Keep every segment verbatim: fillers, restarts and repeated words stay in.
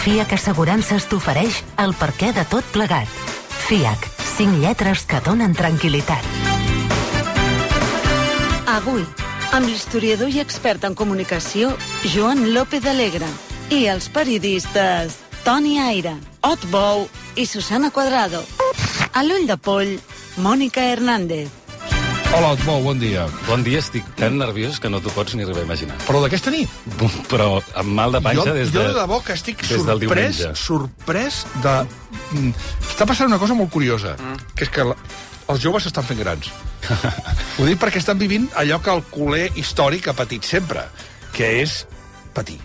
FIAC Assegurances t'ofereix el perquè de tot plegat. FIAC, cinc lletres que donen tranquil·litat. Avui, amb l'historiador i expert en comunicació, Joan López Alegre, i els periodistes Toni Aire, Ot Bou i Susana Cuadrado. A l'ull de poll, Mònica Hernández. Hola, Ot Bou, bon dia. Bon dia, estic tan nerviós que no t'ho pots ni arribar a imaginar. Però d'aquesta nit? Però amb mal de panxa jo, des de... Jo de debò que estic des sorprès, sorprès de... Està passant una cosa molt curiosa, mm. que és que la... els joves s'estan fent grans. Ho dic perquè estan vivint allò que el culer històric ha patit sempre, que és patir.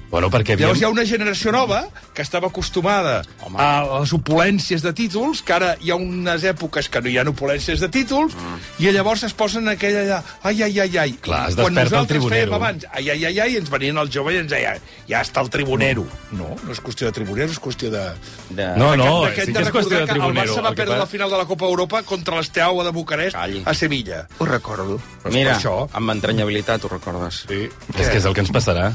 Bueno, perquè havíem... Llavors hi ha una generació nova que estava acostumada Home. a les opulències de títols, que ara hi ha unes èpoques que no hi ha opulències de títols, mm. i llavors es posen aquella allà, ai, ai, ai, ai. Clar, es desperta el tribunero. Quan nosaltres fèiem abans, ai, ai, ai, ai, ens venien el jove i ens deia, ja està el tribunero. No, no és qüestió de tribunero, és qüestió de... de... No, no, de sí que és qüestió de tribunero. El Barça va el perdre pa... la final de la Copa Europa contra l'Esteaua de Bucarest Calli. a Sevilla. Ho recordo. Pues Mira, això... amb entranyabilitat ho recordes. Sí. És que és el que ens passarà.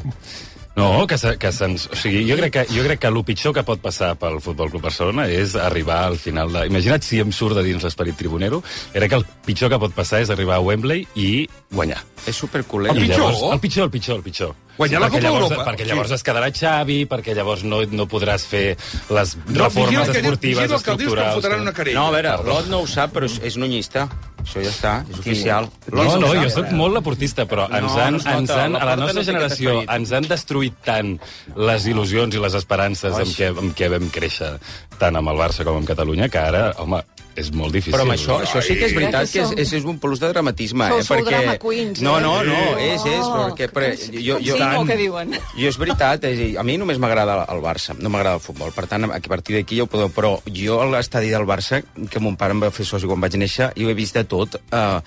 No, que, se, que se'ns... O sigui, jo crec que, jo crec que el pitjor que pot passar pel Futbol Club Barcelona és arribar al final de... Imagina't si em surt de dins l'esperit tribunero. Crec que el pitjor que pot passar és arribar a Wembley i guanyar. És superculent. El pitjor? Llavors, el pitjor, el pitjor, el pitjor. Guanyar la Copa llavors, Europa. Perquè llavors sí. es quedarà Xavi, perquè llavors no, no podràs fer les no, reformes que esportives, diu, estructurals... Que una no, a veure, l'Ot no ho sap, però és, és nunyista. Això ja està, és oficial. No, no, jo sóc molt laportista, però ens han, no, ens han, a la nostra generació ens han destruït tant les il·lusions i les esperances amb què, amb què vam créixer tant amb el Barça com amb Catalunya, que ara, home, és molt difícil. Però amb això, això sí que és veritat que és, és, és un plus de dramatisme. Sou, eh? sou perquè... drama queens, eh? No, no, no, és, és, perquè... perquè jo, jo, sí, no, què diuen? Jo és veritat, és, a mi només m'agrada el Barça, no m'agrada el futbol, per tant, a partir d'aquí ja ho podeu... Però jo a l'estadi del Barça, que mon pare em va fer soci quan vaig néixer, i ho he vist de tot... Eh,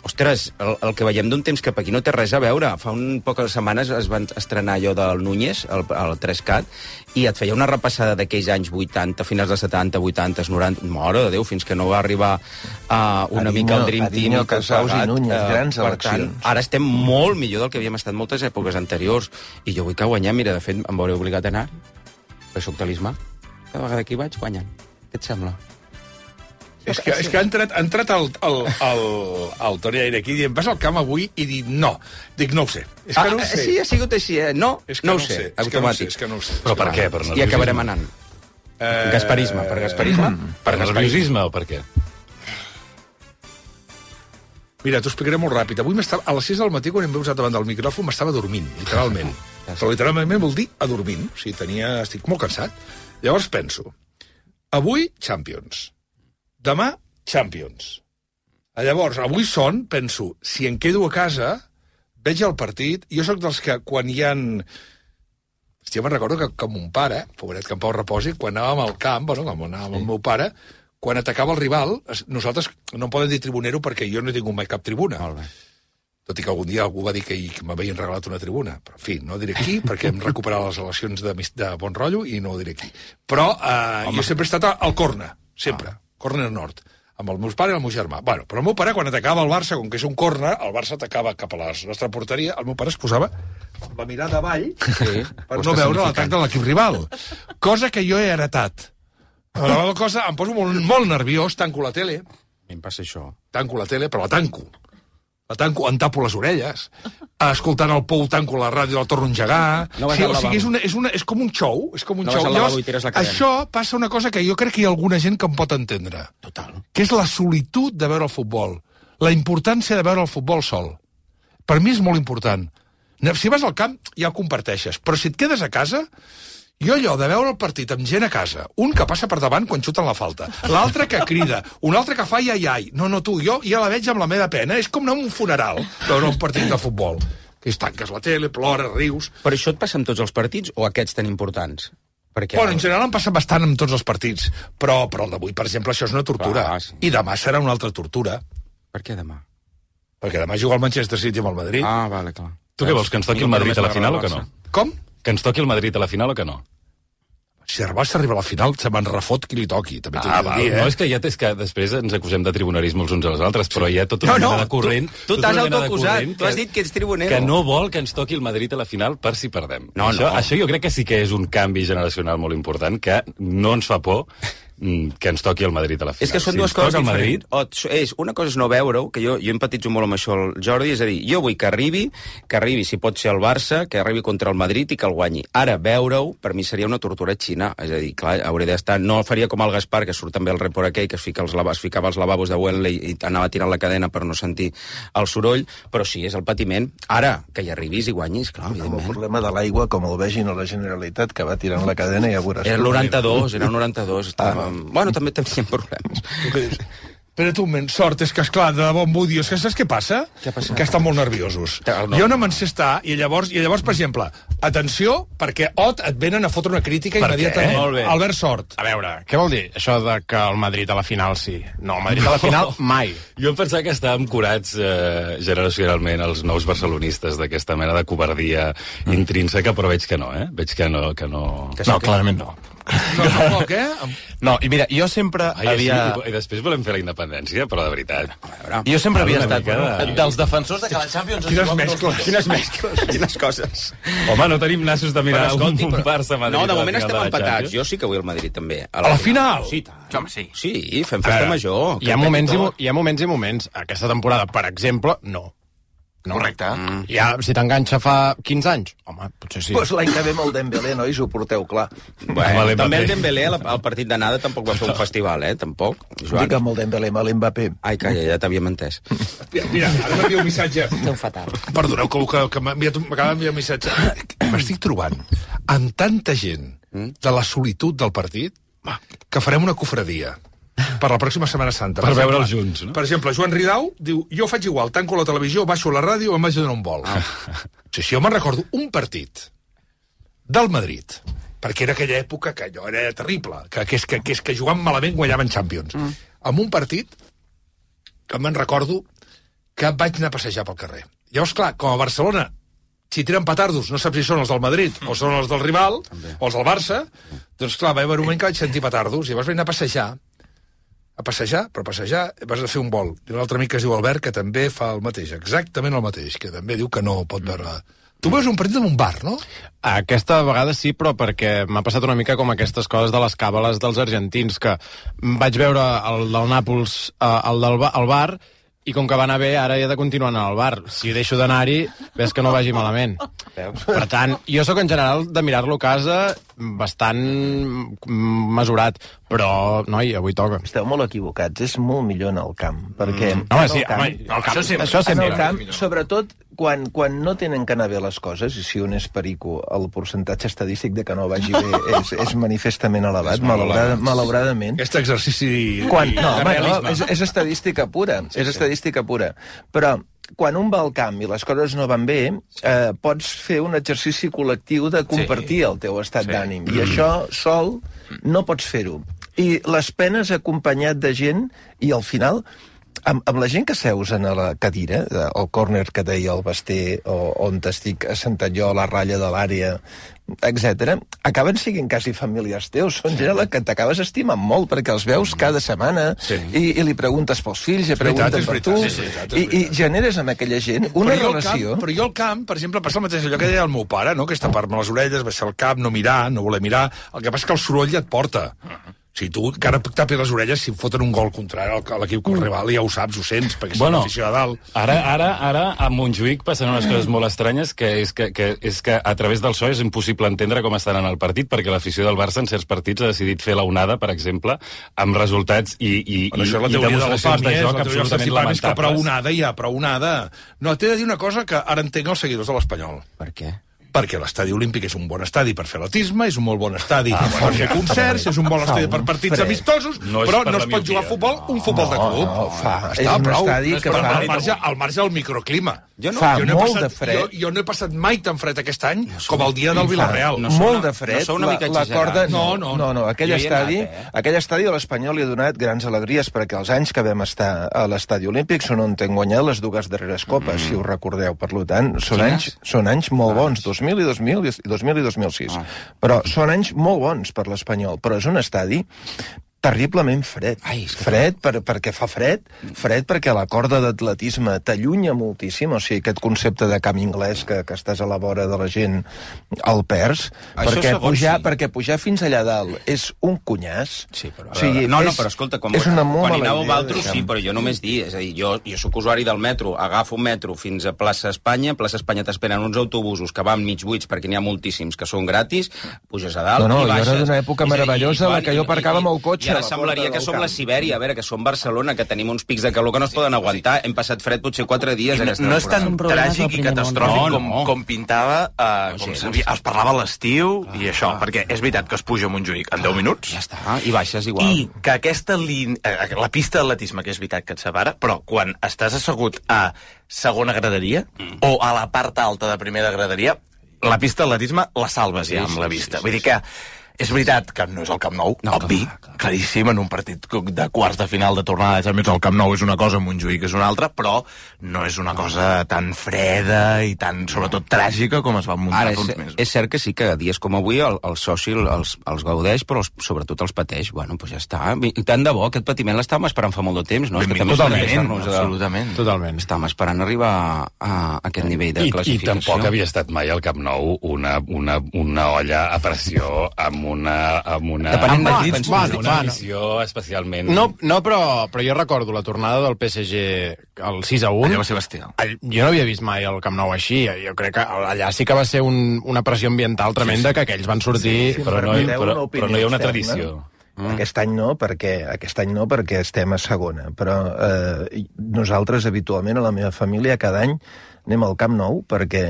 Ostres, el, el que veiem d'un temps cap aquí no té res a veure. Fa un poques setmanes es van estrenar allò del Núñez, el, el tres cat, i et feia una repassada d'aquells anys vuitanta, finals dels setanta, vuitanta, noranta... Mare de Déu, fins que no va arribar uh, una Adinyo, mica el Dream Team. Adinyo, Casaus i Núñez, uh, grans eleccions. Tant, ara estem molt millor del que havíem estat moltes èpoques anteriors. I jo vull que guanyem, mira, de fet, em veuré obligat a anar, perquè soc talismà. Cada vegada que hi vaig, guanyen. Què et sembla? És que, és que ha entrat, ha entrat el, el, el, el Toni Aire aquí dient, vas al camp avui i dic no. Dic, no ho sé. És que ah, no ho sé. Sí, ha sigut així, eh? No, és que no, no ho sé. sé. És que no ho sé, és que no ho sé. Però per què? Per I acabarem anant. Eh... Gasparisme, per gasparisme? Per nerviosisme o per què? Mira, t'ho explicaré molt ràpid. Avui a les sis del matí, quan em veus davant del micròfon, m'estava dormint, literalment. Però literalment vol dir adormint. O sigui, tenia... estic molt cansat. Llavors penso, avui, Champions. Demà, Champions. Llavors, avui són, penso, si em quedo a casa, veig el partit, jo sóc dels que quan hi ha... Hòstia, me'n recordo que, que mon pare, pobret que en Pau reposi, quan anàvem al camp, bueno, quan anàvem amb el meu pare, quan atacava el rival, nosaltres no em poden dir tribunero perquè jo no he tingut mai cap tribuna. Molt bé. Tot i que algun dia algú va dir que, que m'havien regalat una tribuna. Però, en fi, no diré qui, perquè hem recuperat les eleccions de, de bon rotllo i no ho diré qui. Però eh, jo sempre he estat al corna, sempre. Ah. Corner nord, amb el meu pare i el meu germà. Bueno, però el meu pare, quan atacava el Barça, com que és un corner, el Barça atacava cap a la nostra porteria, el meu pare es posava la mirada avall sí, per no veure l'atac de l'equip rival. Cosa que jo he heretat. Però la cosa, em poso molt, molt nerviós, tanco la tele. A mi em passa això. Tanco la tele, però la tanco. La tanco, em tapo les orelles, escoltant el Pou tanco la ràdio, la torno a engegar... No sí, o sigui, és, una, és, una, és com un show, és com un no show. Llavors, això passa una cosa que jo crec que hi ha alguna gent que em pot entendre. Total. Que és la solitud de veure el futbol. La importància de veure el futbol sol. Per mi és molt important. Si vas al camp, ja ho comparteixes. Però si et quedes a casa... Jo allò de veure el partit amb gent a casa, un que passa per davant quan xuten la falta, l'altre que crida, un altre que fa iai-ai. No, no, tu, jo ja la veig amb la meva pena. És com anar a un funeral veure un partit de futbol. Que es tanques la tele, plores, rius... Però això et passa amb tots els partits o aquests tan importants? Perquè bueno, en general em passa bastant amb tots els partits, però, però el d'avui, per exemple, això és una tortura. Ah, sí. I demà serà una altra tortura. Per què demà? Perquè demà juga el Manchester City amb el Madrid. Ah, vale, clar. Tu què vols, que ens toqui el Madrid a la final o que no? Com? Que ens toqui el Madrid a la final o que no? Si el Barça arriba a la final, se me'n refot qui li toqui, també t'ho Ah, he de val, dir, eh? no, és que ja és que després ens acusem de tribunarisme els uns als altres, però hi ha tota una No, no, mena de corrent... tu- tu tota t'has una mena de autoacusat, corrent tu has dit que ets tribunero. Que no vol que ens toqui el Madrid a la final per si perdem. No, això, no. això jo crec que sí que és un canvi generacional molt important, que no ens fa por que ens toqui el Madrid a la final. És que són si dues ens toca coses el Madrid, diferents. O, és, una cosa és no veure-ho, que jo, jo empatitzo molt amb això el Jordi, és a dir, jo vull que arribi, que arribi, si pot ser el Barça, que arribi contra el Madrid i que el guanyi. Ara, veure-ho, per mi seria una tortura xina. És a dir, clar, hauria d'estar... No faria com el Gaspar, que surt també el report aquell, que es, fica els lavabos, es ficava els lavabos de Wembley i anava tirant la cadena per no sentir el soroll, però sí, és el patiment. Ara, que hi arribis i guanyis, clar, Amb el evidentment. problema de l'aigua, com el vegin a la Generalitat, que va tirant la cadena i ja veuràs. Era el noranta-dos, era el noranta-dos. Estava... Ah. Bueno, també teníem problemes. Espera't un moment, sort, és que, esclar, de bon vull dir, és que saps què passa? Què ha passat? Que estan molt nerviosos. No. Jo no me'n sé estar, i llavors, i llavors, per exemple, atenció, perquè Ot et venen a fotre una crítica Per què? immediatament. Molt bé. Albert Sort. A veure, què vol dir això de que el Madrid a la final sí? No, el Madrid a la final mai. jo em pensava que estàvem curats eh, generacionalment els nous barcelonistes d'aquesta mena de covardia intrínseca, però veig que no, eh? Veig que no... Que no... No, clarament no. No, tampoc, eh? No, i mira, jo sempre Ai, havia... sí, i després volem fer la independència, però de veritat. Jo sempre havia Una estat mica de- dels defensors de que la Champions... Quines es mescles. jugui- Quines mescles, quines coses. Home, no tenim nassos de mirar Però, escolti, un però- Barça-Madrid. No, de a la moment final estem de la empatats. Champions. Jo sí que vull el Madrid, també. A la final? Sí, tant. Home, sí. Sí, fem A festa veure, major. Hi ha, que moments i, peti mo- tot. hi ha moments i moments. Aquesta temporada, per exemple, no. No. Correcte. Mm. Ja, si t'enganxa fa quinze anys, home, potser sí. Doncs l'any que ve amb el Dembélé, nois, ho porteu clar. Bueno, Amb també el l'Mbappé. Dembélé al, al partit d'anada tampoc va fer un festival, eh? Tampoc. Joan. Dic amb el Dembélé, amb l'Mbappé. Ai, calla, ja t'havíem entès. Mira, mira, ara m'envia un missatge. Esteu fatal. Perdoneu que, que, que m'ha enviat un- m'acaba d'enviar un missatge. M'estic trobant amb tanta gent de la solitud del partit que farem una cofradia per la pròxima Setmana Santa. Per exemple, veure'ls junts, no? Per exemple, Joan Ridau diu, jo faig igual, tanco la televisió, baixo la ràdio, em vaig a donar un vol. Ah. Sí, sí, jo me'n recordo un partit del Madrid, perquè era aquella època que allò era terrible, que, que, és, que, que és que jugant malament guanyaven Champions. Mm. Amb un partit que me'n recordo que vaig anar a passejar pel carrer. Llavors, clar, com a Barcelona, si tiren petardos, no saps si són els del Madrid o són els del rival, o els del Barça, doncs clar, va haver un moment que vaig sentir petardos, i llavors vaig anar a passejar, a passejar, però a passejar vas a fer un vol. I un altre amic que es diu Albert, que també fa el mateix, exactament el mateix, que també diu que no pot veure... Tu veus un partit en un bar, no? Aquesta vegada sí, però perquè m'ha passat una mica com aquestes coses de les càbales dels argentins, que vaig veure el del Nàpols eh, el del ba al bar, i com que va anar bé, ara he de continuar anant al bar. Si deixo d'anar-hi, ves que no vagi malament. Per tant, jo sóc en general de mirar-lo a casa bastant mesurat, però, noi, avui toca. Esteu molt equivocats, és molt millor en el camp, perquè... Mm. Home, en el sí, camp, home, el camp, això sempre. Això en sempre. el camp, sobretot quan, quan no tenen que anar bé les coses, i si un és perico, el percentatge estadístic de que no vagi bé és, és manifestament elevat, malaurada, malauradament. Aquest exercici... Quan, i- no, de home, no, realisme. és, és estadística pura, sí, és estadística pura. Però quan un va al camp i les coses no van bé, eh, pots fer un exercici col·lectiu de compartir sí. el teu estat sí. d'ànim. I això sol no pots fer-ho. I les penes acompanyat de gent, i al final, amb, amb la gent que seus en la cadira, el córner que deia el Basté, o on estic assentat jo a la ratlla de l'àrea, etcètera, acaben siguent quasi familiars teus. Són gent a la que t'acabes estimant molt, perquè els veus cada setmana sí. i, i li preguntes pels fills, i pregunten per tu, sí, sí, veritat, i, i generes amb aquella gent una però relació... Camp, però jo al camp, per exemple, passa el mateix allò que deia el meu pare, no? Que és tapar-me les orelles, baixar el cap, no mirar, no voler mirar. El que passa és que el soroll ja et porta. Si tu encara tapis les orelles, si em foten un gol contrari a l'equip rival, ja ho saps, ho sents, perquè Bueno, és l'afició de dalt. Ara, ara, ara a Montjuïc passen unes coses molt estranyes, que és que, que, és que a través del so és impossible entendre com estan en el partit, perquè l'afició del Barça en certs partits ha decidit fer la onada, per exemple, amb resultats i, i, Bueno, això és la i teoria del demostracions de Pàmies, joc la teoria del absolutament Cestipàmies, que prou lamentables. onada hi ha, prou onada. No, t'he de dir una cosa que ara entenc els seguidors de l'Espanyol. Per què? Perquè l'estadi olímpic és un bon estadi per fer atletisme, és un molt bon estadi ah, per fer concerts, és un bon estadi per partits Fred. amistosos, No és però per no la es pot jugar a miopia. futbol, un futbol de club. no, fa. És Està un prou. estadi que Però fa- al marge, al marge del microclima. Jo no- Fa jo no he molt passat, de fred. Jo, jo no he passat mai tan fred aquest any com el dia del Villarreal. No No sou molt una- de fred, no sou una la, mica la corda... exagerats. No, No, no. no, no, aquell Jo hi he estadi, anat, eh? aquell estadi a l'Espanyol li ha donat grans alegries, perquè els anys que vam estar a l'estadi olímpic són on hem guanyat les dues darreres copes, mm. si us recordeu. Per tant, són Quines? anys, són anys molt bons, dos mil i dos mil, i dos mil i dos mil sis. Ah. Però són anys molt bons per l'Espanyol, però és un estadi terriblement fred. Ai, que... Fred per, perquè fa fred, fred perquè la corda d'atletisme t'allunya moltíssim, o sigui, aquest concepte de camp anglès que, que estàs a la vora de la gent el perds, Això perquè segons, pujar, sí. perquè pujar fins allà dalt és un cunyàs. Sí, però... O sigui, no, no, és, però escolta, quan, és una quan hi mala anàveu idea, altres, deixem. sí, però jo només dir, és a dir, jo, jo sóc usuari del metro, agafo un metro fins a plaça Espanya, plaça Espanya t'esperen uns autobusos que van mig buits perquè n'hi ha moltíssims que són gratis, puges a dalt no, no, i baixes. No, no, jo era d'una època meravellosa la que jo aparcava amb el cotxe. I ara semblaria que som la Sibèria, a veure, que som Barcelona, que tenim uns pics de calor que no es poden aguantar. Hem passat fred potser quatre dies no, aquesta no és tan tràgic i catastròfic no, com, no. com pintava, eh, com sabia, es parlava a l'estiu ah, i això, ah, perquè és veritat que es puja a Montjuïc en deu minuts. Ja està, i baixes igual. I que aquesta línia, eh, la pista d'atletisme, que és veritat que et separa, però quan estàs assegut a segona graderia mm. o a la part alta de primera graderia, la pista d'atletisme la salves ja sí, amb la vista. Sí, sí, Vull sí, dir que és veritat que no és el Camp Nou, no, obvi, clar, clar. claríssim, en un partit de quarts de final de tornada de Champions, el Camp Nou és una cosa, Montjuïc és una altra, però no és una cosa tan freda i tan, sobretot, tràgica com es va muntar Ara, fa uns és, mesos. És cert que sí que a dies com avui el, el soci els, els gaudeix, però els, sobretot els pateix. Bueno, doncs ja està. I tant de bo, aquest patiment l'estàvem esperant fa molt de temps, no? Benvingut, totalment, absolutament. Totalment. Estàvem esperant arribar a, a aquest nivell de I, classificació. I tampoc havia estat mai al Camp Nou una, una, una olla a pressió amb una... amb una... Depenent de Ah, qui, bueno, bueno, una bueno. missió especialment... No, no però, però jo recordo la tornada del P S G al sis a un. Allò va ser bestial. Jo no havia vist mai el Camp Nou així. Jo crec que allà sí que va ser un, una pressió ambiental tremenda, sí, sí. que aquells van sortir... Sí, sí, però, no, permeteu però, una però no hi ha una opinió tradició. externa. Mm. Aquest any no, perquè aquest any no perquè estem a segona, però eh, nosaltres habitualment a la meva família cada any anem al Camp Nou perquè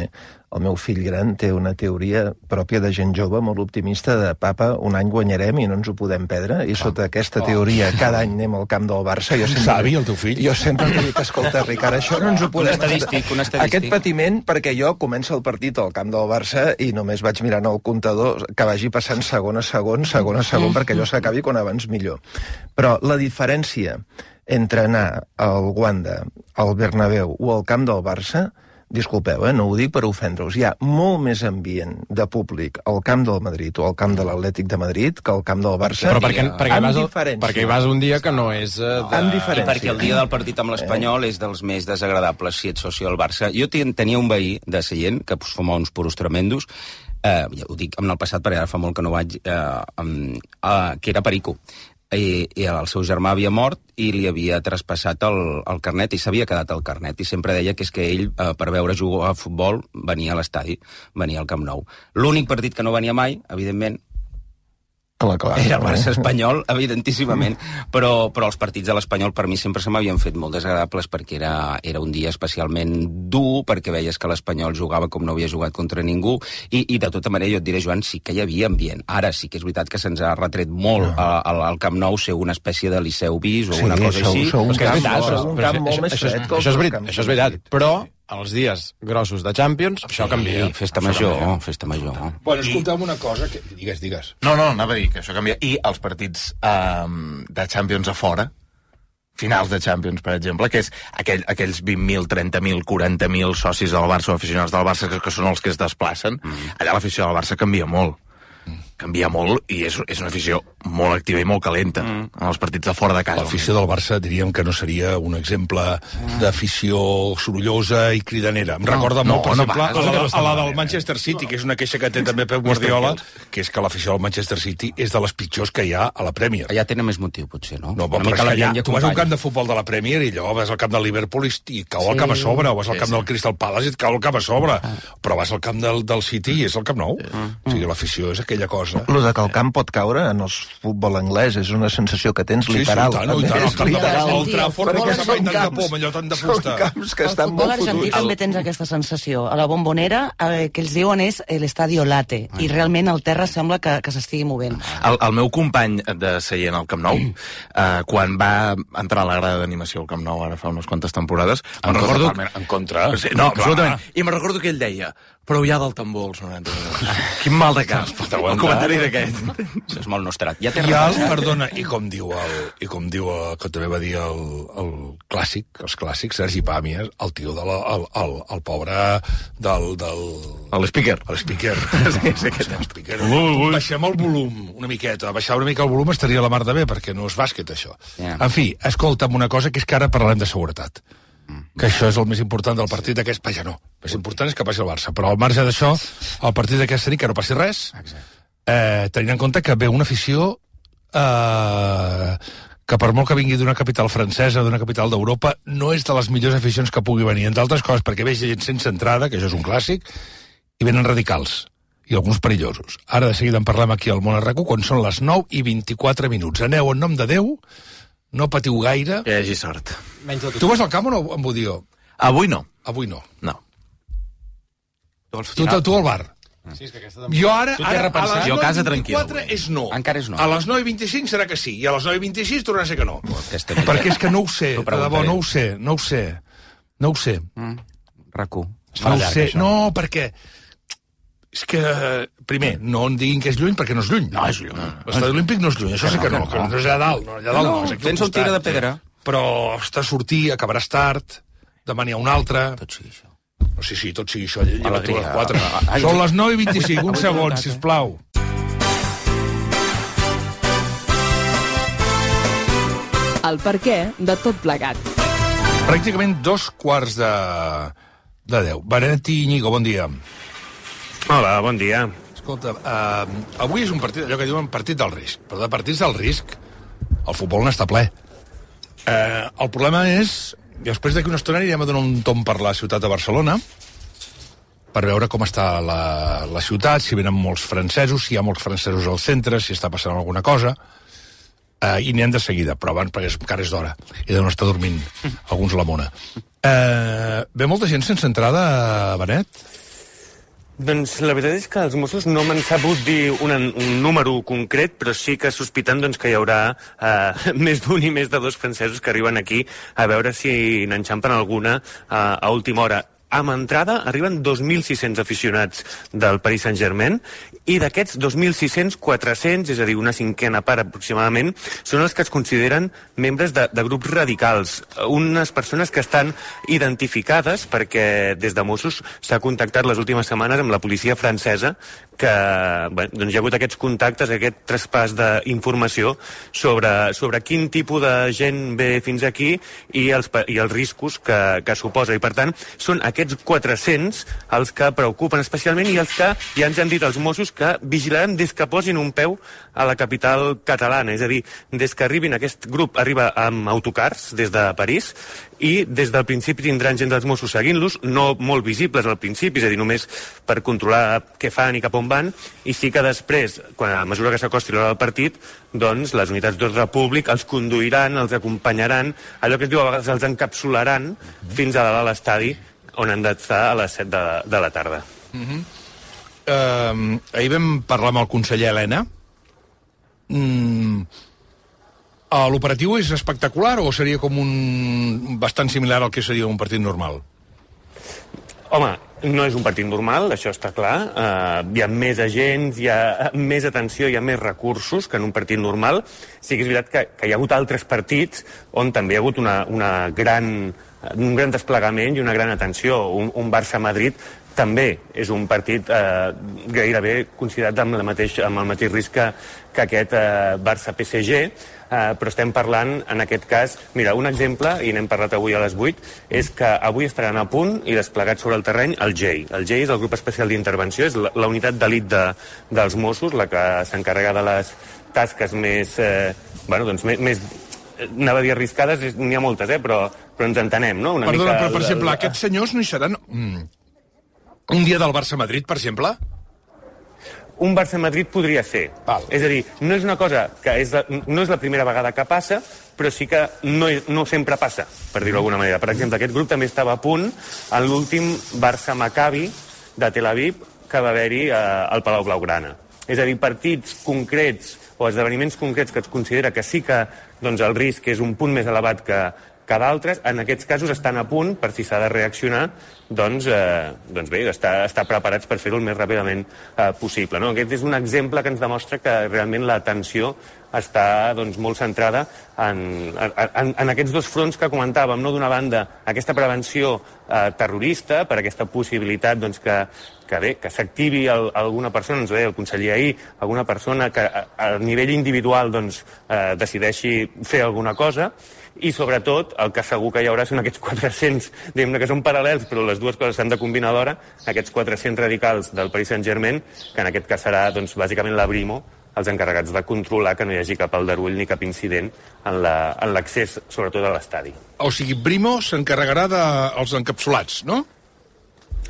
el meu fill gran té una teoria pròpia de gent jove molt optimista de papa, un any guanyarem i no ens ho podem perdre, i sota aquesta teoria cada any anem al camp del Barça. Jo sempre, Savi, el teu fill? Jo sempre em dic, escolta, Ricard, això no ens ho podem... Un estadístic, un estadístic. Aquest patiment, perquè jo començo el partit al camp del Barça i només vaig mirant el comptador que vagi passant segon a segon, segon a segon, perquè allò s'acabi quan abans millor. Però la diferència entre anar al Wanda, al Bernabéu o al camp del Barça, disculpeu, eh, no ho dic per ofendre-us, hi ha molt més ambient de públic al camp del Madrid o al camp de l'Atlètic de Madrid que al camp del Barça. Però perquè, perquè, amb vas, diferència. perquè hi vas un dia que no és... Uh, de... Amb I diferència. perquè el dia del partit amb l'Espanyol és dels més desagradables si ets soci del Barça. Jo tenia un veí de Sallent que fumava uns puros tremendos, eh, ja ho dic en el passat perquè ara fa molt que no vaig, eh, eh, que era perico. I, i el seu germà havia mort i li havia traspassat el, el carnet i s'havia quedat el carnet i sempre deia que és que ell eh, per veure jugar a futbol venia a l'estadi, venia al Camp Nou. L'únic partit que no venia mai, evidentment, Clar, clar, era el clar. Barça espanyol, evidentíssimament, però, però els partits de l'Espanyol per mi sempre se m'havien fet molt desagradables perquè era, era un dia especialment dur, perquè veies que l'Espanyol jugava com no havia jugat contra ningú, i, i de tota manera jo et diré, Joan, sí que hi havia ambient. Ara sí que és veritat que se'ns ha retret molt no. al, al Camp Nou ser una espècie de Liceu bis o Sí, una cosa sou- així. sou un És que és camp, veritat, sou però, un però camp molt això, més això, fred que això, és els veritat, camps això és veritat, però els dies grossos de Champions, això canvia. Sí, festa major, festa major. Bueno, escolta'm una cosa, que... digues, digues. No, no, anava a dir que això canvia. I els partits eh, de Champions a fora, finals de Champions, per exemple, que és aquell, aquells vint mil, trenta mil, quaranta mil socis del Barça o aficionats del Barça que, que són els que es desplacen, mm. allà l'afició del Barça canvia molt. Canvia molt i és, és una afició molt activa i molt calenta mm. en els partits de fora de casa. L'afició del Barça diríem que no seria un exemple d'afició sorollosa i cridanera. Em recorda no, molt, per no, exemple, va, a la, no, a la del Manchester City, que és una queixa que té també Pep Guardiola, que és que l'afició del Manchester City és de les pitjors que hi ha a la Premier. Allà tenen més motiu, potser, no? No, però és que allà, tu vas a un camp de futbol de la Premier i allò vas al camp del Liverpool i, i cau el Sí. camp a sobre, o vas al Sí, camp sí. del Crystal Palace i et cau el camp a sobre, però vas al camp del, del City i és el Camp Nou. O sigui, l'afició és aquella cosa. Lo de que el camp pot caure en el futbol anglès és una sensació que tens literal. Sí, sí, i tant, i tant, el És camp de literal. el Trafford no Perquè que són tant de camps- por, amb allò tant de Són fusta. camps que Al estan futbol molt argentí fotuts. també tens aquesta sensació. A la Bombonera, eh, que ells diuen és l'estadio late, i realment el terra sembla que, que s'estigui movent. El, el meu company de seient al Camp Nou, eh, quan va entrar a la grada d'animació al Camp Nou, ara fa unes quantes temporades, En me'n recordo... contra, en contra. Sí, no, Clar. absolutament. I me'n recordo que ell deia, Prou ja del tambor, els noranta minuts. Quin mal de cap. El comentari d'aquest. Això és molt nostrat. Ja té I el, perdona, i com diu el, i com diu el, que també va dir el, el clàssic, els clàssics, Sergi Pàmies, el tio de la, el, el, el pobre del... del... L'speaker. L'speaker. Sí, sí, l'speaker. Baixem el volum una miqueta. Baixar una mica el volum estaria a la mar de bé, perquè no és bàsquet, això. Yeah. En fi, escolta'm una cosa, que és que ara parlem de seguretat. Que això és el més important del partit d'aquest... Vaja, no. El més important és que passi el Barça. Però al marge d'això, el partit d'aquesta nit, que no passi res, eh, tenint en compte que ve una afició eh, que per molt que vingui d'una capital francesa, d'una capital d'Europa, no és de les millors aficions que pugui venir. Entre altres coses, perquè ve gent sense entrada, que això és un clàssic, i venen radicals. I alguns perillosos. Ara de seguida en parlem aquí al Món Arracú, quan són les nou i vint-i-quatre minuts. Aneu en nom de Déu, no patiu gaire. Que hi hagi sort. Tu vas al camp o no, en Budió? Avui no. Avui no. No. Tu, tu, tu al bar? Sí, és que aquesta... Jo ara, ara a les Jo a casa nou i vint-i-quatre és no. Encara és no. A les nou i vint-i-cinc serà que sí. I a les nou i vint-i-sis tornarà a ser que no. Aquesta... Perquè és que no ho sé, de debò, no ho sé, no ho sé. No ho sé. Mm. RAC1. No ho sé. No, perquè... És que, primer, no em diguin que és lluny, perquè no és lluny. No, és lluny. L'estadi olímpic no és lluny, això sí que no, que no és allà dalt, no, allà dalt no. No, tens el tira de pedra. Però està a sortir, acabaràs tard, demà n'hi ha un altre... Tot sigui això. No, sí, sí, tot sigui això, lleva tu les Alegria. quatre. Ai, Són les nou i vint-i-cinc, un segon, sisplau. El perquè de tot plegat. Pràcticament dos quarts de, de deu. Benet i Íñigo, bon dia. Hola, bon dia. Escolta, uh, avui és un partit, allò que diuen partit del risc. Però de partits del risc, el futbol n'està ple. Uh, el problema és, després d'aquí una estona anirem a donar un tom per la ciutat de Barcelona, per veure com està la, la ciutat, si venen molts francesos, si hi ha molts francesos al centre, si està passant alguna cosa, uh, i n'hi han de seguida, però abans perquè és, encara és d'hora, i deuen estar dormint alguns a la mona. Uh, ve molta gent sense entrada, Benet? Doncs la veritat és que els Mossos no m'han sabut dir un, un número concret, però sí que sospitant doncs, que hi haurà eh, més d'un i més de dos francesos que arriben aquí a veure si n'enxampen alguna eh, a última hora. Amb entrada arriben dos mil sis-cents aficionats del Paris Saint-Germain i d'aquests dos mil sis-cents, quatre-cents, és a dir, una cinquena part aproximadament, són els que es consideren membres de, de grups radicals. Unes persones que estan identificades perquè des de Mossos s'ha contactat les últimes setmanes amb la policia francesa que bé, doncs hi ha hagut aquests contactes, aquest traspàs d'informació sobre, sobre quin tipus de gent ve fins aquí i els, i els riscos que, que suposa. I per tant, són aquests quatre-cents els que preocupen especialment i els que ja ens han dit els Mossos que vigilaran des que posin un peu a la capital catalana. És a dir, des que arribin, aquest grup arriba amb autocars des de París i des del principi tindran gent dels Mossos seguint-los, no molt visibles al principi, és a dir, només per controlar què fan i cap on van, i sí que després, quan a mesura que s'acosti l'hora del partit, doncs les unitats d'ordre públic els conduiran, els acompanyaran, allò que es diu a vegades els encapsularan fins a dalt a l'estadi on han d'estar a les set de, de la tarda. Uh-huh. uh, ahir vam parlar amb el conseller Elena. Mm, uh, l'operatiu és espectacular o seria com un bastant similar al que seria un partit normal? Home, no és un partit normal, això està clar. Uh, hi ha més agents, hi ha més atenció, hi ha més recursos que en un partit normal. Sí que és veritat que, que hi ha hagut altres partits on també hi ha hagut una, una gran, un gran desplegament i una gran atenció. Un, un Barça-Madrid també és un partit eh, gairebé considerat amb, la mateix, amb el mateix risc que, que aquest eh, Barça-P S G, eh, però estem parlant, en aquest cas, mira, un exemple, i n'hem parlat avui a les vuit, és que avui estaran a punt i desplegats sobre el terreny el G E I. El G E I és el grup especial d'intervenció, és la, la unitat d'elit de, dels Mossos, la que s'encarrega de les tasques més, eh, bueno, doncs, més, més anava a dir arriscades, n'hi ha moltes, eh, però, però ens entenem, no? Una Perdona, mica, però, per exemple, el... aquests senyors no hi seran... Mm. Un dia del Barça-Madrid, per exemple? Un Barça-Madrid podria ser. Val. És a dir, no és una cosa que és la, no és la primera vegada que passa, però sí que no, no sempre passa, per dir-ho d'alguna manera. Per exemple, aquest grup també estava a punt en l'últim Barça-Maccabi de Tel Aviv que va haver-hi eh, al Palau Blaugrana. És a dir, partits concrets o esdeveniments concrets que es considera que sí que doncs, el risc és un punt més elevat que, que d'altres, en aquests casos estan a punt, per si s'ha de reaccionar, doncs, eh, doncs bé, estar, estar preparats per fer-ho el més ràpidament eh, possible. No? Aquest és un exemple que ens demostra que realment l'atenció està doncs, molt centrada en, en, en aquests dos fronts que comentàvem. No? D'una banda, aquesta prevenció eh, terrorista, per aquesta possibilitat doncs, que, que, bé, que s'activi alguna persona, ens ho deia el conseller ahir, alguna persona que a, a nivell individual doncs, eh, decideixi fer alguna cosa, i sobretot el que segur que hi haurà són aquests quatre-cents, diguem-ne que són paral·lels, però les dues coses s'han de combinar alhora, aquests quatre-cents radicals del Paris Saint-Germain, que en aquest cas serà doncs, bàsicament la Brimo, els encarregats de controlar que no hi hagi cap aldarull ni cap incident en l'accés, la, sobretot a l'estadi. O sigui, Brimo s'encarregarà dels encapsulats, no?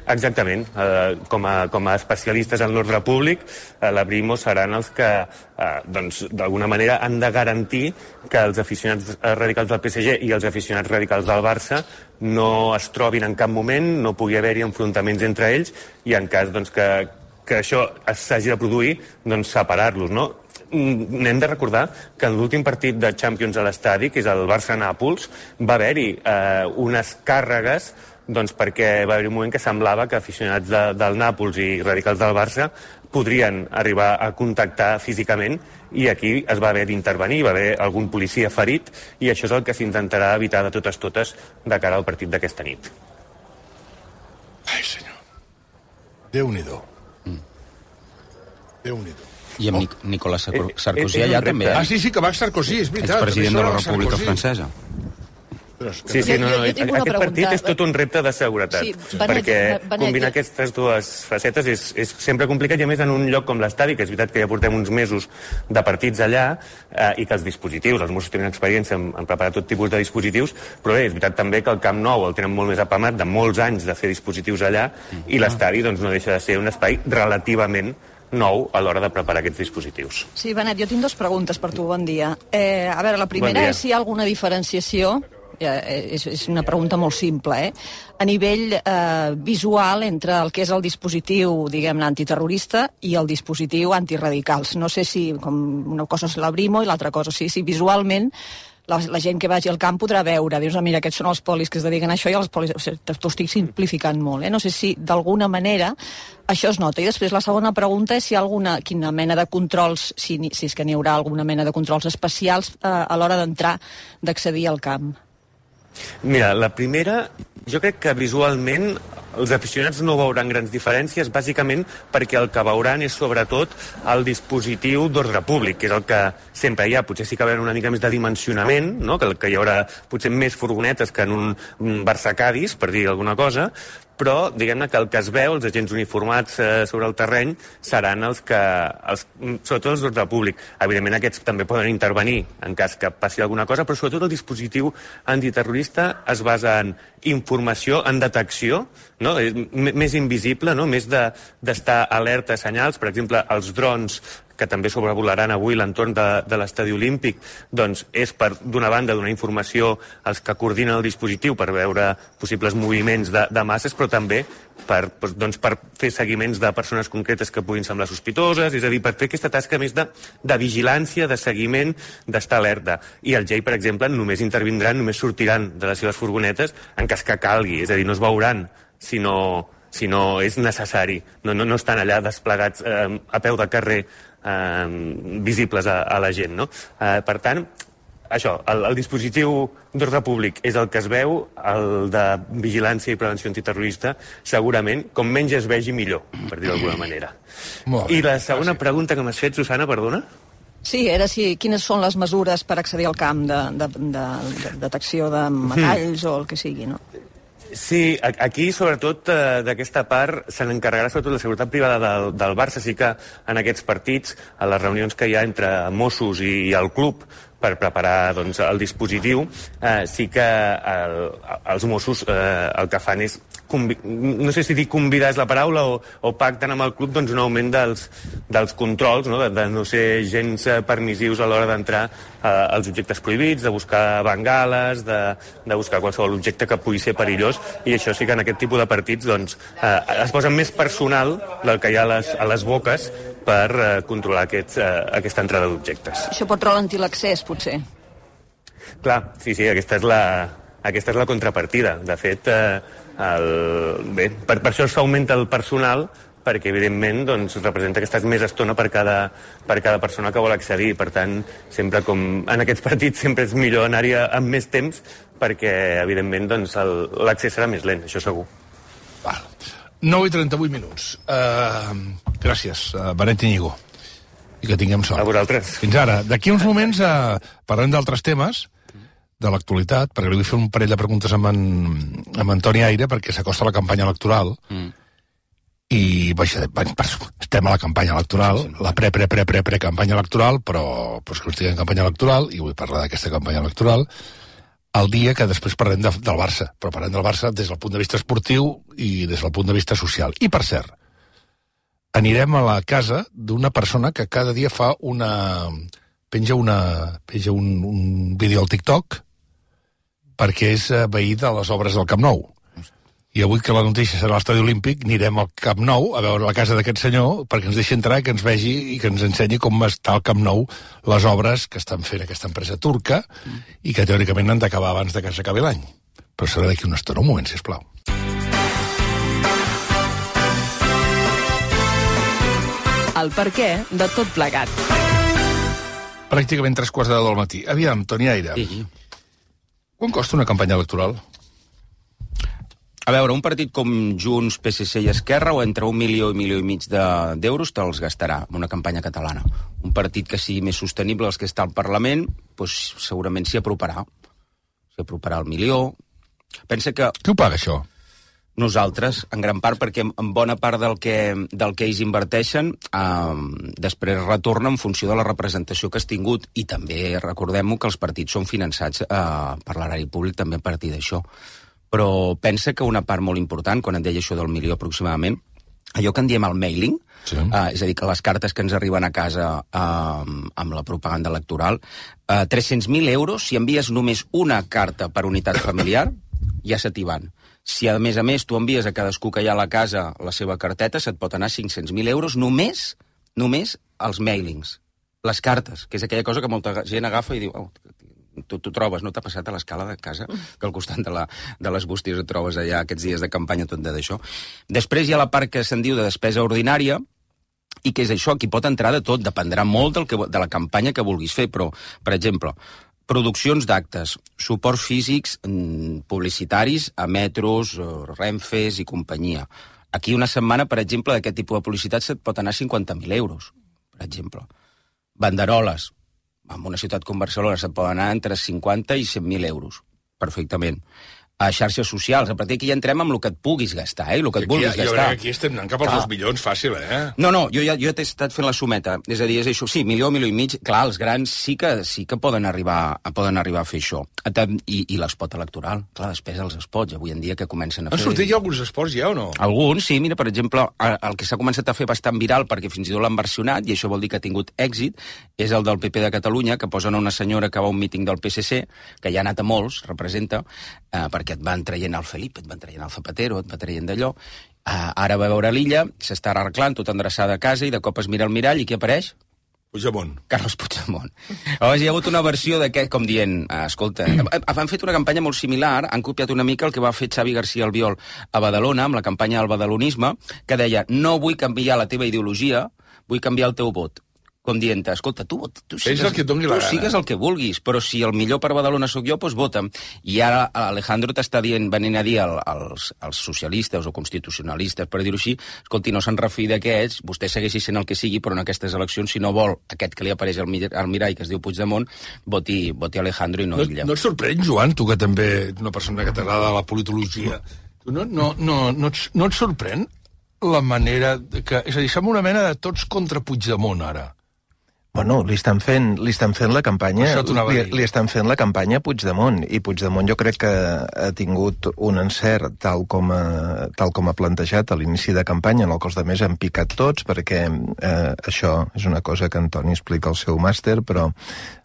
Exactament. Eh, com, a, com a especialistes en l'ordre públic, eh, la Brimo seran els que, eh, doncs, d'alguna manera, han de garantir que els aficionats radicals del P S G i els aficionats radicals del Barça no es trobin en cap moment, no pugui haver-hi enfrontaments entre ells, i en cas doncs, que, que això s'hagi de produir, doncs separar-los, no? N'hem de recordar que en l'últim partit de Champions a l'estadi, que és el Barça-Nàpols, va haver-hi eh, unes càrregues doncs perquè va haver un moment que semblava que aficionats de, del Nàpols i radicals del Barça podrien arribar a contactar físicament, i aquí es va haver d'intervenir, va haver algun policia ferit, i això és el que s'intentarà evitar de totes totes de cara al partit d'aquesta nit. Ai, senyor. Déu-n'hi-do. Mm. Déu-n'hi-do. I amb Nic Nicolas Sarkozy allà també, eh? Ah, sí, sí, que va Sarkozy, és veritat. Expresident de la República Francesa. Sí, sí, no, no, aquest pregunta. Partit és tot un repte de seguretat, sí, Benet, perquè Benet, combinar aquestes dues facetes és, és sempre complicat, i a més en un lloc com l'estadi, que és veritat que ja portem uns mesos de partits allà, eh, i que els dispositius, els Mossos tenen experiència en, en preparar tot tipus de dispositius, però bé, és veritat també que el Camp Nou el tenen molt més apamat, de molts anys de fer dispositius allà, i l'estadi doncs, no deixa de ser un espai relativament nou a l'hora de preparar aquests dispositius. Sí, Benet, jo tinc dues preguntes per tu, bon dia. Eh, a veure, la primera bon és si hi ha alguna diferenciació, eh, és, és una pregunta molt simple, eh? a nivell eh, visual entre el que és el dispositiu, diguem-ne, antiterrorista i el dispositiu antiradicals. No sé si, com una cosa és la Brimo i l'altra cosa, sí, si visualment la, la gent que vagi al camp podrà veure, dius, mira, aquests són els polis que es dediquen a això, i els polis, o sigui, t'ho estic simplificant molt, eh? No sé si d'alguna manera això es nota. I després la segona pregunta és si hi ha alguna, quina mena de controls, si, si és que n'hi haurà alguna mena de controls especials eh, a l'hora d'entrar, d'accedir al camp. Mira, la primera, jo crec que visualment els aficionats no veuran grans diferències, bàsicament perquè el que veuran és sobretot el dispositiu d'ordre públic, que és el que sempre hi ha. Potser sí que hi haurà una mica més de dimensionament, no? que, que hi haurà potser més furgonetes que en un, un Barça-Cadis, per dir alguna cosa, però diguem-ne que el que es veu, els agents uniformats eh, sobre el terreny, seran els que, els, sobretot els d'ordre públic. Evidentment aquests també poden intervenir en cas que passi alguna cosa, però sobretot el dispositiu antiterrorista es basa en informació, en detecció, no? Més invisible, no? Més d'estar de, alerta a senyals, per exemple, els drons que també sobrevolaran avui l'entorn de, de l'estadi olímpic, doncs és per, d'una banda, donar informació als que coordinen el dispositiu per veure possibles moviments de, de masses, però també per, doncs, per fer seguiments de persones concretes que puguin semblar sospitoses, és a dir, per fer aquesta tasca més de, de vigilància, de seguiment, d'estar alerta. I el G E I, per exemple, només intervindran, només sortiran de les seves furgonetes en cas que calgui, és a dir, no es veuran, sinó, si no és necessari. No, no, no estan allà desplegats eh, a peu de carrer eh, visibles a, a la gent, no? Eh, per tant, això, el, el dispositiu d'ordre públic és el que es veu, el de vigilància i prevenció antiterrorista, segurament, com menys es vegi millor, per dir-ho d'alguna manera. I la segona pregunta que m'has fet, Susana, perdona? Sí, era si quines són les mesures per accedir al camp de, de, de, de detecció de metalls o el que sigui, no? Sí, aquí, sobretot, eh, d'aquesta part, se n'encarregarà sobretot la seguretat privada del, del Barça. Sí que en aquests partits, a les reunions que hi ha entre Mossos i, i el club per preparar doncs, el dispositiu, eh, sí que el, els Mossos eh, el que fan és, no sé si dir convidar és la paraula, o, o pacten amb el club doncs, un augment dels, dels controls, no? De, de no ser gens permissius a l'hora d'entrar eh, als objectes prohibits, de buscar bengales, de, de buscar qualsevol objecte que pugui ser perillós, i això sí que en aquest tipus de partits doncs, eh, es posa més personal del que hi ha a les, a les boques per eh, controlar aquest, eh, aquesta entrada d'objectes. Això pot ralentir l'accés, potser? Clar, sí, sí, aquesta és la, aquesta és la contrapartida. De fet, eh, el, bé, per, per això s'augmenta el personal, perquè, evidentment, doncs, representa que estàs més estona per cada, per cada persona que vol accedir. Per tant, sempre com en aquests partits, sempre és millor anar-hi amb més temps, perquè, evidentment, doncs, l'accés serà més lent, això segur. Val. nou i trenta-vuit minuts. Uh, gràcies, uh, Benet Iñigo. I que tinguem sort. A vosaltres. Fins ara. D'aquí uns moments uh, parlem d'altres temes, de l'actualitat, perquè li vull fer un parell de preguntes amb en, amb en Toni Aire, perquè s'acosta la campanya electoral. Mm. I vaja, estem a la campanya electoral, la pre-pre-pre-pre-pre-campanya electoral, però, però és que estic en campanya electoral, i vull parlar d'aquesta campanya electoral, el dia que després parlem de, del Barça, però parlem del Barça des del punt de vista esportiu i des del punt de vista social. I, per cert, anirem a la casa d'una persona que cada dia fa una... penja, una, penja un, un vídeo al TikTok perquè és veí de les obres del Camp Nou. I avui que la notícia serà a l'Estadi Olímpic, anirem al Camp Nou a veure la casa d'aquest senyor perquè ens deixi entrar, que ens vegi i que ens ensenyi com està al Camp Nou les obres que estan fent aquesta empresa turca i que teòricament han d'acabar abans de que s'acabi l'any. Però serà d'aquí una estona. Un moment, sisplau. El perquè de tot plegat. Pràcticament tres quarts de deu del matí. Aviam, Toni Aire. Sí. Quan costa una campanya electoral? A veure, un partit com Junts, P S C i Esquerra, o entre un milió i milió i mig d'euros te'ls gastarà en una campanya catalana. Un partit que sigui més sostenible als que està al Parlament, doncs segurament s'hi aproparà. S'hi aproparà al milió. Pensa que... Qui ho paga, això? Nosaltres, en gran part, perquè en bona part del que, del que ells inverteixen eh, després retorna en funció de la representació que has tingut, i també recordem-ho que els partits són finançats eh, per l'erari públic també a partir d'això. Però pensa que una part molt important, quan et deia això del milió aproximadament, allò que en diem el mailing, sí. eh, és a dir, que les cartes que ens arriben a casa eh, amb la propaganda electoral, eh, tres-cents mil euros, si envies només una carta per unitat familiar, ja se t'hi van. Si, a més a més, tu envies a cadascú que hi ha a la casa la seva carteta, se't pot anar cinc-cents mil euros només, només els mailings, les cartes, que és aquella cosa que molta gent agafa i diu... Oh, tu, tu trobes, no t'ha passat a l'escala de casa, que al costat de, la, de les bústies et trobes allà aquests dies de campanya tot d'això. Després hi ha la part que se'n diu de despesa ordinària, i que és això, aquí pot entrar de tot, dependrà molt del que, de la campanya que vulguis fer, però, per exemple, produccions d'actes, suports físics publicitaris a metros, Renfes i companyia. Aquí una setmana, per exemple, d'aquest tipus de publicitat se't pot anar cinquanta mil euros, per exemple. Banderoles, en una ciutat com Barcelona se't poden anar entre cinquanta i cent mil euros, perfectament. A xarxes socials, a partir d'aquí ja entrem amb el que et puguis gastar, eh? El que et vulguis aquí, gastar. Jo crec que aquí estem anant cap als dos milions, fàcil, eh? No, no, jo ja jo t'he estat fent la sumeta. És a dir, és això, sí, milió, milió i mig. Clar, els grans sí que sí que poden arribar, poden arribar a fer això. I, i l'espot electoral. Clar, després els spots, avui en dia que comencen a fer... Han sortit ja alguns esports ja o no? Alguns, sí. Mira, per exemple, el que s'ha començat a fer bastant viral, perquè fins i tot l'han versionat, i això vol dir que ha tingut èxit, és el del P P de Catalunya, que posen una senyora que va a un míting del P S C, que ja ha anat a molts, representa, eh, perquè et van traient el Felip, et van traient el Zapatero, et va traient d'allò. Uh, ara va veure l'illa, s'està arreglant, tot endreçada a casa, i de cop es mira al mirall, i qui apareix? Puigdemont. Carles Puigdemont. Llavors hi ha hagut una versió d'aquest, com dient, uh, escolta, han fet una campanya molt similar, han copiat una mica el que va fer Xavi García Albiol a Badalona, amb la campanya del badalonisme, que deia, no vull canviar la teva ideologia, vull canviar el teu vot. Com dient, escolta, tu, tu, sigues, el que tu sigues el que vulguis, però si el millor per Badalona sóc jo, doncs vota'm. I ara Alejandro t'està dient, venint a dir als, als socialistes o constitucionalistes, per dir-ho així, escolti, no se'n refi d'aquests, vostè segueixi sent el que sigui, però en aquestes eleccions, si no vol aquest que li apareix al, al mirall, que es diu Puigdemont, voti, voti Alejandro i no, no ella. No et sorprèn, Joan, tu que també ets una persona que t'agrada la politologia, no, no, no, no, et, no et sorprèn la manera que... És a dir, som una mena de tots contra Puigdemont, ara. Bueno, li estan fent, li estan fent la campanya, li, li estan fent la campanya a Puigdemont, i Puigdemont jo crec que ha tingut un encert tal com a, tal com ha plantejat a l'inici de campanya, en el que els altres han picat tots, perquè eh, això és una cosa que Antoni explica al seu màster, però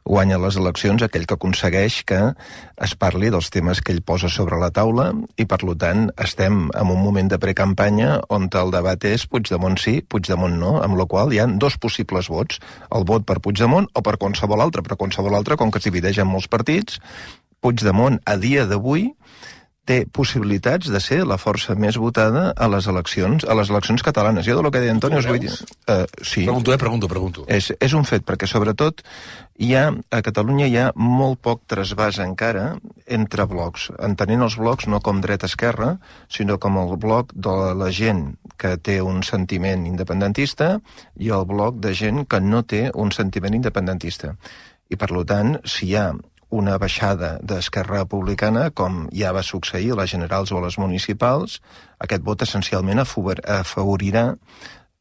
guanya les eleccions aquell que aconsegueix que es parli dels temes que ell posa sobre la taula, i per tant estem en un moment de precampanya on el debat és Puigdemont sí, Puigdemont no, amb la qual hi ha dos possibles vots, el vot per Puigdemont o per qualsevol altre, però qualsevol altre, com que es divideix en molts partits, Puigdemont, a dia d'avui, té possibilitats de ser la força més votada a les eleccions a les eleccions catalanes. Jo del que deia Antonio us vull dir... Uh, sí. Pregunto, eh? Pregunto, pregunto. És, és un fet, perquè sobretot hi ha, a Catalunya hi ha molt poc trasbàs encara entre blocs, entenent els blocs no com dreta-esquerra, sinó com el bloc de la gent que té un sentiment independentista i el bloc de gent que no té un sentiment independentista. I, per tant, si hi ha una baixada d'Esquerra Republicana, com ja va succeir a les generals o a les municipals, aquest vot essencialment afavorirà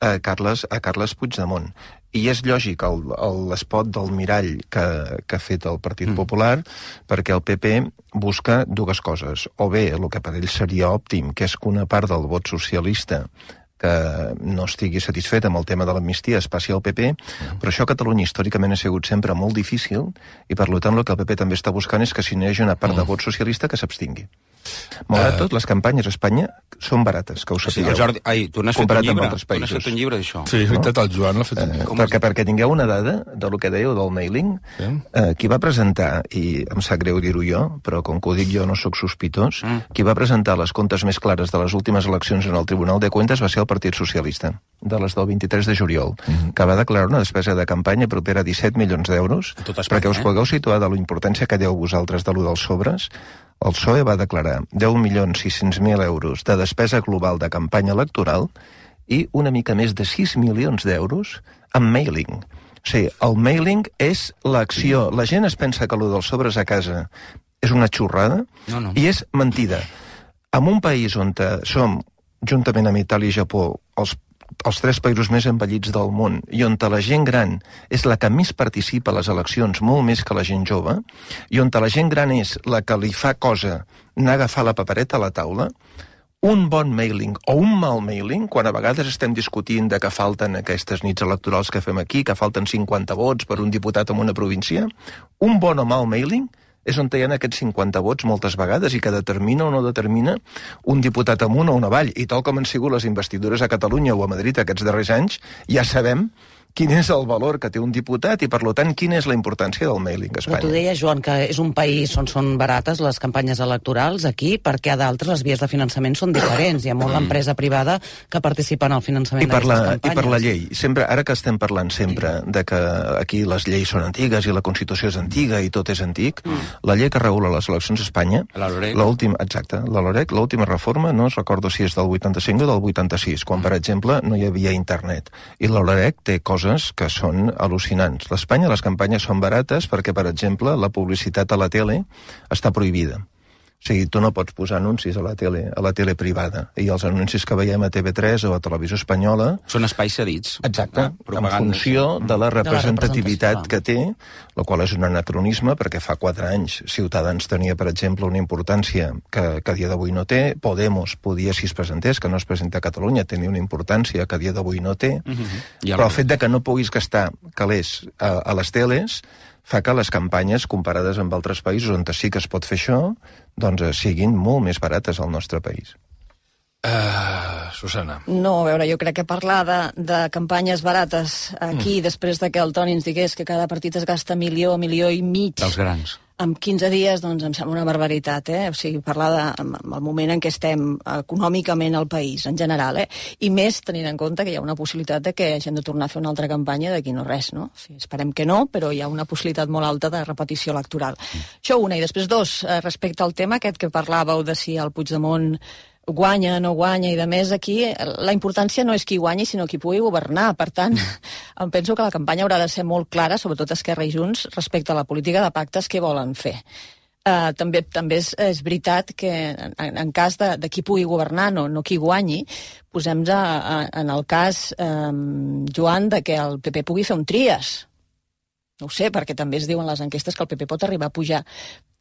a Carles, a Carles Puigdemont. I és lògic l'espot del mirall que, que ha fet el Partit mm. Popular, perquè el P P busca dues coses. O bé, el que per ell seria òptim, que és que una part del vot socialista que no estigui satisfet amb el tema de l'amnistia es passi al P P, però això a Catalunya històricament ha sigut sempre molt difícil i per tant el que el P P també està buscant és que si no hi hagi una part de vot socialista que s'abstingui. Malgrat tot, les campanyes a Espanya són barates, que ho sapigueu. Sí, Jordi, ai, tu n'has fet un llibre, tu n'has fet un llibre d'això. Sí, és veritat, el Joan l'ha fet un llibre. Eh, perquè, perquè tingueu una dada del que dèieu del mailing, sí. eh, qui va presentar, i em sap greu dir-ho jo, però com que ho dic jo no sóc sospitós, mm. qui va presentar les comptes més clares de les últimes eleccions en el Tribunal de Cuentas va ser el Partit Socialista, de les del vint-i-tres de juliol, mm. que va declarar una despesa de campanya propera a disset milions d'euros, perquè us pugueu situar de la importància que dieu vosaltres de lo dels sobres. El P S O E va declarar deu milions sis-cents mil euros de despesa global de campanya electoral i una mica més de sis milions d'euros en mailing. O sigui, el mailing és l'acció. La gent es pensa que allò dels sobres a casa és una xorrada no, no. i és mentida. En un país on som, juntament amb Itàlia i Japó, els els tres països més envellits del món i on la gent gran és la que més participa a les eleccions, molt més que la gent jove, i on la gent gran és la que li fa cosa anar a agafar la papereta a la taula, un bon mailing o un mal mailing, quan a vegades estem discutint de que falten aquestes nits electorals que fem aquí, que falten cinquanta vots per un diputat en una província, un bon o mal mailing és on hi ha aquests cinquanta vots moltes vegades i que determina o no determina un diputat amunt o un avall. I tal com han sigut les investidures a Catalunya o a Madrid aquests darrers anys, ja sabem quin és el valor que té un diputat i, per tant, quina és la importància del mailing a Espanya. Però tu deies, Joan, que és un país on són barates les campanyes electorals aquí, perquè a d'altres les vies de finançament són diferents. Hi ha molta empresa privada que participa en el finançament d'aquestes campanyes. I per la llei. Sempre, ara que estem parlant sempre de que aquí les lleis són antigues i la Constitució és antiga i tot és antic, mm. la llei que regula les eleccions a Espanya, l'última, exacte, la LOREC, l'última reforma, no es recordo si és del vuitanta-cinc o del vuitanta-sis, quan, per exemple, no hi havia internet. I la LOREC té coses que són al·lucinants. A Espanya les campanyes són barates perquè, per exemple, la publicitat a la tele està prohibida. O sigui, tu no pots posar anuncis a la tele, a la tele privada. I els anuncis que veiem a T V tres o a Televisió Espanyola... Són espais cedits. Exacte, ah, en funció de la representativitat que té, la qual és un anacronisme, perquè fa quatre anys Ciutadans tenia, per exemple, una importància que, que a dia d'avui no té. Podemos podia, si es presentés, que no es presenta a Catalunya, tenir una importància que a dia d'avui no té. Uh-huh. Però el fet de que no puguis gastar calés a, a les teles fa que les campanyes, comparades amb altres països on sí que es pot fer això, doncs siguin molt més barates al nostre país. Uh, Susana. No, a veure, jo crec que parlar de, de campanyes barates aquí, mm. després de que el Toni ens digués que cada partit es gasta milió, milió i mig... Dels grans. En quinze dies, doncs, em sembla una barbaritat, eh? O sigui, parlar de, amb el moment en què estem econòmicament al país, en general, eh? I més tenint en compte que hi ha una possibilitat de que hagin de tornar a fer una altra campanya d'aquí no res, no? O sigui, esperem que no, però hi ha una possibilitat molt alta de repetició electoral. Mm. Això una. I després dos, respecte al tema aquest que parlàveu de si el Puigdemont guanya, no guanya, i de més aquí la importància no és qui guanyi, sinó qui pugui governar. Per tant, em penso que la campanya haurà de ser molt clara, sobretot Esquerra i Junts, respecte a la política de pactes que volen fer. Uh, també també és, és veritat que en, en cas de, de qui pugui governar, no, no qui guanyi, posem-nos en el cas, um, Joan, de que el P P pugui fer un tries. No ho sé, perquè també es diuen les enquestes que el P P pot arribar a pujar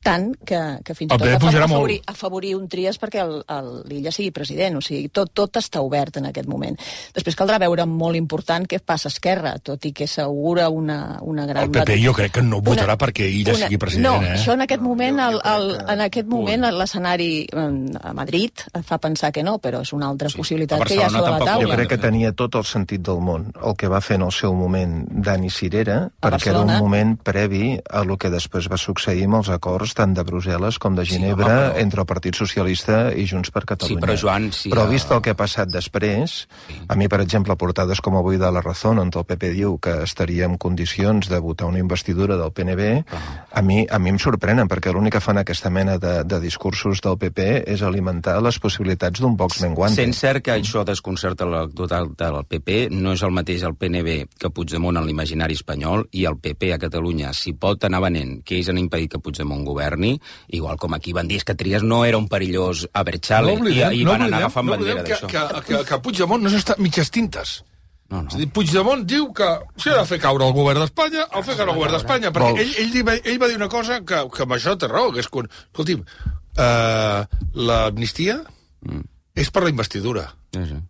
tant que, que fins i tot afavorir, afavorir un tries perquè l'Illa sigui president. O sigui, tot, tot està obert en aquest moment. Després caldrà veure molt important què passa a Esquerra, tot i que s'augura una, una gran... El P P jo crec que no votarà una, perquè Illa una, sigui president. No, eh? això en aquest moment, el, el, en aquest moment l'escenari a Madrid fa pensar que no, però és una altra sí. possibilitat que hi ha sobre la taula. Jo crec que tenia tot el sentit del món el que va fer en el seu moment Dani Cirera, perquè era un moment previ a el que després va succeir amb els acords tant de Brussel·les com de Ginebra, sí, home, però... entre el Partit Socialista i Junts per Catalunya. Sí, però Joan... Sí, però vist el que ha passat després, sí. A mi, per exemple, portades com avui de La Razón, on el P P diu que estaria en condicions de votar una investidura del P N B, uh -huh. a, mi, a mi em sorprenen, perquè l'únic que fan aquesta mena de, de discursos del P P és alimentar les possibilitats d'un Vox menguante. Sent cert que això desconcerta l'electorat del P P, no és el mateix el P N B que Puigdemont en l'imaginari espanyol, i el P P a Catalunya, si pot anar venent que ells han impedit que Puigdemont governi, igual com aquí van dir que Trias no era un perillós Abertzale, no oblidem, i, i van no anar agafant no bandera d'això. Que, que, que Puigdemont no s'està mitges tintes. No, no. És a dir, Puigdemont diu que si ha de fer caure el govern d'Espanya, el fer caure el govern d'Espanya, perquè ell, ell, ell, ell va dir una cosa que, que amb això té raó, que és quan... Escolti'm, uh, l'amnistia mm. és per la investidura. Sí, sí.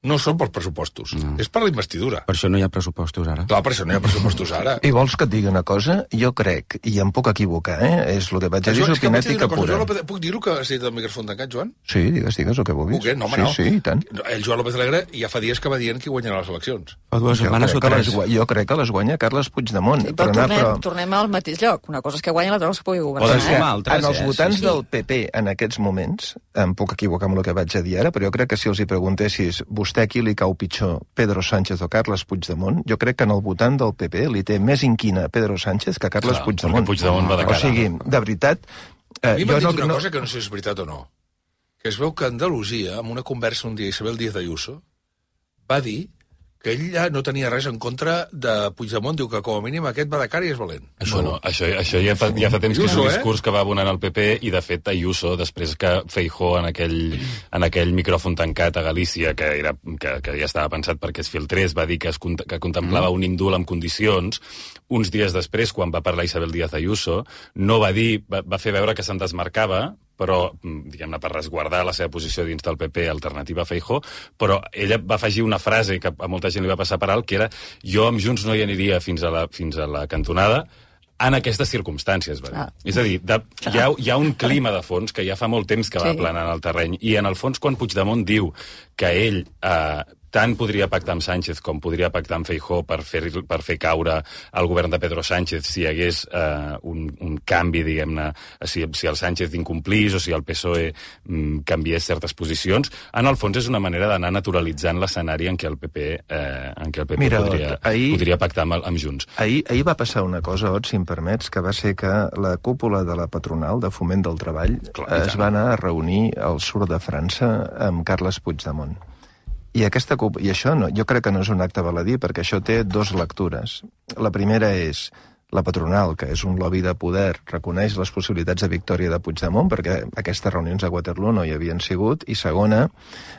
No són pels pressupostos, no. És per la investidura. Per això no hi ha pressupostos ara. Clar, per això no hi ha pressupostos ara. I vols que et digui una cosa? Jo crec, i em puc equivocar, eh? És el que vaig a dir, és opinètica pura. López, puc dir-ho que has dit el micròfon tancat, Joan? Sí, digues, digues el que vulguis. Puc, eh? No, home, sí, no. Sí, i tant. El Joan López Alegre ja fa dies que va dient qui guanyarà les eleccions. Fa dues setmanes o tres. Les, jo crec que les guanya Carles Puigdemont. Sí, però, però, tornem, però tornem al mateix lloc. Una cosa és que guanya, l'altra cosa és que pugui governar. Eh? Altres, en els eh? votants sí, sí. del P P en aquests moments, em puc equivocar amb el que vaig a dir ara, però jo crec que si els hi preguntessis vostè qui li cau pitjor, Pedro Sánchez o Carles Puigdemont, jo crec que en el votant del P P li té més inquina Pedro Sánchez que Carles Clar, Puigdemont. Puigdemont va de cara. O sigui, de veritat... Eh, a mi m'ha dit no, una no... cosa que no sé si és veritat o no, que es veu que Andalusia, en una conversa un dia, Isabel Díaz Ayuso, va dir que ell ja no tenia res en contra de Puigdemont, diu que com a mínim aquest va de cara i és valent. Això, bueno, això, això ja, fa, ja fa temps que és un discurs eh? que va abonant al P P, i de fet Ayuso, després que Feijóo en aquell, en aquell micròfon tancat a Galícia, que, era, que, que ja estava pensat perquè es filtrés, va dir que, es, que contemplava un indult amb condicions. Uns dies després, quan va parlar Isabel Díaz Ayuso, no va dir, va, va fer veure que se'n desmarcava, però, diguem-ne, per resguardar la seva posició dins del P P alternativa a Feijóo, però ella va afegir una frase que a molta gent li va passar per alt, que era jo amb Junts no hi aniria fins a la, fins a la cantonada en aquestes circumstàncies, va dir. Ah. És a dir, de, hi, ha, hi ha un clima de fons que ja fa molt temps que va sí. planant el terreny, i en el fons quan Puigdemont diu que ell... Eh, tant podria pactar amb Sánchez com podria pactar amb Feijóo per fer, per fer caure el govern de Pedro Sánchez si hi hagués eh, un, un canvi, diguem-ne, si, si el Sánchez incomplís o si el P S O E mm, canviés certes posicions. En el fons és una manera d'anar naturalitzant l'escenari en què el P P, eh, en què el P P Mira, podria, ahir, podria pactar amb, amb Junts. Ahir, ahir va passar una cosa, Ot, si em permets, que va ser que la cúpula de la patronal de Foment del Treball Clar, es va anar a reunir al sud de França amb Carles Puigdemont. I, aquesta, I això no, jo crec que no és un acte baladí, perquè això té dues lectures. La primera és la patronal, que és un lobby de poder, reconeix les possibilitats de victòria de Puigdemont, perquè aquestes reunions a Waterloo no hi havien sigut, i segona,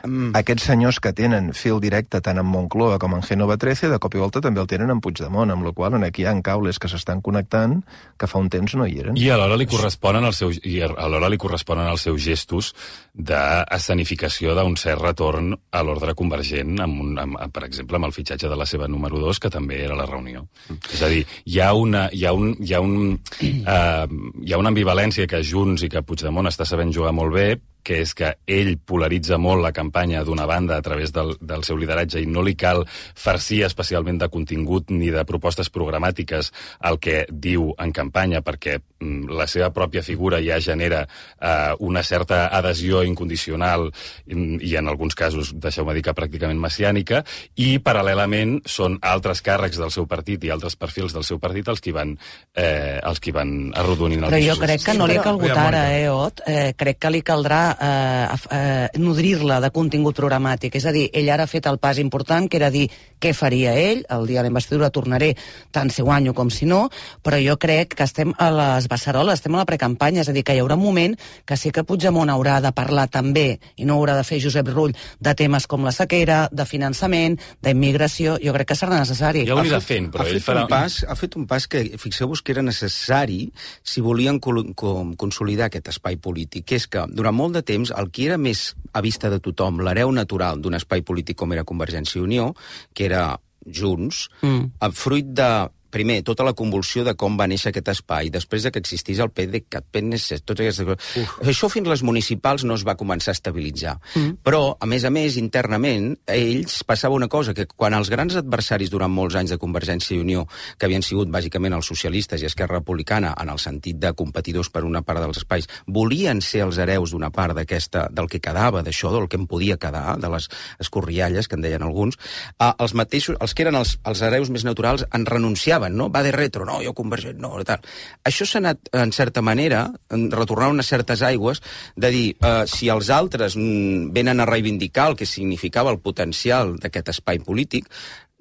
mm. aquests senyors que tenen fil directe tant en Moncloa com en Génova trece, de cop i volta també el tenen en Puigdemont, amb la qual cosa aquí hi ha caules que s'estan connectant que fa un temps no hi eren. I alhora li corresponen els seus, i alhora li corresponen els seus gestos d'escenificació d'un cert retorn a l'ordre convergent, amb un, amb, per exemple, amb el fitxatge de la seva número dos, que també era la reunió. Mm. És a dir, hi ha una Hi ha, un, hi, ha un, uh, hi ha una ambivalència que Junts i que Puigdemont està sabent jugar molt bé, que és que ell polaritza molt la campanya d'una banda a través del, del seu lideratge i no li cal farcir especialment de contingut ni de propostes programàtiques el que diu en campanya, perquè mm, la seva pròpia figura ja genera eh, una certa adhesió incondicional i, i en alguns casos, deixeu-me dir que pràcticament messiànica, i paral·lelament són altres càrrecs del seu partit i altres perfils del seu partit els que van, eh, els que van arrodonint el Però discurs. jo crec que no li cal votar ara, eh, Ot? Eh, crec que li caldrà Eh, eh, nodrir-la de contingut programàtic. És a dir, ell ara ha fet el pas important, que era dir què faria ell, el dia de la investidura tornaré tant si guanyo com si no, però jo crec que estem a les beceroles, estem a la precampanya, és a dir, que hi haurà un moment que sí que Puigdemont haurà de parlar també, i no haurà de fer Josep Rull, de temes com la sequera, de finançament, d'immigració, jo crec que serà necessari. Ja ho anirà fent, però ell farà... Pas, ha fet un pas que, fixeu-vos que era necessari si volien consolidar aquest espai polític, que és que durant molt de temps, el que era més a vista de tothom, l'hereu natural d'un espai polític com era Convergència i Unió, que era Junts, mm. fruit de primer, tota la convulsió de com va néixer aquest espai, després de que existís el P D C A T, P N C, totes aquestes coses. Això fins les municipals no es va començar a estabilitzar. Mm. Però, a més a més, internament, a ells passava una cosa, que quan els grans adversaris durant molts anys de Convergència i Unió, que havien sigut bàsicament els socialistes i Esquerra Republicana, en el sentit de competidors per una part dels espais, volien ser els hereus d'una part d'aquesta, del que quedava, d'això, del que en podia quedar, de les escorrialles, que en deien alguns, eh, els mateixos, els que eren els, els hereus més naturals, en renunciaven, no? Va de retro, no, jo convergent, no, tal. Això s'ha anat, en certa manera, retornant unes certes aigües, de dir, eh, si els altres mm, venen a reivindicar el que significava el potencial d'aquest espai polític,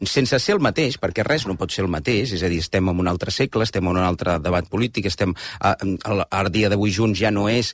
sense ser el mateix, perquè res no pot ser el mateix, és a dir, estem en un altre segle, estem en un altre debat polític, estem, al dia d'avui Junts ja no és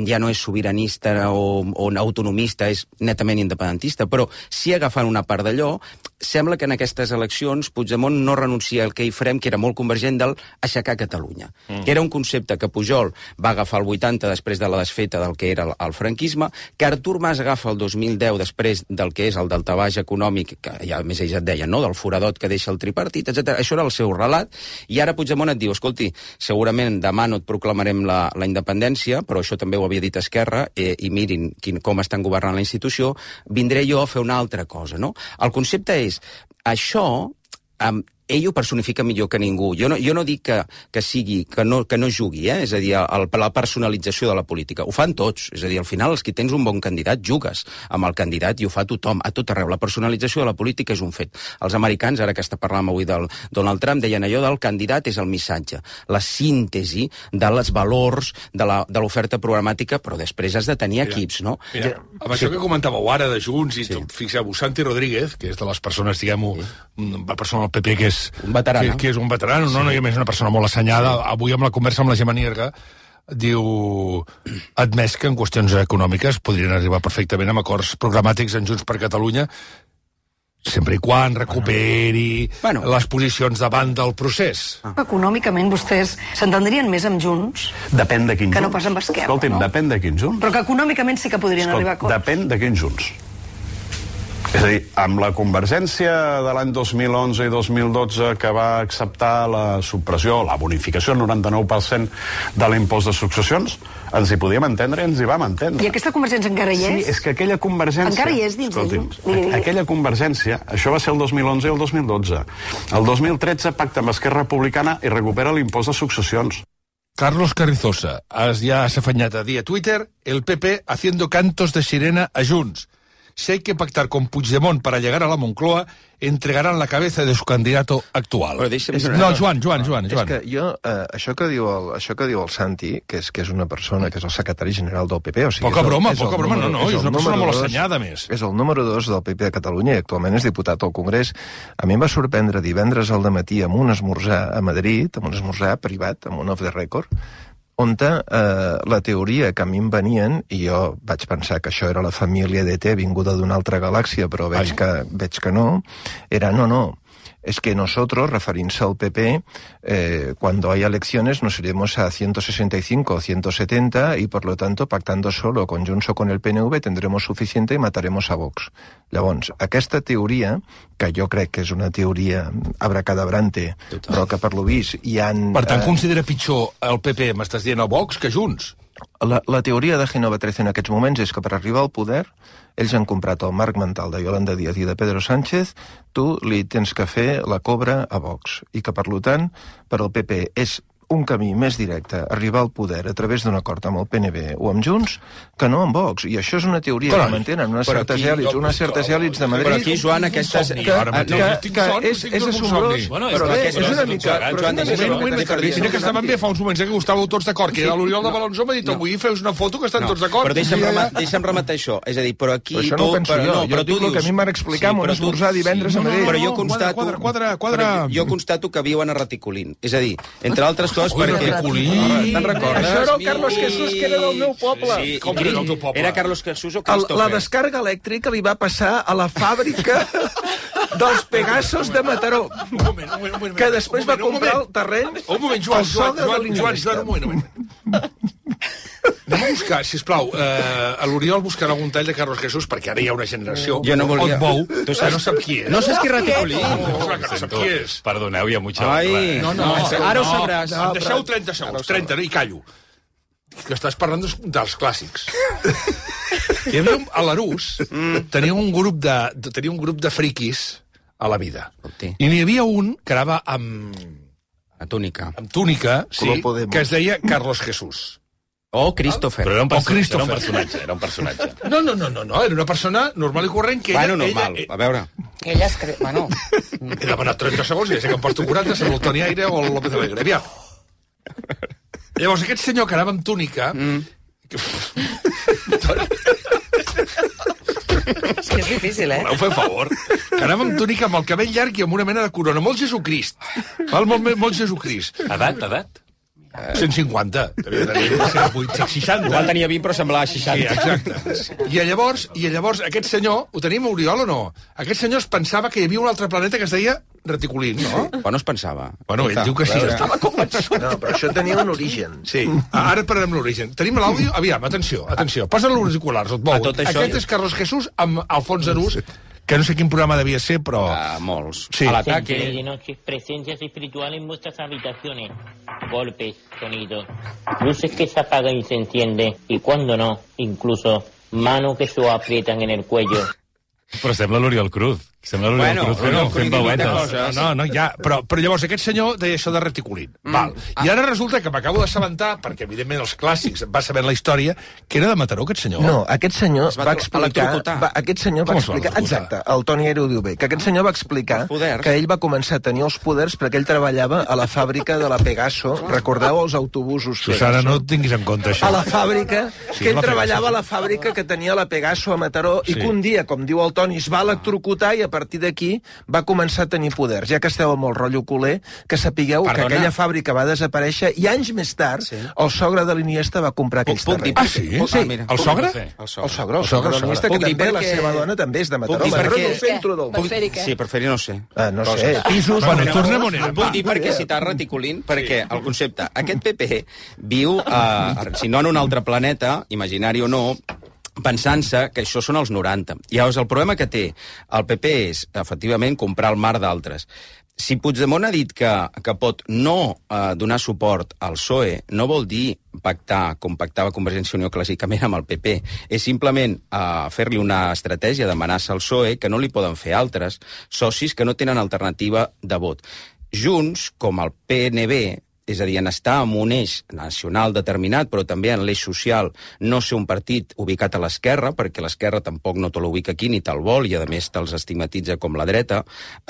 ja no és sobiranista o, o autonomista, és netament independentista, però si agafant una part d'allò, sembla que en aquestes eleccions Puigdemont no renuncia al que hi farem, que era molt convergent del aixecar Catalunya, mm. que era un concepte que Pujol va agafar el vuitanta després de la desfeta del que era el, el franquisme, que Artur Mas agafa el dos mil deu després del que és el daltabaix econòmic, que ja més ells et deien, no?, del foradot que deixa el tripartit, etcètera. Això era el seu relat, i ara Puigdemont et diu, escolti, segurament demà no et proclamarem la, la independència, però això també ho havia dit Esquerra, eh, i mirin quin, com estan governant la institució, vindré jo a fer una altra cosa, no? El concepte és, això, eh, ell ho personifica millor que ningú. Jo no, jo no dic que, que sigui, que no, que no jugui, eh? És a dir, el, la personalització de la política. Ho fan tots. És a dir, al final, els que tens un bon candidat, jugues amb el candidat i ho fa tothom, a tot arreu. La personalització de la política és un fet. Els americans, ara que està parlant avui del Donald Trump, deien allò del candidat és el missatge, la síntesi dels valors de l'oferta programàtica, però després has de tenir mira, equips, no? Mira, amb això que comentàveu ara de Junts, i sí. Fixeu-vos, Santi Rodríguez, que és de les persones, diguem-ho, sí. una persona del P P que és un veterano. Que, que és un veterano, no? Sí. No, i a més una persona molt assenyada. Sí. Avui amb la conversa amb la Gemma Nierga diu, admès que en qüestions econòmiques podrien arribar perfectament amb acords programàtics en Junts per Catalunya, sempre i quan recuperi bueno. les posicions davant del procés. Ah. Econòmicament vostès s'entendrien més amb Junts? Depèn de quin que Junts. No pas amb Esquerra, Escolti'm, no? depèn de quin Junts. Però que econòmicament sí que podrien Escolta, arribar a acords. Depèn de quin Junts. És a dir, amb la convergència de l'any dos mil onze i dos mil dotze que va acceptar la supressió, la bonificació, el noranta-nou per cent de l'impost de successions, ens hi podíem entendre i ens hi vam entendre. I aquesta convergència encara hi és? Sí, és que aquella convergència... Encara hi és dins de Junts? Aquella convergència, això va ser el dos mil onze i el dos mil dotze. El dos mil tretze pacta amb Esquerra Republicana i recupera l'impost de successions. Carlos Carrizosa ja s'ha afanyat a dir a Twitter el P P haciendo cantos de sirena a Junts. Si hay que pactar con Puigdemont para llegar a la Moncloa, entregarán la cabeza de su candidato actual. No, Joan, Joan, Joan. És que jo, eh, això, que diu el, això que diu el Santi, que és, que és una persona, que és el secretari general del P P, o sigui... Poca el, broma, poca broma, no, no, és, és una persona molt assenyada, més. És el número dos del P P de Catalunya i actualment és diputat al Congrés. A mi em va sorprendre divendres al dematí amb un esmorzar a Madrid, amb un esmorzar privat, amb un off the record, on eh, la teoria que a mi em venien, i jo vaig pensar que això era la família d'E T vinguda d'una altra galàxia, però veig que, veig que no, era no, no, es que nosotros, referint-se al P P, eh, cuando haya elecciones nos iremos a ciento sesenta y cinco o ciento setenta y, por lo tanto, pactando solo con Junts o con el P N V tendremos suficiente y mataremos a Vox. Llavors, aquesta teoria, que jo crec que és una teoria abracadabrante, total, però que per lo vist hi han... Per tant, eh... considera pitjor el P P, m'estàs dient, a Vox, que Junts? La, la teoria de Génova trece en aquests moments és que per arribar al poder ells han comprat el marc mental de Yolanda Díaz i de Pedro Sánchez, tu li tens que fer la cobra a Vox, i que, per tant, per al P P és un camí més directe, arribar al poder a través d'un acord amb el P N V o amb Junts, que no amb Vox. I això és una teoria però, que mantenen unes certes èlits, unes certes èlits de Madrid... Però aquí, Joan, aquestes... Que, que, que és, és assombrós, bueno, però bé, és una mica... Mira que estaven bé fa uns moments que estàveu tots d'acord, que l'Oriol de Balanzó m'ha dit avui feus una foto que estan tots d'acord. Però deixa'm rematar això. És a dir, però aquí... Però això no ho penso jo. Jo dic el que a mi em van explicar amb un esmorzar divendres a Madrid. Però jo constato... Jo constato que viuen a reticulint. És a dir, entre altres coses, perquè... Te'n recordes? Això era el Carlos Jesús, que era del meu poble. Sí, com era el teu poble? Era Carlos Jesús o Christopher? La descàrrega elèctrica li va passar a la fàbrica dels Pegasos de Mataró, que després va comprar el terreny al sogre de l'Iniesta. Un moment, Joan, Joan, Joan, un moment. Anem a buscar, sisplau, eh, a l'Oriol buscarà algun tall de Carlos Jesús, perquè ara hi ha una generació. Jo no volia... Bou, tu saps, no sap qui és. No saps qui és Raticulín? No, clar que no sap qui és. Perdoneu, hi ha mucha... Ai, no, no, no, ara ho sabràs. No, em deixeu trenta segons, trenta, i callo. Que estàs parlant dels, dels clàssics. Hi havia un, a l'Arús, tenia un grup de, tenia un grup de friquis a la vida. I n'hi havia un que anava amb... A túnica. Amb túnica, sí, que es deia Carlos Jesús. O Christopher. Però era un, o perso Christopher. era un personatge, era un personatge. No, no, no, no, no, era una persona normal i corrent que ella... Bueno, normal, ella, a veure. Que ella es cre... Bueno... He demanat trenta segons i ja sé que em porto quaranta, sembla el Toni Aire o el López Alegre. Aviam. Llavors, aquest senyor que anava amb túnica... Mm. Que... És que és difícil, eh? Voleu fer favor? Que anava amb túnica amb el cabell llarg i amb una mena de corona. Molt Jesucrist. Val? Molt, molt Jesucrist. Edat, edat? cent cinquanta. Devia tenir cent vuit, cent seixanta. Igual tenia vint, però semblava seixanta. Sí, exacte. I llavors, i llavors aquest senyor, ho tenim a Oriol o no? Aquest senyor es pensava que hi havia un altre planeta que es deia Reticulín, no? Quan no es pensava? Bueno, ell diu que sí, estava convençut. No, però això tenia un origen. Sí, ara parlarem l'origen. Tenim l'àudio? Aviam, atenció, atenció. Posa els auriculars, et bou. Aquest és Carlos Jesús amb Alfons Arús, que no sé quin programa devia ser, però... Uh, molts. Sí. A l'ataque... De noche, presencias espirituales en vuestras habitaciones. Golpes, sonidos, luces que se apagan y se encienden, y cuando no, incluso manos que se aprietan en el cuello. Però sembla l'Oriol Cruz. Sembla l'Oriol Bueno, Cruz fent, fent veuetes. No, no, no, ja. Però, però llavors aquest senyor deia això de reticulín. Mm. Val. I ara resulta que m'acabo d'assabentar, perquè evidentment els clàssics va sabent la història, que era de Mataró, aquest senyor. No, aquest senyor Es va va explicar... Va, aquest senyor va Com es va explicar... electrocutar? Exacte, el Toni Aire ho diu bé. Que aquest senyor va explicar que ell va començar a tenir els poders perquè ell treballava a la fàbrica de la Pegaso. Recordeu els autobusos Susana, Pegaso? no et tinguis en compte això. A la fàbrica, Sí, que ell la Pegaso, treballava sí. a la fàbrica que tenia la Pegaso a Mataró Sí. i que un dia, com diu el Toni, es va electrocutar i a partir d'aquí va començar a tenir poders. Ja que esteu amb el rotllo culer, que sapigueu Perdona. que aquella fàbrica va desaparèixer i anys més tard sí. el sogre de l'Iniesta va comprar aquells Puc dir terrenys. Ah, sí? Puc- Sí. mira. El sogre? El El sogre, el sogre, El sogre, de l'Iniesta, Puc que dir també la perquè- seva dona també és de Mataró. Puc dir Mataró és perquè- el centre del... Per fer-hi què? Sí, per fer-hi no sé. Ah, no sé, Coses. pisos... Bueno, Bueno, tornem on érem. Vull dir perquè citar Reticulín, perquè el concepte... Aquest P P viu, eh, si no en un altre planeta, imaginari o no, pensant-se que això són els noranta. Llavors, el problema que té el P P és, efectivament, comprar el mar d'altres. Si Puigdemont ha dit que, que pot no eh, donar suport al P S O E, no vol dir pactar, com pactava Convergència i Unió clàssicament amb el P P. És simplement eh, fer-li una estratègia d'amenaça al P S O E que no li poden fer altres socis que no tenen alternativa de vot. Junts, com el P N B, és a dir, en estar en un eix nacional determinat, però també en l'eix social, no ser un partit ubicat a l'esquerra, perquè l'esquerra tampoc no te l'ubica aquí ni te'l vol, i a més te'ls estigmatitza com la dreta,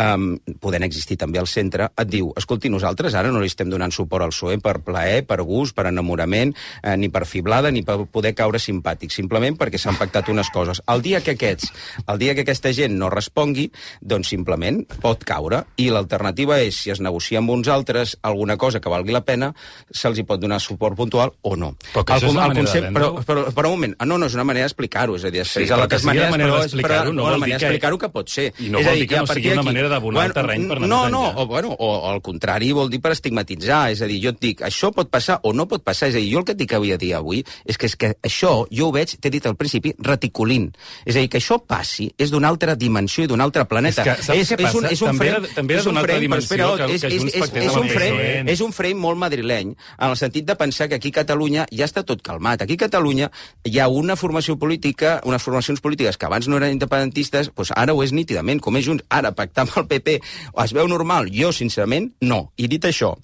um, podent existir també al centre, et diu, escolti, nosaltres ara no li estem donant suport al P S O E per plaer, per gust, per enamorament, eh, ni per fiblada, ni per poder caure simpàtic, simplement perquè s'han pactat unes coses. El dia que aquests, el dia que aquesta gent no respongui, doncs simplement pot caure, i l'alternativa és, si es negocia amb uns altres alguna cosa que valgui la pena, se'ls hi pot donar suport puntual o no. Però que això és la manera de però, vendre-ho. però, però un moment, ah, no, no, és una manera d'explicar-ho, és a dir, després Sí, de però la que sigui la manera però és- d'explicar-ho però- no la vol dir manera que- d'explicar-ho que pot ser. I no És vol a dir que a no partir sigui una d'aquí- manera d'abonar el terreny per anar no, més no, enllà. o, bueno, o, o al contrari, vol dir per estigmatitzar, és a dir, jo et dic, això pot passar o no pot passar, és a dir, jo el que et dic avui a dia avui és que, és que això, jo ho veig, t'he dit al principi, reticulín. És a dir, que això passi és d'una altra dimensió i d'un altre planeta. És que saps què passa? un, és un També frame, era- també era és un d'una altra frame, però dimensió espera, que- és, que és, Junts és, pactés és, amb un el frame, P S O E. és un frame molt madrileny, en el sentit de pensar que aquí a Catalunya ja està tot calmat. Aquí a Catalunya hi ha una formació política, unes formacions polítiques que abans no eren independentistes, doncs ara ho és nítidament, com és Junts. Ara, pactar amb el P P, es veu normal? Jo, sincerament, no. I dit això,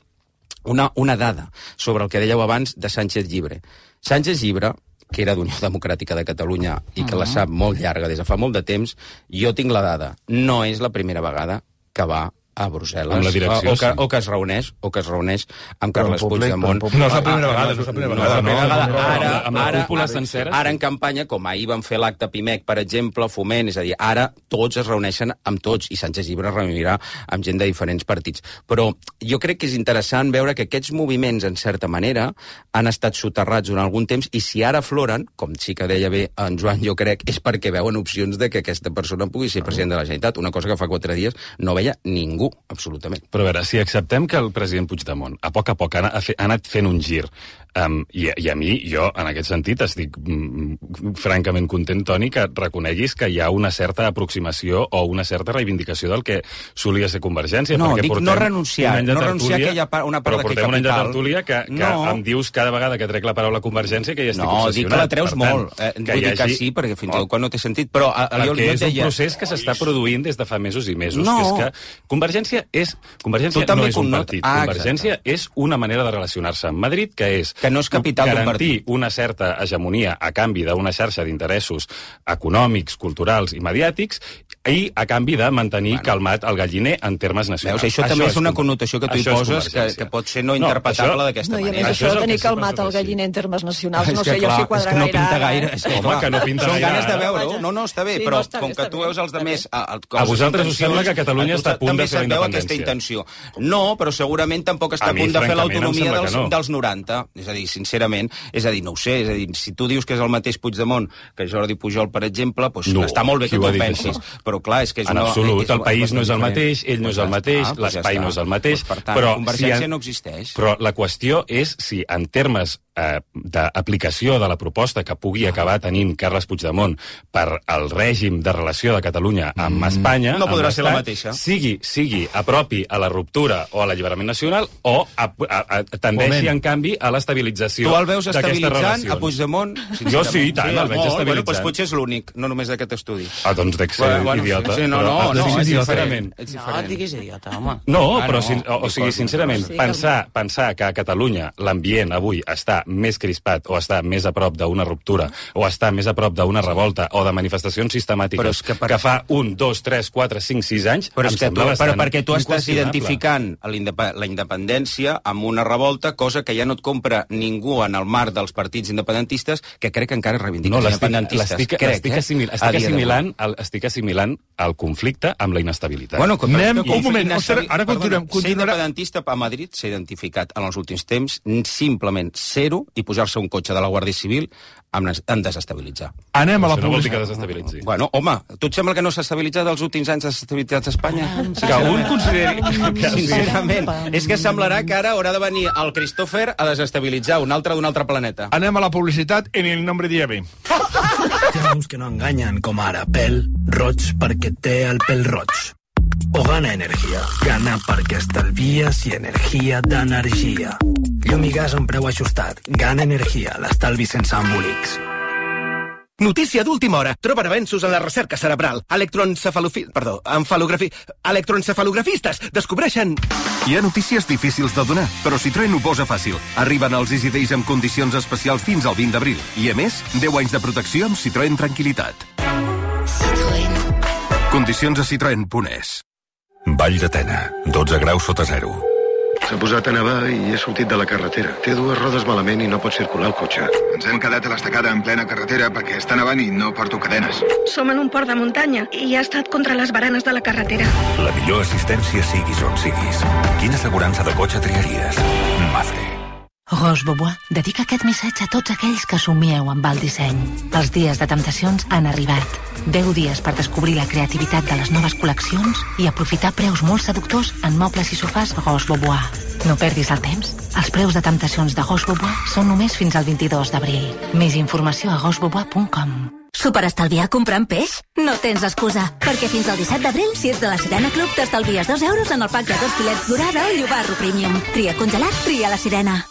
una, una dada sobre el que dèieu abans de Sánchez Llibre. Sánchez Llibre, que era d'Unió Democràtica de Catalunya i que la sap molt llarga des de fa molt de temps, jo tinc la dada. No és la primera vegada que va a Brussel·les, Amb la direcció, o, que, sí. o que es reuneix o que es reuneix amb Però en Carles públic, Puigdemont. però en públic. No és la primera Ah, vegada, no, no és la primera no és la vegada, primera no, vegada. no, no, Ara, amb la ara, cúpula ara, sencera, ara sí. en campanya, com ahir van fer l'acte Pimec, per exemple, Foment, és a dir, ara tots es reuneixen amb tots, i Sánchez Llibre es reunirà amb gent de diferents partits. Però jo crec que és interessant veure que aquests moviments, en certa manera, han estat soterrats durant algun temps, i si ara afloren, com sí que deia bé en Joan, jo crec, és perquè veuen opcions de que aquesta persona pugui ser president de la Generalitat, una cosa que fa quatre dies no veia ningú, absolutament. Però a veure, si acceptem que el president Puigdemont a poc a poc ha, ha, fe, ha anat fent un gir Um, i, I a mi, jo, en aquest sentit, estic mm, francament content, Toni, que reconeguis que hi ha una certa aproximació o una certa reivindicació del que solia ser Convergència. No, perquè dic no renunciar, no renunciar que hi ha una part d'aquest capital. Però portem un any de tertúlia que, que no. em dius cada vegada que trec la paraula Convergència que hi estic no, obsessionat. No, dic que la treus per tant, molt. Eh, vull dir que sí, perquè fins i tot quan no té sentit. Però a, a, jo, jo és deia... un procés que s'està produint des de fa mesos i mesos. No. Que és que Convergència, és, Convergència no és un connot... partit. Ah, Convergència és una manera de relacionar-se amb Madrid, que és que no és capital garantir una certa hegemonia a canvi d'una xarxa d'interessos econòmics, culturals i mediàtics, i a canvi de mantenir bueno. calmat el galliner en termes nacionals. Veus, això, això també és una connotació que tu hi poses que, que pot ser no interpretable no, d'aquesta no, manera. I a més això, això de tenir calmat el galliner en termes nacionals, no sé jo si quadra gaire. És que no pinta ara, gaire. Eh? És que, Home, que no pinta són gaire. ganes de veure-ho. No, no, està bé, sí, però no, està com bé, que està tu bé, veus els demés... A, a, a vosaltres us sembla que Catalunya està a punt de fer la independència. També se't veu aquesta intenció. No, però segurament tampoc està a, a punt de fer l'autonomia dels, no. dels noranta. És a dir, sincerament, és a dir, no ho sé, és a dir, si tu dius que és el mateix Puigdemont que Jordi Pujol, per exemple, doncs no, està molt bé que tu ho pensis. Però clar, és que és en una... absolut, el país no és el mateix, ell no és el mateix, l'espai no és el mateix, però Convergència no existeix. Però la qüestió és si en termes eh, d'aplicació de la proposta que pugui acabar tenint Carles Puigdemont per al règim de relació de Catalunya amb mm. Espanya, no podrà amb ser la mateixa. Sigui, sigui apropi a la ruptura o a l'alliberament nacional o a, a, a, tendeixi, en canvi, a l'estabilització d'aquestes relacions. Tu el veus estabilitzant a Puigdemont? Jo sí, i tant, sí, el veig estabilitzant. Bueno, doncs potser és l'únic, no només d'aquest estudi. Ah, doncs dec ser bueno, idiota. Sí, no, no, no, no, és diferent. No, et diguis idiota, home. No, però, sin, o, o sigui, sincerament, sí, pensar, pensar que a Catalunya l'ambient avui està més crispat o està més a prop d'una ruptura o està més a prop d'una revolta o de manifestacions sistemàtiques que, per... que fa un, dos, tres, quatre, cinc, sis anys, però em és que sembla tu, bastant però perquè tu estàs inqüestionable. identificant la independència amb una revolta, cosa que ja no et compra ningú en el marc dels partits independentistes, que crec que encara reivindiquen no, independentistes. L'estic eh? assimil, assimilant, el, estic assimilant el conflicte amb la inestabilitat. Bueno, que, Anem, que, un moment, Perdona, ara continuem. Ser independentista a Madrid s'ha identificat en els últims temps simplement zero i posar-se un cotxe de la Guàrdia Civil en desestabilitzar. Anem a la publicitat. No vol dir que desestabilitzi. Bueno, home, tu et sembla que no s'ha estabilitzat els últims anys desestabilitzats a Espanya? Que un consideri... Sincerament, és que semblarà que ara haurà de venir el Christopher a desestabilitzar un altre d'un altre planeta. Anem a la publicitat en el nombre de Llave. Hi ha uns que no enganyen, com ara pèl roig perquè té el pèl roig. O Gana Energia. Gana perquè estalvies i energia d'energia. Llum i gas a un preu ajustat. Gana Energia, l'estalvi sense embolics. Notícia d'última hora. Troben avenços en la recerca cerebral. Electroencefalofi... Perdó, enfalografi... Electroencefalografistes descobreixen... Hi ha notícies difícils de donar, però Citroën ho posa fàcil. Arriben els Easy Days amb condicions especials fins al vint d'abril. I, a més, deu anys de protecció amb Citroën Tranquilitat. Citroën. Condicions a citroen punt es. Vall de Tena, dotze graus sota zero. S'ha posat a nevar i he sortit de la carretera. Té dues rodes malament i no pot circular el cotxe. Ens hem quedat a l'estacada en plena carretera perquè està nevant i no porto cadenes. Som en un port de muntanya i ha estat contra les baranes de la carretera. La millor assistència siguis on siguis. Quina assegurança de cotxe triaries? Mafre. Roche Bobois dedica aquest missatge a tots aquells que somieu amb el disseny. Els dies de temptacions han arribat. deu dies per descobrir la creativitat de les noves col·leccions i aprofitar preus molt seductors en mobles i sofàs Roche Bobois. No perdis el temps. Els preus de temptacions de Roche Bobois són només fins al vint-i-dos d'abril. Més informació a roche bobois punt com. Superestalviar comprant peix? No tens excusa, perquè fins al disset d'abril, si ets de la Sirena Club, t'estalvies dos euros en el pack de dos filets dorada o llobarro premium. Tria congelat, tria la Sirena.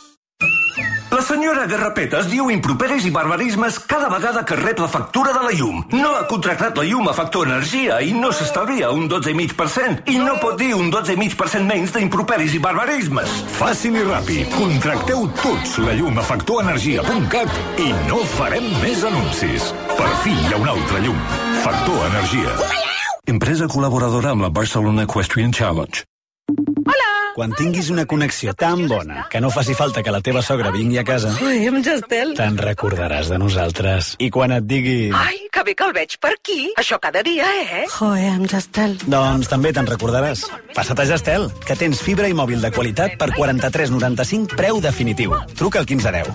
La senyora Garrapetes diu improperis i barbarismes cada vegada que rep la factura de la llum. No ha contractat la llum a Factor Energia i no s'estalvia un dotze coma cinc per cent. I no pot dir un dotze coma cinc per cent menys d'improperis i barbarismes. Fàcil i ràpid. Contracteu tots la llum a factor energia punt cat i no farem més anuncis. Per fi hi ha una altra llum. Factor Energia. Empresa col·laboradora amb la Barcelona Equestrian Challenge. Hola! Quan tinguis una connexió tan bona que no faci falta que la teva sogra vingui a casa... Ui, amb Gestel. Te'n recordaràs de nosaltres. I quan et digui... Ai, que bé que el veig per aquí. Això cada dia, eh? Joe, amb Gestel. Doncs també te'n recordaràs. Passa't a Gestel, que tens fibra i mòbil de qualitat per quaranta-tres noranta-cinc preu definitiu. Truca al quinze deu.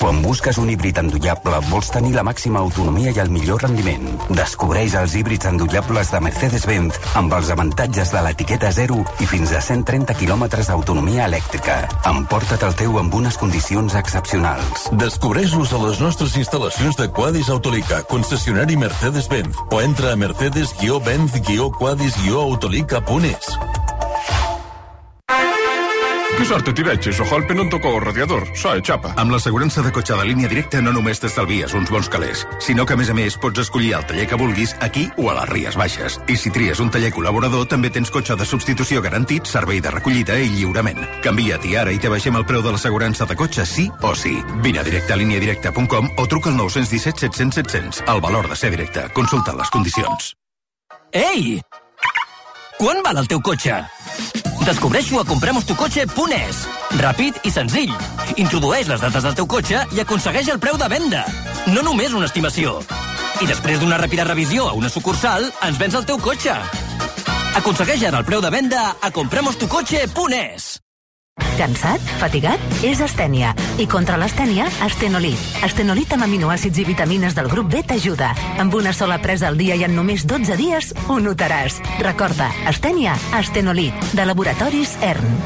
Quan busques un híbrid endollable, vols tenir la màxima autonomia i el millor rendiment. Descobreix els híbrids endollables de Mercedes-Benz amb els avantatges de l'etiqueta zero i fins a cent trenta quilòmetres d'autonomia elèctrica. Emporta't el teu amb unes condicions excepcionals. Descobreix-los a les nostres instal·lacions de Quadis Autolica, concessionari Mercedes-Benz, o entra a mercedes benz quadis autolica punt es. Que sorte t'hi veig, ojo al non tocó el radiador, soe xapa. Amb l'assegurança de cotxe de línia directa no només t'estalvies uns bons calés, sinó que a més a més pots escollir el taller que vulguis aquí o a les Ries Baixes. I si tries un taller col·laborador també tens cotxe de substitució garantit, servei de recollida i lliurament. Canvia't i ara i te baixem el preu de l'assegurança de cotxe sí o sí. Vine a directe a línia directa punt com o truca al nou un set set cents set cents. El valor de ser directe. Consulta les condicions. Ei! Quan val el teu cotxe? Descobreix-ho a compremos tu cotxe punt es. Ràpid i senzill. Introdueix les dates del teu cotxe i aconsegueix el preu de venda. No només una estimació. I després d'una ràpida revisió a una sucursal, ens vens el teu cotxe. Aconsegueix ara el preu de venda a compremos tu cotxe punt es. Cansat? Fatigat? És astènia. I contra l'astènia, Astenolit. Astenolit amb aminoàcids i vitamines del grup B t'ajuda. Amb una sola presa al dia i en només dotze dies ho notaràs. Recorda, astènia, Astenolit, de Laboratoris E R N.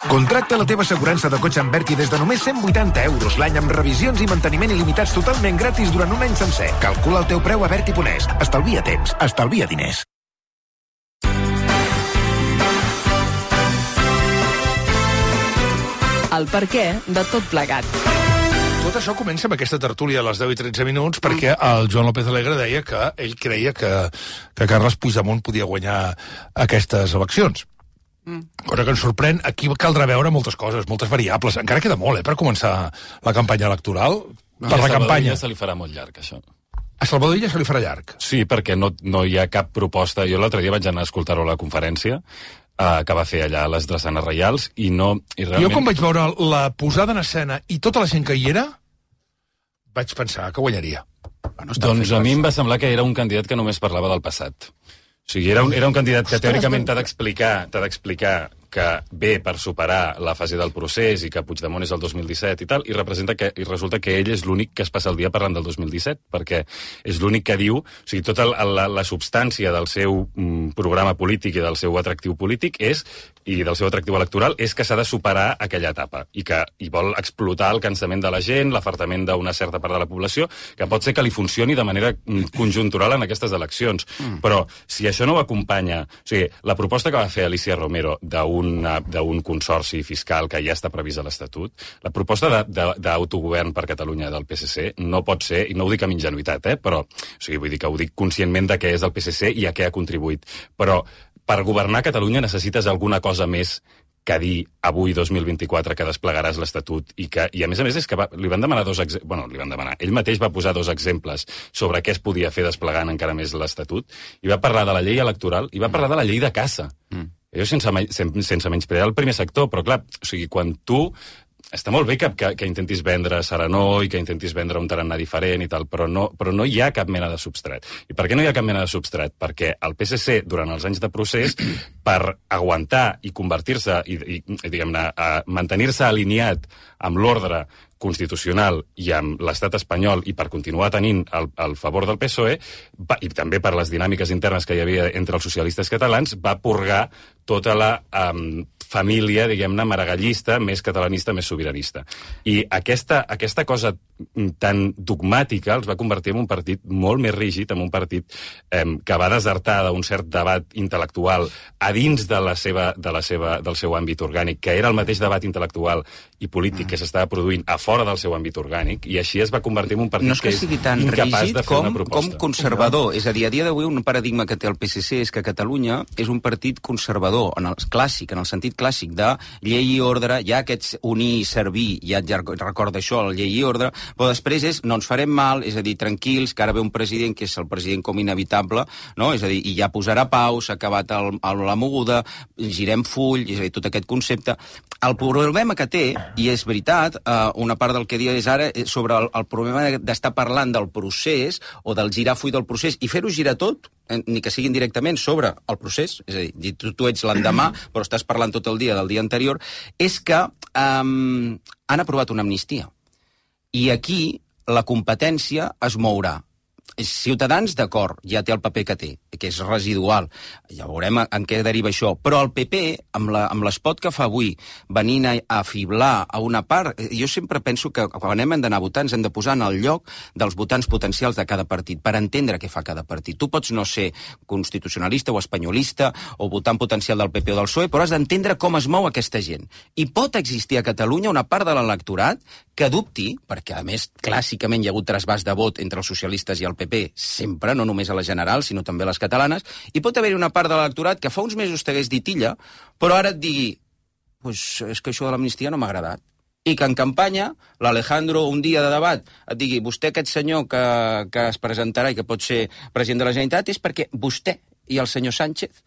Contracta la teva assegurança de cotxe amb Berti des de només cent vuitanta euros l'any amb revisions i manteniment il·limitats totalment gratis durant un any sencer. Calcula el teu preu a berti punt es. Estalvia temps, estalvia diners. El per què de tot plegat. Tot això comença amb aquesta tertúlia a les deu i tretze minuts perquè el Joan López Alegre deia que ell creia que, que Carles Puigdemont podia guanyar aquestes eleccions. Mm. Cosa que ens sorprèn. Aquí caldrà veure moltes coses, moltes variables. Encara queda molt, eh, per començar la campanya electoral. No, per la campanya. Ja se li farà molt llarg, això. A Salvador Illa se li farà llarg? Sí, perquè no, no hi ha cap proposta. Jo l'altre dia vaig anar a escoltar-ho a la conferència Uh, que va fer allà a les drassanes reials i no... I realment... Jo quan vaig veure la posada en escena i tota la gent que hi era, vaig pensar que guanyaria. Bueno, doncs a mi em va semblar que era un candidat que només parlava del passat. O sigui, era un, era un candidat que teòricament t'ha d'explicar t'ha d'explicar que ve per superar la fase del procés i que Puigdemont és el dos mil disset i tal, i representa que i resulta que ell és l'únic que es passa el dia parlant del dos mil disset, perquè és l'únic que diu, o sigui, tota la, la, la substància del seu mm, programa polític i del seu atractiu polític és, i del seu atractiu electoral, és que s'ha de superar aquella etapa, i que i vol explotar el cansament de la gent, l'afartament d'una certa part de la població, que pot ser que li funcioni de manera mm, conjuntural en aquestes eleccions. Mm. Però si això no ho acompanya... O sigui, la proposta que va fer Alicia Romero d'un d'un consorci fiscal que ja està previst a l'Estatut, la proposta d'autogovern per Catalunya del P S C no pot ser, i no ho dic amb ingenuïtat, eh, però, o sigui, vull dir que ho dic conscientment de què és el P S C i a què ha contribuït, però per governar Catalunya necessites alguna cosa més que dir avui, dos mil vint-i-quatre, que desplegaràs l'Estatut i que, i a més a més és que va, li van demanar dos exemples, bueno, li van demanar, ell mateix va posar dos exemples sobre què es podia fer desplegant encara més l'Estatut, i va parlar de la llei electoral i va parlar de la llei de caça. Mm. Jo sense, sense, sense menysprear el primer sector, però clar, o sigui, quan tu... Està molt bé que, que, que intentis vendre Serenó i que intentis vendre un tarannà diferent i tal, però no, però no hi ha cap mena de substrat. I per què no hi ha cap mena de substrat? Perquè el P S C, durant els anys de procés, per aguantar i convertir-se i, i, i diguem-ne, mantenir-se alineat amb l'ordre constitucional i amb l'estat espanyol i per continuar tenint el, el favor del P S O E va, i també per les dinàmiques internes que hi havia entre els socialistes catalans, va purgar tota la um, família, diguem-ne, maragallista, més catalanista, més sobiranista. I aquesta, aquesta cosa tan dogmàtica els va convertir en un partit molt més rígid, en un partit eh, que va desertar d'un cert debat intel·lectual a dins de la seva, de la seva, del seu àmbit orgànic, que era el mateix debat intel·lectual i polític que s'estava produint a fora del seu àmbit orgànic, i així es va convertir en un partit no és que, que és sigui tan incapaç rígid de fer com, una proposta. com conservador. És a dir, a dia d'avui un paradigma que té el P S C és que Catalunya és un partit conservador, en el clàssic, en el sentit clàssic de llei i ordre, ja aquests unir i servir, ja et recorda això, la llei i ordre, però després és no ens farem mal, és a dir, tranquils, que ara ve un president que és el president com inevitable, no? És a dir, i ja posarà pau, s'ha acabat el, el, la moguda, girem full, és a dir, tot aquest concepte. El problema que té, i és veritat, eh, una part del que dia és ara sobre el, el problema d'estar parlant del procés o del girar full del procés i fer-ho girar tot, ni que siguin directament sobre el procés, és a dir, tu, tu ets l'endemà, però estàs parlant tot el dia del dia anterior, és que um, han aprovat una amnistia. I aquí la competència es mourà. Ciutadans, d'acord, ja té el paper que té, que és residual. Ja veurem en què deriva això. Però el P P, amb, la, amb l'espot que fa avui, venint a, a fiblar a una part, jo sempre penso que quan hem d'anar a votar ens hem de posar en el lloc dels votants potencials de cada partit, per entendre què fa cada partit. Tu pots no ser constitucionalista o espanyolista o votant potencial del P P o del P S O E, però has d'entendre com es mou aquesta gent. I pot existir a Catalunya una part de l'electorat que dubti, perquè a més clàssicament hi ha hagut trasbàs de vot entre els socialistes i el P P, sempre, no només a les generals, sinó també a les catalanes, i pot haver-hi una part de l'electorat que fa uns mesos t'hagués dit illa, però ara et digui, pues és que això de l'amnistia no m'ha agradat. I que en campanya, l'Alejandro, un dia de debat, et digui, vostè aquest senyor que, que es presentarà i que pot ser president de la Generalitat és perquè vostè i el senyor Sánchez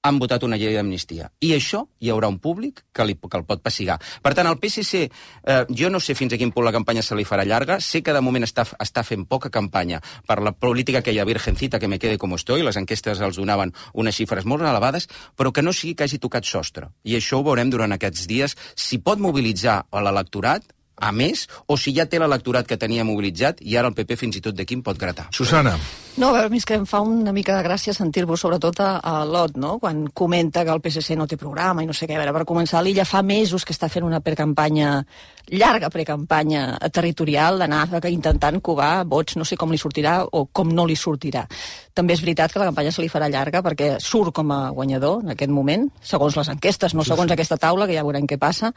han votat una llei d'amnistia. I això hi haurà un públic que, li, que el pot pessigar. Per tant, el P S C, eh, jo no sé fins a quin punt la campanya se li farà llarga, sé que de moment està, està fent poca campanya per la política aquella virgencita que me quede com estoy, les enquestes els donaven unes xifres molt elevades, però que no sigui que hagi tocat sostre. I això ho veurem durant aquests dies, si pot mobilitzar a l'electorat, a més, o si ja té l'electorat que tenia mobilitzat i ara el P P fins i tot d'aquí en pot gratar. Susana. No, a veure, és que em fa una mica de gràcia sentir-vos, sobretot a, a l'Ot, no?, quan comenta que el P S C no té programa i no sé què. A veure, per començar, l'Illa fa mesos que està fent una precampanya, llarga precampanya territorial, d'anar intentant covar vots, no sé com li sortirà o com no li sortirà. També és veritat que la campanya se li farà llarga perquè surt com a guanyador en aquest moment, segons les enquestes, no segons aquesta taula, que ja veurem què passa,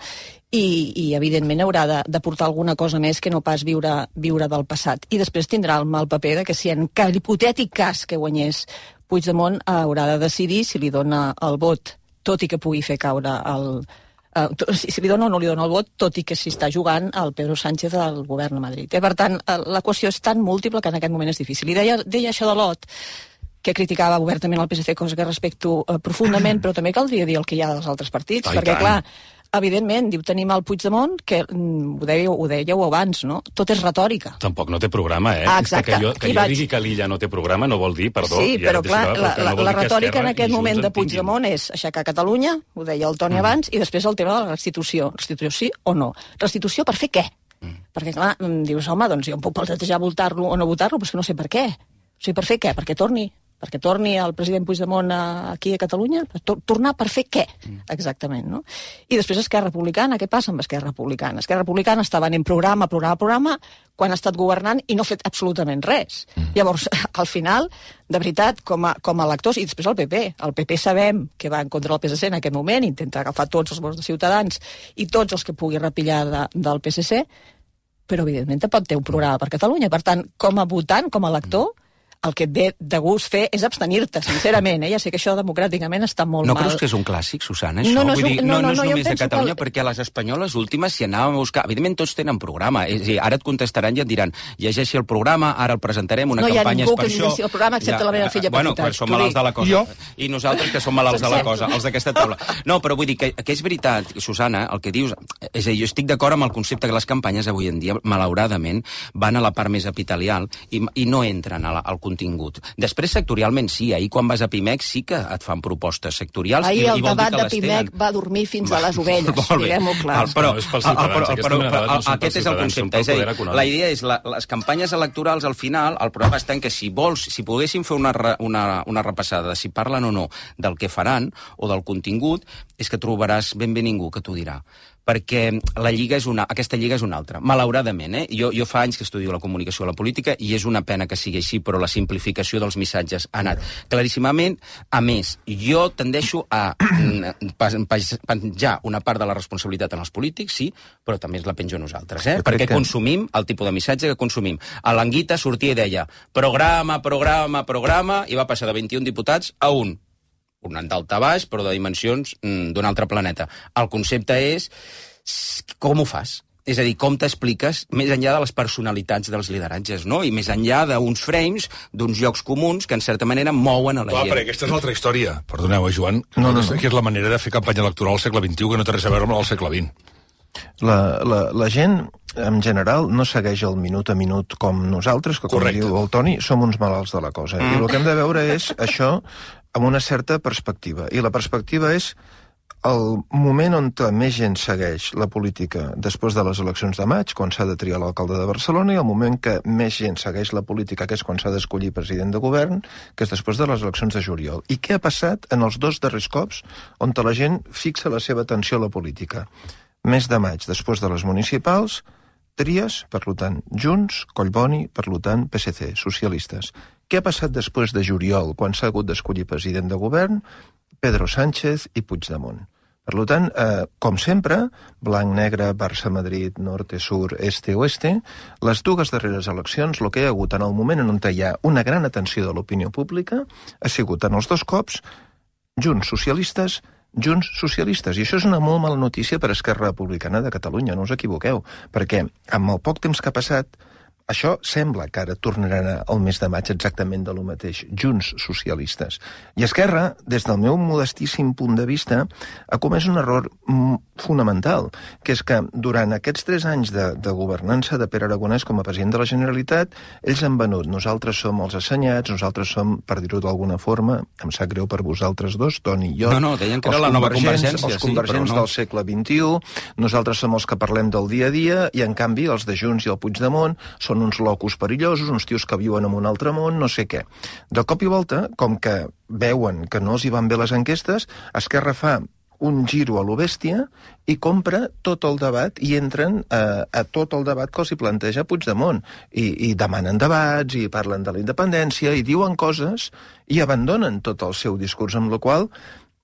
i, i evidentment haurà de, de portar alguna cosa més que no pas viure, viure del passat. I després tindrà el mal paper de que si en hipotètic cas que guanyés Puigdemont haurà de decidir si li dona el vot, tot i que pugui fer caure el... Uh, si li dona o no li dona el vot, tot i que s'hi està jugant el Pedro Sánchez al govern a Madrid. Eh? Per tant, l'equació és tan múltiple que en aquest moment és difícil. I deia, deia això de l'Ot, que criticava obertament el P S C, cosa que respecto uh, profundament, però també caldria dir el que hi ha dels altres partits, oh, perquè, clar, evidentment, diu, tenim el Puigdemont, que mm, ho, dèieu, ho dèieu abans, no? Tot és retòrica. Tampoc no té programa, eh? Ah, exacte. Que jo, que jo vaig... digui que l'Illa no té programa no vol dir, perdó... Sí, però clar, la, no la, la retòrica en aquest moment de Puigdemont és aixecar Catalunya, ho deia el Toni mm. abans, i després el tema de la restitució. Restitució sí o no? Restitució per fer què? Mm. Perquè, clar, dius, home, doncs jo em puc plantejar votar-lo o no votar-lo, però és que no sé per què. O sigui, per fer què? Perquè torni... perquè torni el president Puigdemont a, aquí a Catalunya? Tornar per fer què? Exactament, no? I després Esquerra Republicana, què passa amb Esquerra Republicana? Esquerra Republicana està venent programa, programa, programa, quan ha estat governant i no ha fet absolutament res. Mm. Llavors, al final, de veritat, com a, com a electors, i després el P P, el P P sabem que va en contra del P S C en aquest moment, intenta agafar tots els vots de Ciutadans i tots els que pugui repillar de, del P S C, però evidentment tampoc té un programa per Catalunya. Per tant, com a votant, com a elector, el que et ve de gust fer és abstenir-te, sincerament. Eh? Ja sé que això democràticament està molt no mal. No creus que és un clàssic, Susana, això? No, no, Vull dir, no, no, no, no és no, només de Catalunya, que... perquè a les espanyoles últimes, si anàvem a buscar... Evidentment, tots tenen programa. És a dir, ara et contestaran i et diran, llegeixi el programa, ara el presentarem, una no campanya és per això... No hi ha ningú que llegeixi el programa, excepte ja, la meva filla bueno, petita. Bueno, som malalts de la cosa. Jo? I nosaltres, que som malalts de la cosa, els d'aquesta taula. No, però vull dir que, que és veritat, Susana, el que dius... És a dir, jo estic d'acord amb el concepte que les campanyes avui en dia, malauradament, van a la part més epitelial i, i no entren a la, al contingut. Després, sectorialment, sí, ahir quan vas a Pimec sí que et fan propostes sectorials. Ahir i, el i vol debat dir de Pimec va dormir fins a les ovelles, diguem-ho clar. El, però, el, però, però, però aquest és el concepte. És a dir, la idea és, la, les campanyes electorals, al final, el problema està en que si vols, si poguéssim fer una, una, una repassada de si parlen o no del que faran o del contingut, és que trobaràs ben bé ningú que t'ho dirà. Perquè la lliga és una, aquesta lliga és una altra. Malauradament, eh? Jo, jo fa anys que estudio la comunicació i la política i és una pena que sigui així, però la simplificació dels missatges ha anat claríssimament. A més, jo tendeixo a penjar una part de la responsabilitat en els polítics, sí, però també es la penjo a nosaltres, eh? Perquè que... consumim el tipus de missatge que consumim. A l'Anguita sortia i deia programa, programa, programa, i va passar de vint-i-un diputats a un. Un daltabaix, però de dimensions mm, d'un altre planeta. El concepte és com ho fas? És a dir, com t'expliques més enllà de les personalitats dels lideratges, no? I més enllà d'uns frames, d'uns llocs comuns que en certa manera mouen a la Clar, gent. Però aquesta és l'altra història. Perdoneu, eh, Joan? No, no, no. Que és la manera de fer campanya electoral al segle vint-i-u que no té res a veure amb el segle vint. La, la, la gent, en general, no segueix el minut a minut com nosaltres, que, com Correcte. Diu el Toni, som uns malalts de la cosa. Mm. I el que hem de veure és això amb una certa perspectiva. I la perspectiva és el moment on més gent segueix la política després de les eleccions de maig, quan s'ha de triar l'alcalde de Barcelona, i el moment que més gent segueix la política, que és quan s'ha d'escollir president de govern, que és després de les eleccions de juliol. I què ha passat en els dos darrers cops on la gent fixa la seva atenció a la política? Mes de maig, després de les municipals, tries, per tant, Junts, Collboni, per tant, P S C, socialistes. Què ha passat després de juliol, quan s'ha hagut d'escollir president de govern? Pedro Sánchez i Puigdemont. Per tant, eh, com sempre, blanc-negre, Barça-Madrid, norte-sur, este-oeste, les dues darreres eleccions, el que hi ha hagut en el moment on hi ha una gran atenció de l'opinió pública ha sigut en els dos cops Junts socialistes, Junts socialistes. I això és una molt mala notícia per Esquerra Republicana de Catalunya, no us equivoqueu, perquè amb el poc temps que ha passat, això sembla que ara tornaran al mes de maig exactament de lo mateix, Junts socialistes. I Esquerra, des del meu modestíssim punt de vista, ha comès un error fonamental, que és que durant aquests tres anys de, de governança de Pere Aragonès com a president de la Generalitat, ells han venut, nosaltres som els assenyats, nosaltres som, per dir-ho d'alguna forma, em sap greu per vosaltres dos, Toni i jo, no, no, deien que era la nova Convergència, els convergents sí, no. del segle vint-i-u, nosaltres som els que parlem del dia a dia, i en canvi els de Junts i el Puigdemont són uns locos perillosos, uns tios que viuen en un altre món, no sé què. De cop i volta, com que veuen que no els hi van bé les enquestes, Esquerra fa un giro a lo bèstia i compra tot el debat i entren a, a tot el debat que els hi planteja Puigdemont. I, i demanen debats, i parlen de la independència, i diuen coses, i abandonen tot el seu discurs, amb la qual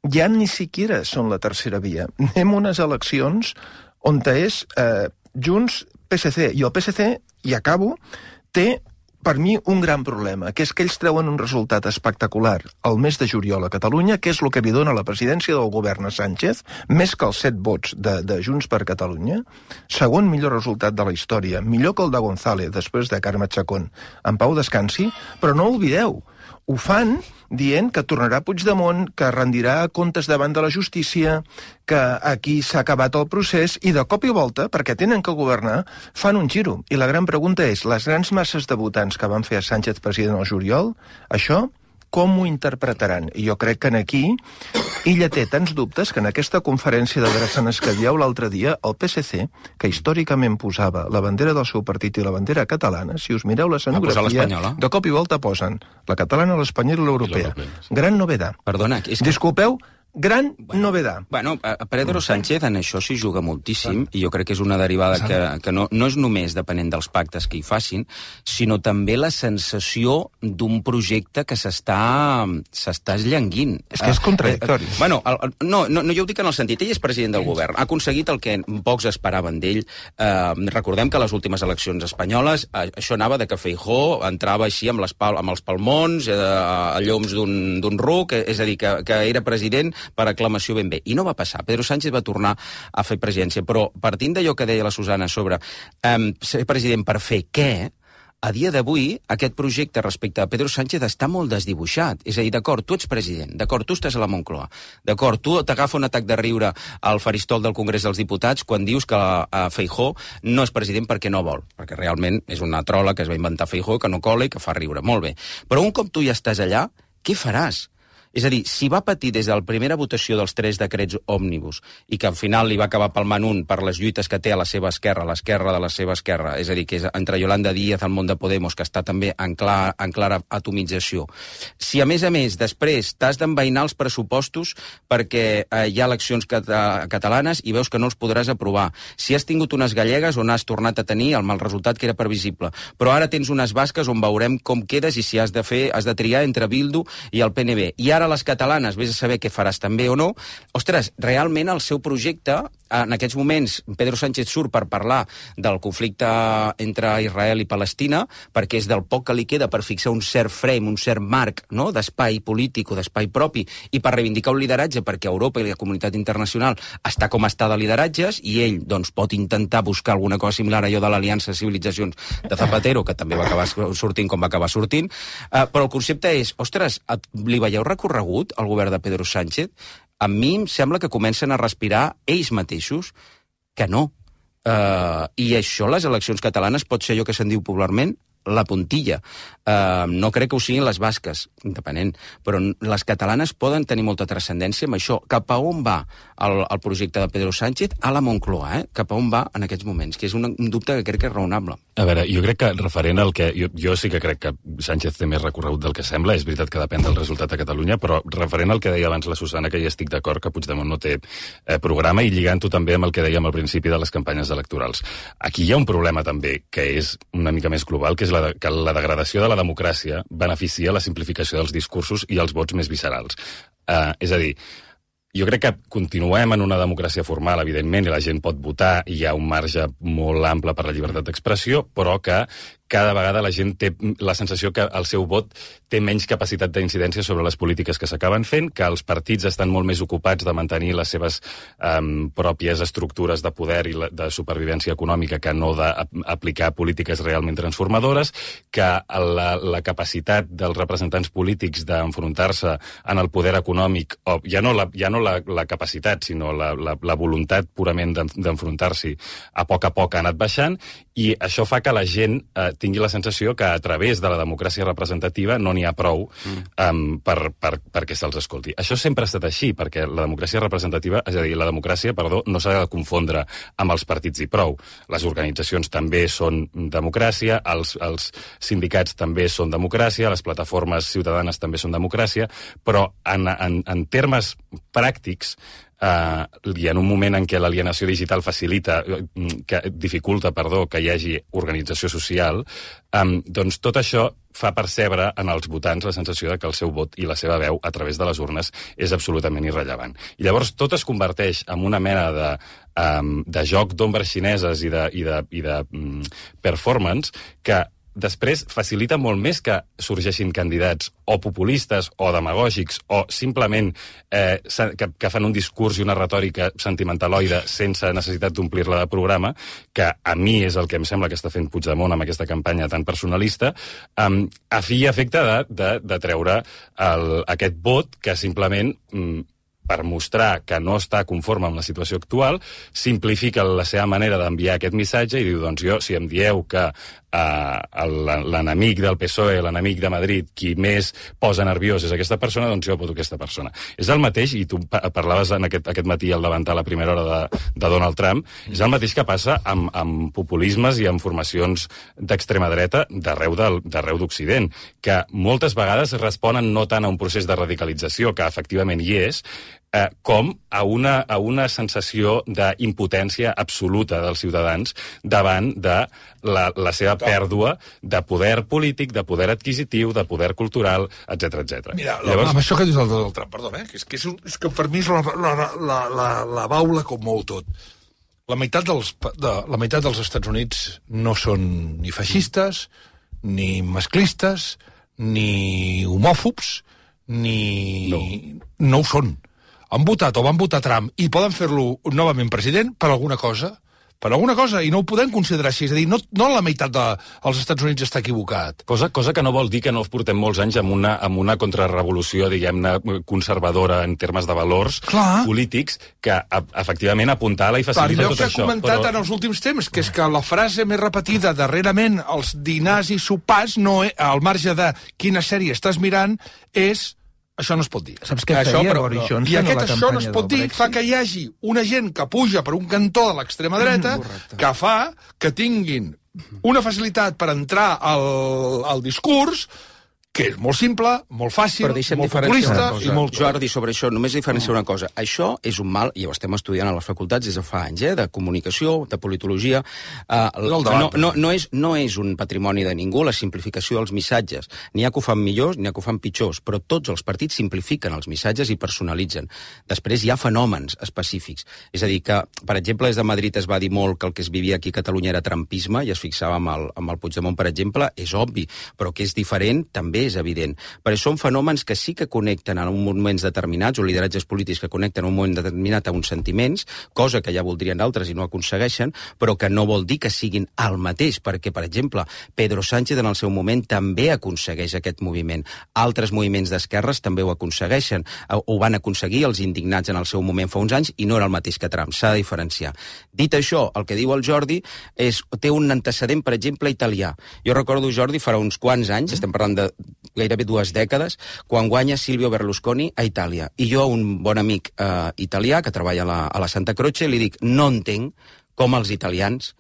ja ni siquiera són la tercera via. Anem a unes eleccions on és eh, Junts, P S C, i el P S C, i acabo, té per mi un gran problema, que és que ells treuen un resultat espectacular al mes de juliol a Catalunya, que és el que li dona la presidència del govern a Sánchez, més que els set vots de, de Junts per Catalunya, segon millor resultat de la història, millor que el de González, després de Carme Chacón, en pau descansi, però no oblideu, ho fan dient que tornarà Puigdemont, que rendirà comptes davant de la justícia, que aquí s'ha acabat el procés, i de cop i volta, perquè tenen que governar, fan un giro. I la gran pregunta és, les grans masses de votants que van fer a Sánchez president al juliol, això com ho interpretaran? I jo crec que en aquí ella té tants dubtes que en aquesta conferència de Drassanes que dieu l'altre dia, el P S C, que històricament posava la bandera del seu partit i la bandera catalana, si us mireu la escenografia, de cop i volta posen la catalana, l'espanyola i l'europea. Gran novedat. Perdona, és que... Disculpeu, gran bueno, novedat. Bueno, Pedro Sánchez en això s'hi juga moltíssim, i jo crec que és una derivada que, que no, no és només depenent dels pactes que hi facin, sinó també la sensació d'un projecte que s'està s'està esllanguint. És que és contradictori. Uh, uh, bueno, el, no, no, no, jo ho dic en el sentit, ell és president del govern, ha aconseguit el que pocs esperaven d'ell. Uh, recordem que a les últimes eleccions espanyoles uh, això anava de que Feijóo entrava així amb, les pal amb els palmons, uh, a lloms d'un ruc, és a dir, que, que era president per aclamació ben bé. I no va passar. Pedro Sánchez va tornar a fer presidència. Però partint d'allò que deia la Susana sobre um, ser president per fer què, a dia d'avui aquest projecte respecte a Pedro Sánchez està molt desdibuixat. És a dir, d'acord, tu ets president, d'acord, tu estàs a la Moncloa, d'acord, tu t'agafa un atac de riure al faristol del Congrés dels Diputats quan dius que uh, Feijóo no és president perquè no vol, perquè realment és una trola que es va inventar Feijóo, que no cola i que fa riure. Molt bé. Però un cop tu ja estàs allà, què faràs? És a dir, si va patir des de la primera votació dels tres decrets òmnibus i que al final li va acabar palmant un per les lluites que té a la seva esquerra, a l'esquerra de la seva esquerra, és a dir, que és entre Yolanda Díaz, el món de Podemos, que està també en, clar, en clara atomització. Si, a més a més, després t'has d'envainar els pressupostos perquè eh, hi ha eleccions cat catalanes i veus que no els podràs aprovar. Si has tingut unes gallegues on has tornat a tenir el mal resultat que era previsible, però ara tens unes basques on veurem com quedes i si has de fer, has de triar entre Bildu i el P N B. I ara les catalanes, vés a saber què faràs també o no. Ostres, realment el seu projecte, en aquests moments Pedro Sánchez surt per parlar del conflicte entre Israel i Palestina, perquè és del poc que li queda per fixar un cert frame, un cert marc, no?, d'espai polític o d'espai propi, i per reivindicar un lideratge, perquè Europa i la comunitat internacional està com està de lideratges, i ell doncs, pot intentar buscar alguna cosa similar a allò de l'Aliança de Civilitzacions de Zapatero, que també va acabar sortint com va acabar sortint, uh, però el concepte és, ostres, li veieu recorregut al govern de Pedro Sánchez? A mi em sembla que comencen a respirar ells mateixos que no. Uh, I això, les eleccions catalanes, pot ser allò que se'n diu popularment la puntilla. Uh, no crec que ho siguin les basques, depenent, però les catalanes poden tenir molta transcendència amb això. Cap a on va el, el projecte de Pedro Sánchez a la Moncloa, eh? Cap a on va en aquests moments, que és un, un dubte que crec que és raonable. A veure, jo crec que referent al que... Jo, jo sí que crec que Sánchez té més recorregut del que sembla, és veritat que depèn del resultat a Catalunya, però referent al que deia abans la Susana, que hi estic d'acord, que Puigdemont no té eh, programa, i lligant-ho també amb el que dèiem al principi de les campanyes electorals. Aquí hi ha un problema també, que és una mica més global, que és la de, que la degradació de la democràcia beneficia la simplificació dels discursos i els vots més viscerals. Uh, és a dir, jo crec que continuem en una democràcia formal, evidentment, i la gent pot votar, i hi ha un marge molt ample per la llibertat d'expressió, però que cada vegada la gent té la sensació que el seu vot té menys capacitat d'incidència sobre les polítiques que s'acaben fent, que els partits estan molt més ocupats de mantenir les seves um, pròpies estructures de poder i la, de supervivència econòmica que no d'aplicar polítiques realment transformadores, que la, la capacitat dels representants polítics d'enfrontar-se en el poder econòmic, o ja no la, ja no la, la capacitat, sinó la, la, la voluntat purament d'enfrontar-s'hi, a poc a poc ha anat baixant, i això fa que la gent eh, tingui la sensació que a través de la democràcia representativa no n'hi ha prou um, per, per, perquè se'ls escolti. Això sempre ha estat així, perquè la democràcia representativa, és a dir, la democràcia, perdó, no s'ha de confondre amb els partits i prou. Les organitzacions també són democràcia, els, els sindicats també són democràcia, les plataformes ciutadanes també són democràcia, però en, en, en termes pràctics, Uh, i en un moment en què l'alienació digital facilita, que dificulta, perdó, que hi hagi organització social, um, doncs tot això fa percebre en els votants la sensació de que el seu vot i la seva veu a través de les urnes és absolutament irrellevant. I llavors tot es converteix en una mena de, um, de joc d'ombres xineses i de, i de, i de um, performance que després facilita molt més que sorgeixin candidats o populistes o demagògics o simplement eh, que, que fan un discurs i una retòrica sentimentaloide sense necessitat d'omplir-la de programa, que a mi és el que em sembla que està fent Puigdemont amb aquesta campanya tan personalista, um, a fi i efecte de, de, de treure el, aquest vot que simplement... Um, per mostrar que no està conforme amb la situació actual, simplifica la seva manera d'enviar aquest missatge i diu, doncs jo, si em dieu que uh, l'enemic del P S O E, l'enemic de Madrid, qui més posa nerviós és aquesta persona, doncs jo voto aquesta persona. És el mateix, i tu parlaves en aquest, aquest matí al davantar la primera hora de, de Donald Trump, és el mateix que passa amb, amb populismes i amb formacions d'extrema dreta d'arreu d'Occident, que moltes vegades responen no tant a un procés de radicalització, que efectivament hi és, Eh, com a una, a una sensació d'impotència absoluta dels ciutadans davant de la, la seva pèrdua de poder polític, de poder adquisitiu, de poder cultural, etcètera, etcètera. Mira, Llavors... amb això que dius del Donald Trump, perdona, eh? que, és, que, és, un, és que per mi és la, la, la, la, la baula com molt tot. La meitat, dels, de, la meitat dels Estats Units no són ni feixistes, ni masclistes, ni homòfobs, ni... No, no ho són. Han votat o van votar Trump i poden fer-lo novament president per alguna cosa, per alguna cosa, i no ho podem considerar així. És a dir, no, no la meitat dels Estats Units està equivocat. Cosa, cosa que no vol dir que no portem molts anys amb una, amb una contrarrevolució, diguem-ne, conservadora en termes de valors Clar. polítics, que a, efectivament apuntala i facilita per tot això. Per allò que he comentat però... en els últims temps, que és que la frase més repetida darrerament als dinars i sopars, no, al marge de quina sèrie estàs mirant, és... Això no es pot dir. Saps què feia això, però, Boris Johnson I aquest a la això no es pot dir, Brexit? fa que hi hagi una gent que puja per un cantó de l'extrema dreta, mm, que fa que tinguin una facilitat per entrar al, al discurs que és molt simple, molt fàcil, molt populista i molt... Jordi, sobre això, només diferenciar una cosa. Això és un mal, i ho estem estudiant a les facultats des de fa anys, eh, de comunicació, de politologia. Uh, no, no, no, és, no és un patrimoni de ningú la simplificació dels missatges. N'hi ha que ho fan millors, n'hi ha que ho fan pitjors, però tots els partits simplifiquen els missatges i personalitzen. Després hi ha fenòmens específics. És a dir, que, per exemple, des de Madrid es va dir molt que el que es vivia aquí a Catalunya era trumpisme, i es fixava amb el, amb el Puigdemont, per exemple, és obvi, però que és diferent també és evident. Però són fenòmens que sí que connecten en moments determinats, o lideratges polítics que connecten en un moment determinat a uns sentiments, cosa que ja voldrien d'altres i no aconsegueixen, però que no vol dir que siguin el mateix, perquè, per exemple, Pedro Sánchez en el seu moment també aconsegueix aquest moviment. Altres moviments d'esquerres també ho aconsegueixen. Ho van aconseguir els indignats en el seu moment fa uns anys i no era el mateix que Trump. S'ha de diferenciar. Dit això, el que diu el Jordi és, té un antecedent, per exemple, italià. Jo recordo, Jordi, farà uns quants anys, estem parlant de gairebé dues dècades, quan guanya Silvio Berlusconi a Itàlia. I jo, un bon amic eh, italià que treballa a la, a la Santa Croce, li dic, no entenc com els italians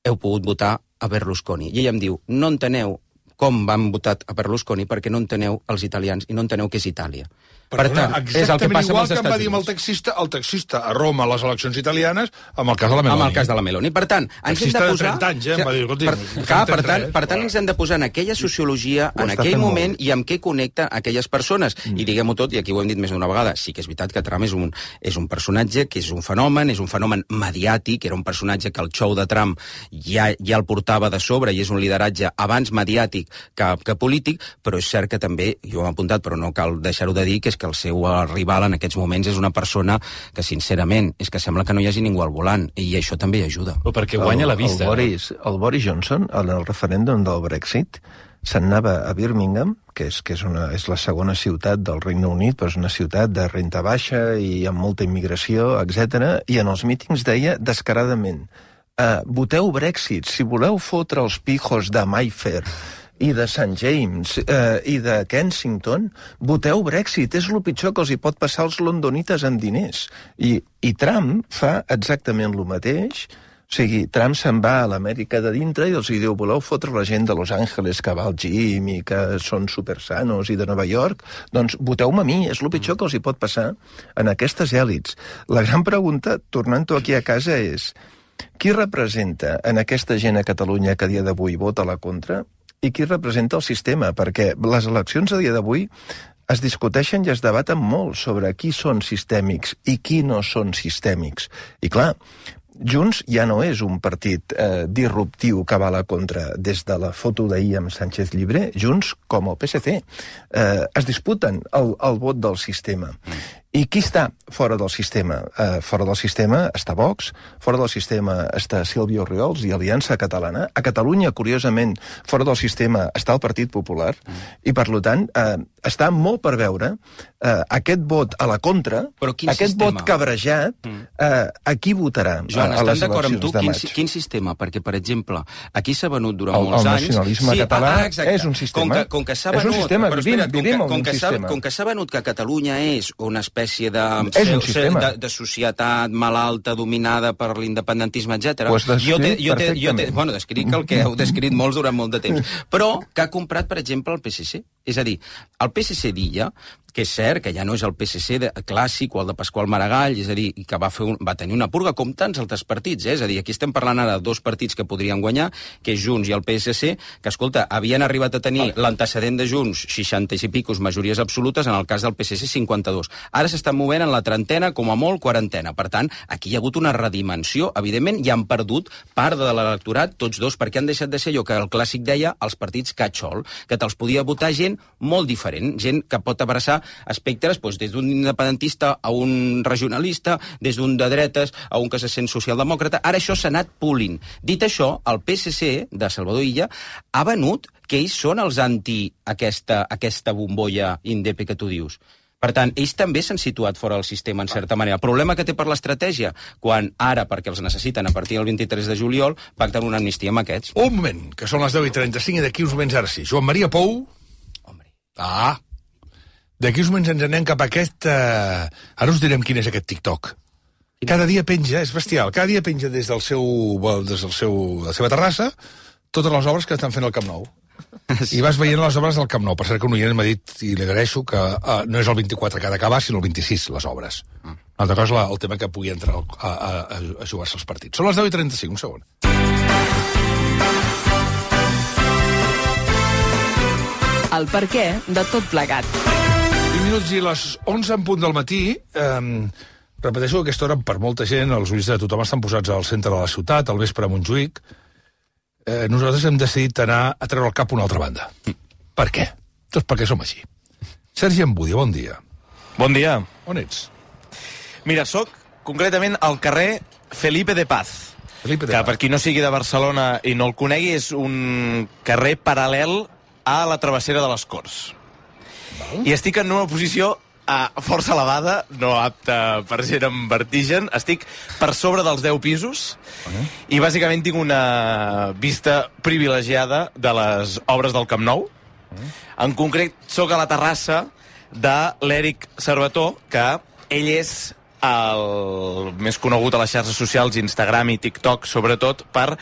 heu pogut votar a Berlusconi. I ell em diu, no enteneu com van votar a Berlusconi perquè no enteneu els italians i no enteneu què és Itàlia. Perdona, per tant, és el que passa igual que em va dir amb el taxista, el taxista a Roma a les eleccions italianes, amb el cas de la Meloni. Amb el cas de la Meloni. Per tant, ens hem de posar... de trenta anys, eh? Em va dir, per, clar, per tant, per tant, ens hem de posar en aquella sociologia, en aquell moment, i amb què connecta aquelles persones. Mm. I diguem-ho tot, i aquí ho hem dit més d'una vegada, sí que és veritat que Trump és un, és un personatge que és un fenomen, és un fenomen mediàtic, era un personatge que el show de Trump ja, ja el portava de sobre, i és un lideratge abans mediàtic que, que polític, però és cert que també, jo ho he apuntat, però no cal deixar-ho de dir, que és que el seu rival en aquests moments és una persona que, sincerament, és que sembla que no hi hagi ningú al volant, i això també hi ajuda. O perquè guanya la vista. El, el, Boris, el Boris Johnson, en el referèndum del Brexit, se'n anava a Birmingham, que, és, que és, una, és la segona ciutat del Regne Unit, però és una ciutat de renta baixa i amb molta immigració, etcètera, i en els mítings deia descaradament, eh, voteu Brexit, si voleu fotre els pijos de Mayfair i de Saint James eh, i de Kensington, voteu Brexit, és el pitjor que els hi pot passar als londonites amb diners. I, i Trump fa exactament el mateix. O sigui, Trump se'n va a l'Amèrica de dintre i els hi diu, voleu fotre la gent de Los Angeles que va al gym i que són supersanos i de Nova York? Doncs voteu-me a mi, és el pitjor que els hi pot passar en aquestes èlits. La gran pregunta, tornant-ho aquí a casa, és qui representa en aquesta gent a Catalunya que a dia d'avui vota a la contra i qui representa el sistema? Perquè les eleccions a dia d'avui es discuteixen i es debaten molt sobre qui són sistèmics i qui no són sistèmics. I clar, Junts ja no és un partit eh, disruptiu que va a la contra. Des de la foto d'ahir amb Sánchez Llibre, Junts, com el P S C, eh, es disputen el, el vot del sistema. I qui està fora del sistema? Uh, fora del sistema està Vox, fora del sistema està Sílvia Orriols i Aliança Catalana. A Catalunya, curiosament, fora del sistema està el Partit Popular, mm. i per tant uh, està molt per veure uh, aquest vot a la contra, aquest sistema? Vot cabrejat, mm. uh, a qui votarà Joan, a, a les d'acord eleccions amb tu, de quin, maig? Quin sistema? Perquè, per exemple, aquí s'ha venut durant el, molts el anys... El nacionalisme sí, català ah, és un sistema. Com que, com que s'ha venut... És un sistema, vivim, espera't, vivim com que, en un com sistema. Com que s'ha venut que Catalunya és una espècie de... És un sistema. De, de societat malalta, dominada per l'independentisme, etcètera. Ho has descrit jo te, jo te, jo te, perfectament. bueno, descric el que heu descrit molts durant molt de temps. Però que ha comprat, per exemple, el P S C. És a dir, el P S C d'Illa, que és cert que ja no és el P S C de, clàssic o el de Pasqual Maragall, és a dir, que va, fer un, va tenir una purga com tants altres partits, eh? És a dir, aquí estem parlant ara de dos partits que podrien guanyar, que és Junts i el P S C, que, escolta, havien arribat a tenir l'antecedent de Junts, seixanta i picos majories absolutes, en el cas del P S C, cinquanta-dos. Ara s'estan movent en la trentena, com a molt, quarantena. Per tant, aquí hi ha hagut una redimensió, evidentment, i han perdut part de l'electorat, tots dos, perquè han deixat de ser allò que el clàssic deia els partits catxol, que te'ls podia votar gent molt diferent, gent que pot abraçar espectres doncs, des d'un independentista a un regionalista, des d'un de dretes a un que se sent socialdemòcrata. Ara això s'ha anat pulint. Dit això, el P S C de Salvador Illa ha venut que ells són els anti aquesta, aquesta bombolla indepe que tu dius. Per tant, ells també s'han situat fora del sistema, en certa manera. El problema que té per l'estratègia, quan ara, perquè els necessiten a partir del vint-i-tres de juliol, pacten una amnistia amb aquests. Un moment, que són les deu i trenta-cinc i d'aquí uns moments ara sí. Joan Maria Pou. Hombre. Ah. D'aquí uns moments ens anem cap a aquest... Uh... Ara us direm quin és aquest TikTok. Cada dia penja, és bestial, cada dia penja des del seu, des del seu, de la seva terrassa totes les obres que estan fent al Camp Nou. I vas veient les obres del Camp Nou. Per cert que un oient m'ha dit, i li agraeixo, que uh, no és el vint-i-quatre que ha d'acabar, sinó el vint-i-sis, les obres. Mm. Una altra cosa és el tema que pugui entrar a, a, a jugar-se els partits. Són les deu i trenta-cinc, un segon. El perquè de tot plegat. vint minuts i les onze en punt del matí. Eh, repeteixo que aquesta hora, per molta gent, els ulls de tothom estan posats al centre de la ciutat, al vespre a Montjuïc. Eh, nosaltres hem decidit anar a treure el cap a una altra banda. Mm. Per què? Doncs perquè som així. Sergi Embudi, bon dia. Bon dia. On ets? Mira, soc concretament al carrer Felipe de Paz, Felipe de que Paz. per qui no sigui de Barcelona i no el conegui, és un carrer paral·lel a la travessera de les Corts. Val. I estic en una posició a força elevada, no apta per gent amb vertigen. Estic per sobre dels deu pisos uh-huh. i bàsicament tinc una vista privilegiada de les obres del Camp Nou. Uh-huh. En concret, sóc a la terrassa de l'Eric Servetó, que ell és el més conegut a les xarxes socials, Instagram i TikTok, sobretot per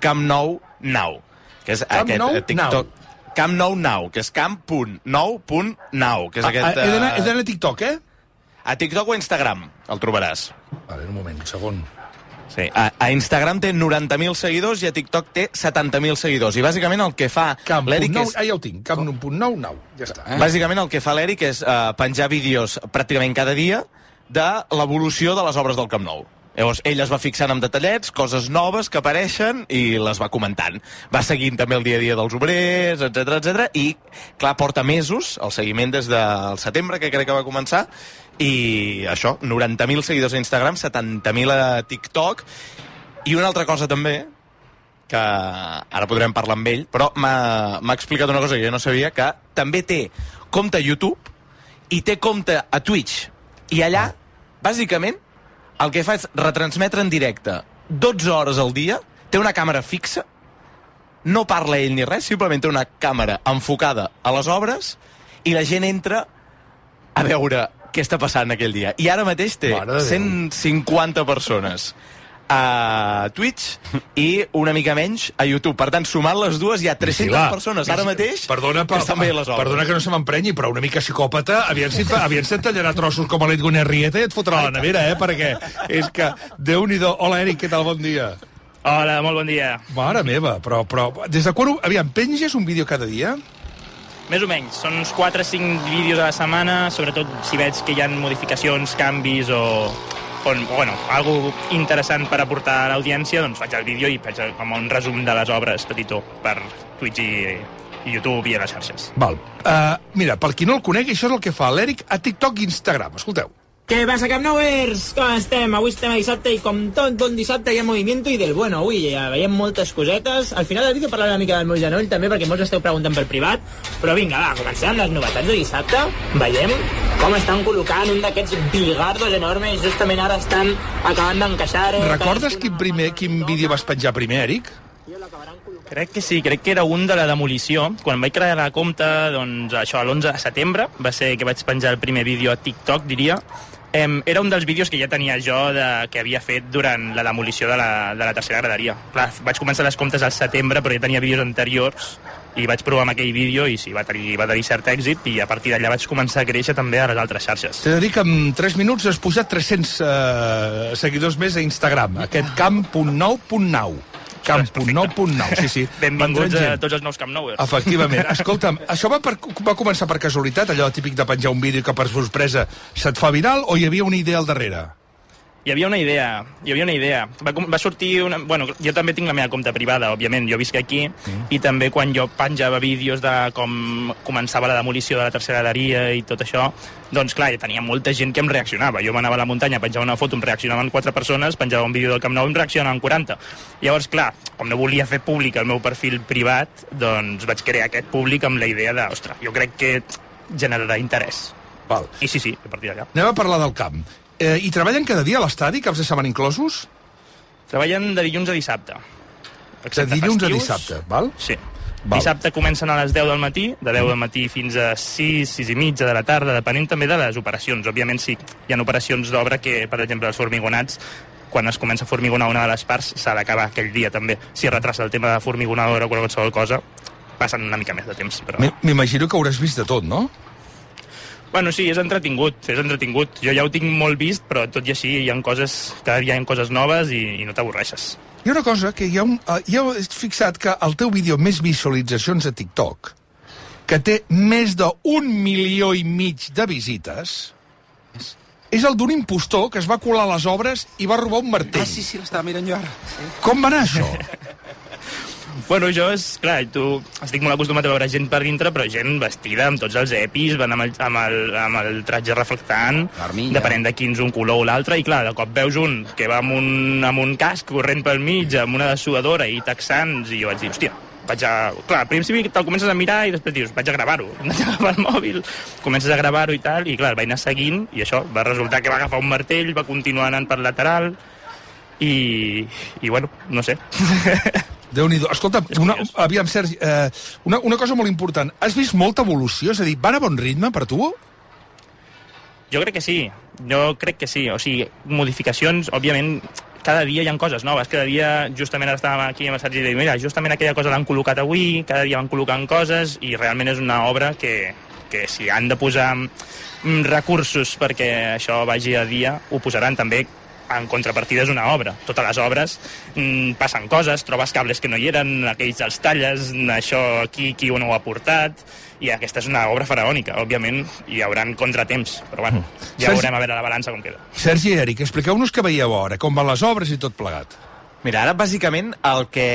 Camp Nou Now, que és Camp aquest Nou TikTok. Now. Camp Nou Now, que és camp punt nou punt nou, que és ah, aquest... He d'anar a TikTok, eh? A TikTok o a Instagram, el trobaràs. Vale, un moment, un segon. Sí, a, a Instagram té noranta mil seguidors i a TikTok té setanta mil seguidors. I bàsicament el que fa l'Eric és... Ah, ja ho tinc, camp nou punt nou, nou. Ja està. Eh? Bàsicament el que fa l'Eric és uh, penjar vídeos pràcticament cada dia de l'evolució de les obres del Camp Nou. Llavors, ell es va fixant amb detallets, coses noves que apareixen, i les va comentant. Va seguint també el dia a dia dels obrers, etcètera, etcètera, i, clar, porta mesos, el seguiment des del setembre, que crec que va començar, i això, noranta mil seguidors a Instagram, setanta mil a TikTok, i una altra cosa també, que ara podrem parlar amb ell, però m'ha explicat una cosa que jo no sabia, que també té compte a YouTube i té compte a Twitch. I allà, bàsicament, el que fa és retransmetre en directe dotze hores al dia, té una càmera fixa, no parla ell ni res, simplement té una càmera enfocada a les obres i la gent entra a veure què està passant aquell dia. I ara mateix té cent cinquanta persones a Twitch i una mica menys a YouTube. Per tant, sumant les dues, hi ha tres-centes Vigila. persones ara mateix perdona, que estan veient les obres. Perdona que no se m'emprenyi, però una mica psicòpata, aviam si, aviam si et tallarà trossos com a l'Edgar Arrieta i et fotrà a la nevera, eh? Perquè és que, Déu-n'hi-do. Hola, Eric, què tal? Bon dia. Hola, molt bon dia. Mare meva, però, però des de quan... Aviam, penges un vídeo cada dia? Més o menys. Són uns quatre o cinc vídeos a la setmana, sobretot si veig que hi ha modificacions, canvis o... on, bueno, algo interessant per aportar a l'audiència, doncs faig el vídeo i faig com un resum de les obres petitó per Twitch i, i YouTube i a les xarxes. Val. Uh, mira, per qui no el conegui, això és el que fa l'Eric a TikTok i Instagram. Escolteu. Què passa, Camp Nouers? Com estem? Avui estem a dissabte i com tot bon dissabte hi ha movimiento i del bueno. Avui ja veiem moltes cosetes. Al final del vídeo parlaré una mica del meu genoll també, perquè molts esteu preguntant pel privat. Però vinga, va, comencem amb les novetats de dissabte. Veiem com estan col·locant un d'aquests bigardos enormes. Justament ara estan acabant d'encaixar... Eh, Recordes quin, primer, quin vídeo vas penjar primer, Eric? Crec que sí, crec que era un de la demolició. Quan vaig crear la compte, doncs això, l'onze de setembre, va ser que vaig penjar el primer vídeo a TikTok, diria. Um, era un dels vídeos que ja tenia jo de, que havia fet durant la demolició de la, de la tercera graderia. Clar, vaig començar les comptes al setembre, però ja tenia vídeos anteriors i vaig provar amb aquell vídeo i sí, va tenir, va tenir cert èxit i a partir d'allà vaig començar a créixer també a les altres xarxes. T'he de dir que en tres minuts has pujat tres-cents uh, seguidors més a Instagram, aquest camp punt nou punt nou. camp punt nou punt nou, sí, sí. Benvinguts a tots els nous Camp Nouers. Efectivament. Escolta'm, això va, per, va començar per casualitat, allò típic de penjar un vídeo que per sorpresa se't fa viral, o hi havia una idea al darrere? Hi havia una idea, hi havia una idea. Va, va sortir una... Bueno, jo també tinc la meva compte privada, òbviament, jo visc aquí, mm. i també quan jo penjava vídeos de com començava la demolició de la tercera graderia i tot això, doncs clar, tenia molta gent que em reaccionava. Jo m'anava a la muntanya, penjava una foto, em reaccionaven quatre persones, penjava un vídeo del Camp Nou, em reaccionaven quaranta. Llavors, clar, com no volia fer públic el meu perfil privat, doncs vaig crear aquest públic amb la idea de, ostres, jo crec que generarà interès. Val. I sí, sí, a partir d'allà. Anem a parlar del camp. Eh, I treballen cada dia a l'estadi, caps de setmana inclosos? Treballen de dilluns a dissabte. De dilluns a dissabte, val? Sí. Val. Dissabte comencen a les deu del matí, de deu del matí fins a sis, sis i mitja de la tarda, depenent també de les operacions. Òbviament sí, hi ha operacions d'obra que, per exemple, els formigonats, quan es comença a formigonar una de les parts, s'ha d'acabar aquell dia també. Si es retrasa el tema de formigonadora o qualsevol cosa, passen una mica més de temps. Però... M'imagino que hauràs vist de tot, no? Bueno, sí, és entretingut, és entretingut. Jo ja ho tinc molt vist, però tot i així hi ha coses, cada dia hi ha coses noves i, i no t'avorreixes. Hi ha una cosa, que hi ha un, uh, hi ha fixat que el teu vídeo més visualitzacions a TikTok, que té més d'un milió i mig de visites, és el d'un impostor que es va colar a les obres i va robar un martell. Ah, sí, sí, l'estava mirant jo ara. Sí. Com va anar això? Bueno, jo, és clar, tu estic molt acostumat a veure gent per dintre, però gent vestida amb tots els epis, van amb el, amb el, amb el tratge reflectant, depenent de quins un color o l'altre, i clar, de cop veus un que va amb un, amb un casc corrent pel mig, amb una dessuadora i texans, i jo vaig dir, hòstia, vaig a... Clar, al principi te'l comences a mirar i després dius, vaig a gravar-ho. Vaig a agafar el mòbil, comences a gravar-ho i tal, i clar, el vaig anar seguint, i això, va resultar que va agafar un martell, va continuar anant per lateral, i, i bueno, no sé. Déu-n'hi-do. Escolta, una, aviam, Sergi, eh, una, una cosa molt important. Has vist molta evolució? És a dir, van a bon ritme per tu? Jo crec que sí. Jo crec que sí. O sigui, modificacions, òbviament, cada dia hi ha coses noves. Cada dia, justament ara estàvem aquí amb el Sergi i dic, mira, justament aquella cosa l'han col·locat avui, cada dia van col·locant coses, i realment és una obra que, que si han de posar recursos perquè això vagi a dia, ho posaran també. En contrapartida és una obra. Totes les obres mm, passen coses, trobes cables que no hi eren, aquells els talles, això aquí, qui no ho ha portat, i aquesta és una obra faraònica. Òbviament hi haurà contratemps, però bueno, ja Sergi... veurem a veure la balança com queda. Sergi i Eric, expliqueu-nos què veieu ara, com van les obres i tot plegat. Mira, ara bàsicament el que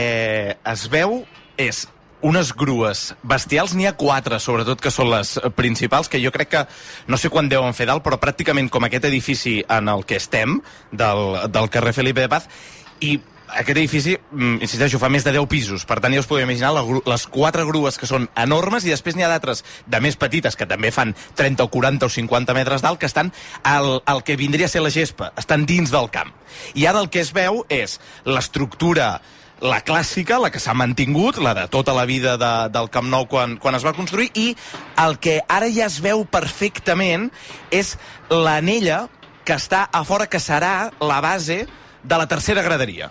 es veu és unes grues bestials, n'hi ha quatre, sobretot, que són les principals, que jo crec que, no sé quan deuen fer dalt, però pràcticament com aquest edifici en el que estem, del, del carrer Felipe de Paz, i aquest edifici, insisteixo, fa més de deu pisos, per tant ja us podeu imaginar la, les quatre grues que són enormes, i després n'hi ha d'altres de més petites, que també fan trenta o quaranta o cinquanta metres d'alt, que estan al, al que vindria a ser la gespa, estan dins del camp. I ara el que es veu és l'estructura, la clàssica, la que s'ha mantingut, la de tota la vida de, del Camp Nou quan, quan es va construir, i el que ara ja es veu perfectament és l'anella que està a fora, que serà la base de la tercera graderia.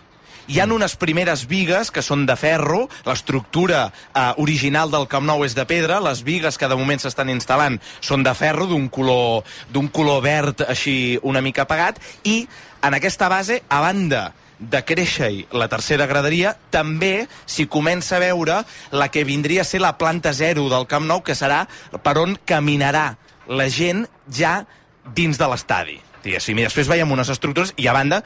Hi ha unes primeres bigues que són de ferro, l'estructura eh, original del Camp Nou és de pedra, les bigues que de moment s'estan instal·lant són de ferro, d'un color, d'un color verd així una mica apagat, i en aquesta base, a banda de créixer la tercera graderia, també s'hi comença a veure la que vindria a ser la planta zero del Camp Nou, que serà per on caminarà la gent ja dins de l'estadi. I després veiem unes estructures i a banda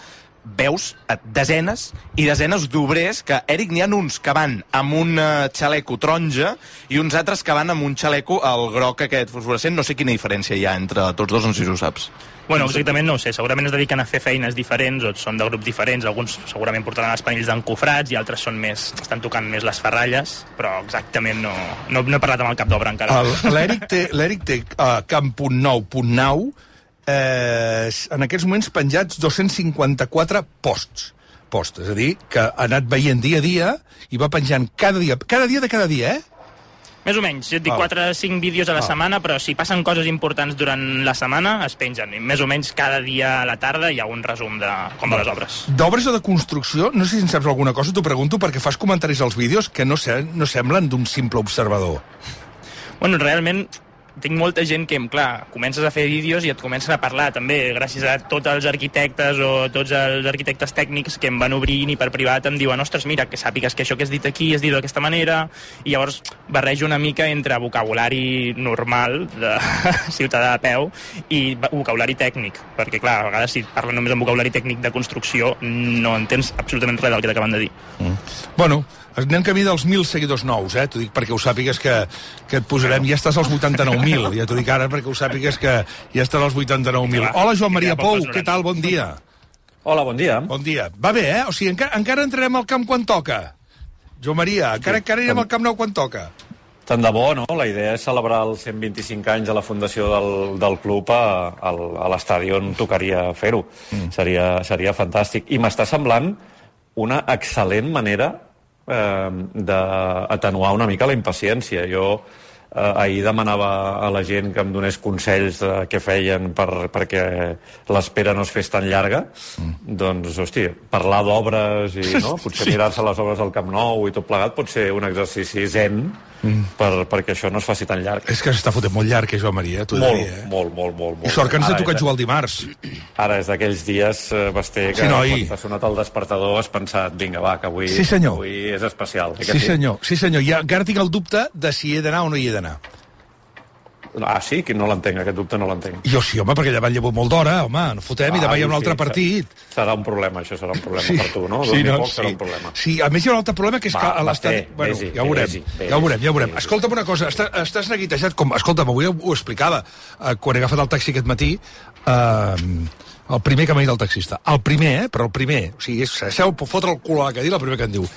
veus desenes i desenes d'obrers que, Eric, n'hi ha uns que van amb un xaleco taronja i uns altres que van amb un xaleco al groc aquest fosforescent. No sé quina diferència hi ha entre tots dos, no sé si ho saps. Bueno, exactament no ho sé, segurament es dediquen a fer feines diferents o són de grups diferents, alguns segurament portaran els panells d'encofrats i altres són més, estan tocant més les ferralles, però exactament no, no, no he parlat amb el cap d'obra encara. L'Eric té, l'Eric té uh, Camp Nou punt nou, eh, en aquests moments penjats dos-cents cinquanta-quatre posts, posts, és a dir, que ha anat veient dia a dia i va penjant cada dia, cada dia de cada dia, eh? Més o menys, jo et dic quatre o cinc vídeos a la setmana, però si passen coses importants durant la setmana, es pengen. I més o menys cada dia a la tarda hi ha un resum de com van les obres. D'obres o de construcció, no sé si en saps alguna cosa, t'ho pregunto, perquè fas comentaris als vídeos que no, se, no semblen d'un simple observador. Bueno, realment tinc molta gent que, clar, comences a fer vídeos i et comencen a parlar, també, gràcies a tots els arquitectes o tots els arquitectes tècnics que em van obrint i per privat em diuen, ostres, mira, que sàpigues que això que has dit aquí es diu d'aquesta manera, i llavors barrejo una mica entre vocabulari normal de ciutadà a peu i vocabulari tècnic, perquè, clar, a vegades si parlen només amb vocabulari tècnic de construcció no entens absolutament res del que t'acaben de dir. Mm. Bueno, anem camí dels mil seguidors nous, eh? T'ho dic perquè ho sàpigues que, que et posarem... Ja estàs als vuitanta-nou mil, ja t'ho dic ara perquè ho sàpigues que ja estàs als vuitanta-nou mil. Hola, Joan Maria Pou, què tal? Bon dia. Hola, bon dia. Bon dia. Va bé, eh? O sigui, encara, encara entrarem al camp quan toca. Joan Maria, encara, encara anirem al Camp Nou quan toca. Tant de bo, no? La idea és celebrar els cent vint-i-cinc anys de la fundació del, del club a, a, a l'estadi on tocaria fer-ho. Mm. Seria, seria fantàstic. I m'està semblant una excel·lent manera Eh, d'atenuar una mica la impaciència. Jo eh, ahir demanava a la gent que em donés consells de què feien per, perquè l'espera no es fes tan llarga. Mm. Doncs, hosti, parlar d'obres i no? Potser sí. Mirar-se les obres del Camp Nou i tot plegat pot ser un exercici zen mm. per, perquè això no es faci tan llarg. És que s'està fotent molt llarg, eh, Joan Maria? T'ho molt, diria, eh? molt, molt, molt, molt. I sort que ens ha tocat jugar el dimarts. Ara és d'aquells dies, eh, Basté, que sí, no, quan t'ha sonat el despertador has pensat, vinga, va, que avui, sí, avui és especial. Sí, senyor, sí, senyor. I encara tinc el dubte de si he d'anar o no hi he d'anar. Ah, sí? Que no l'entenc, aquest dubte no l'entenc. Jo sí, home, perquè llevant llevo molt d'hora, home, no fotem, ah, i demà hi ha un altre sí, partit. Serà un problema, això serà un problema sí. per tu, no? Sí, no? Poc, Sí. serà un problema. Sí, a més hi ha un altre problema, que és va, que a l'estat... Va, bueno, vés-hi, ja ho veurem, vés-hi, ja ho veurem, ja ho veurem. vés-hi. Escolta'm una cosa, està, estàs neguitejat, com... Escolta'm, avui ho explicava, eh, quan he agafat el taxi aquest matí, eh, el primer que m'ha dit el taxista. El primer, eh? Però el primer. O sigui, és, seu, fotre el cul a la cadira, el primer que em diu.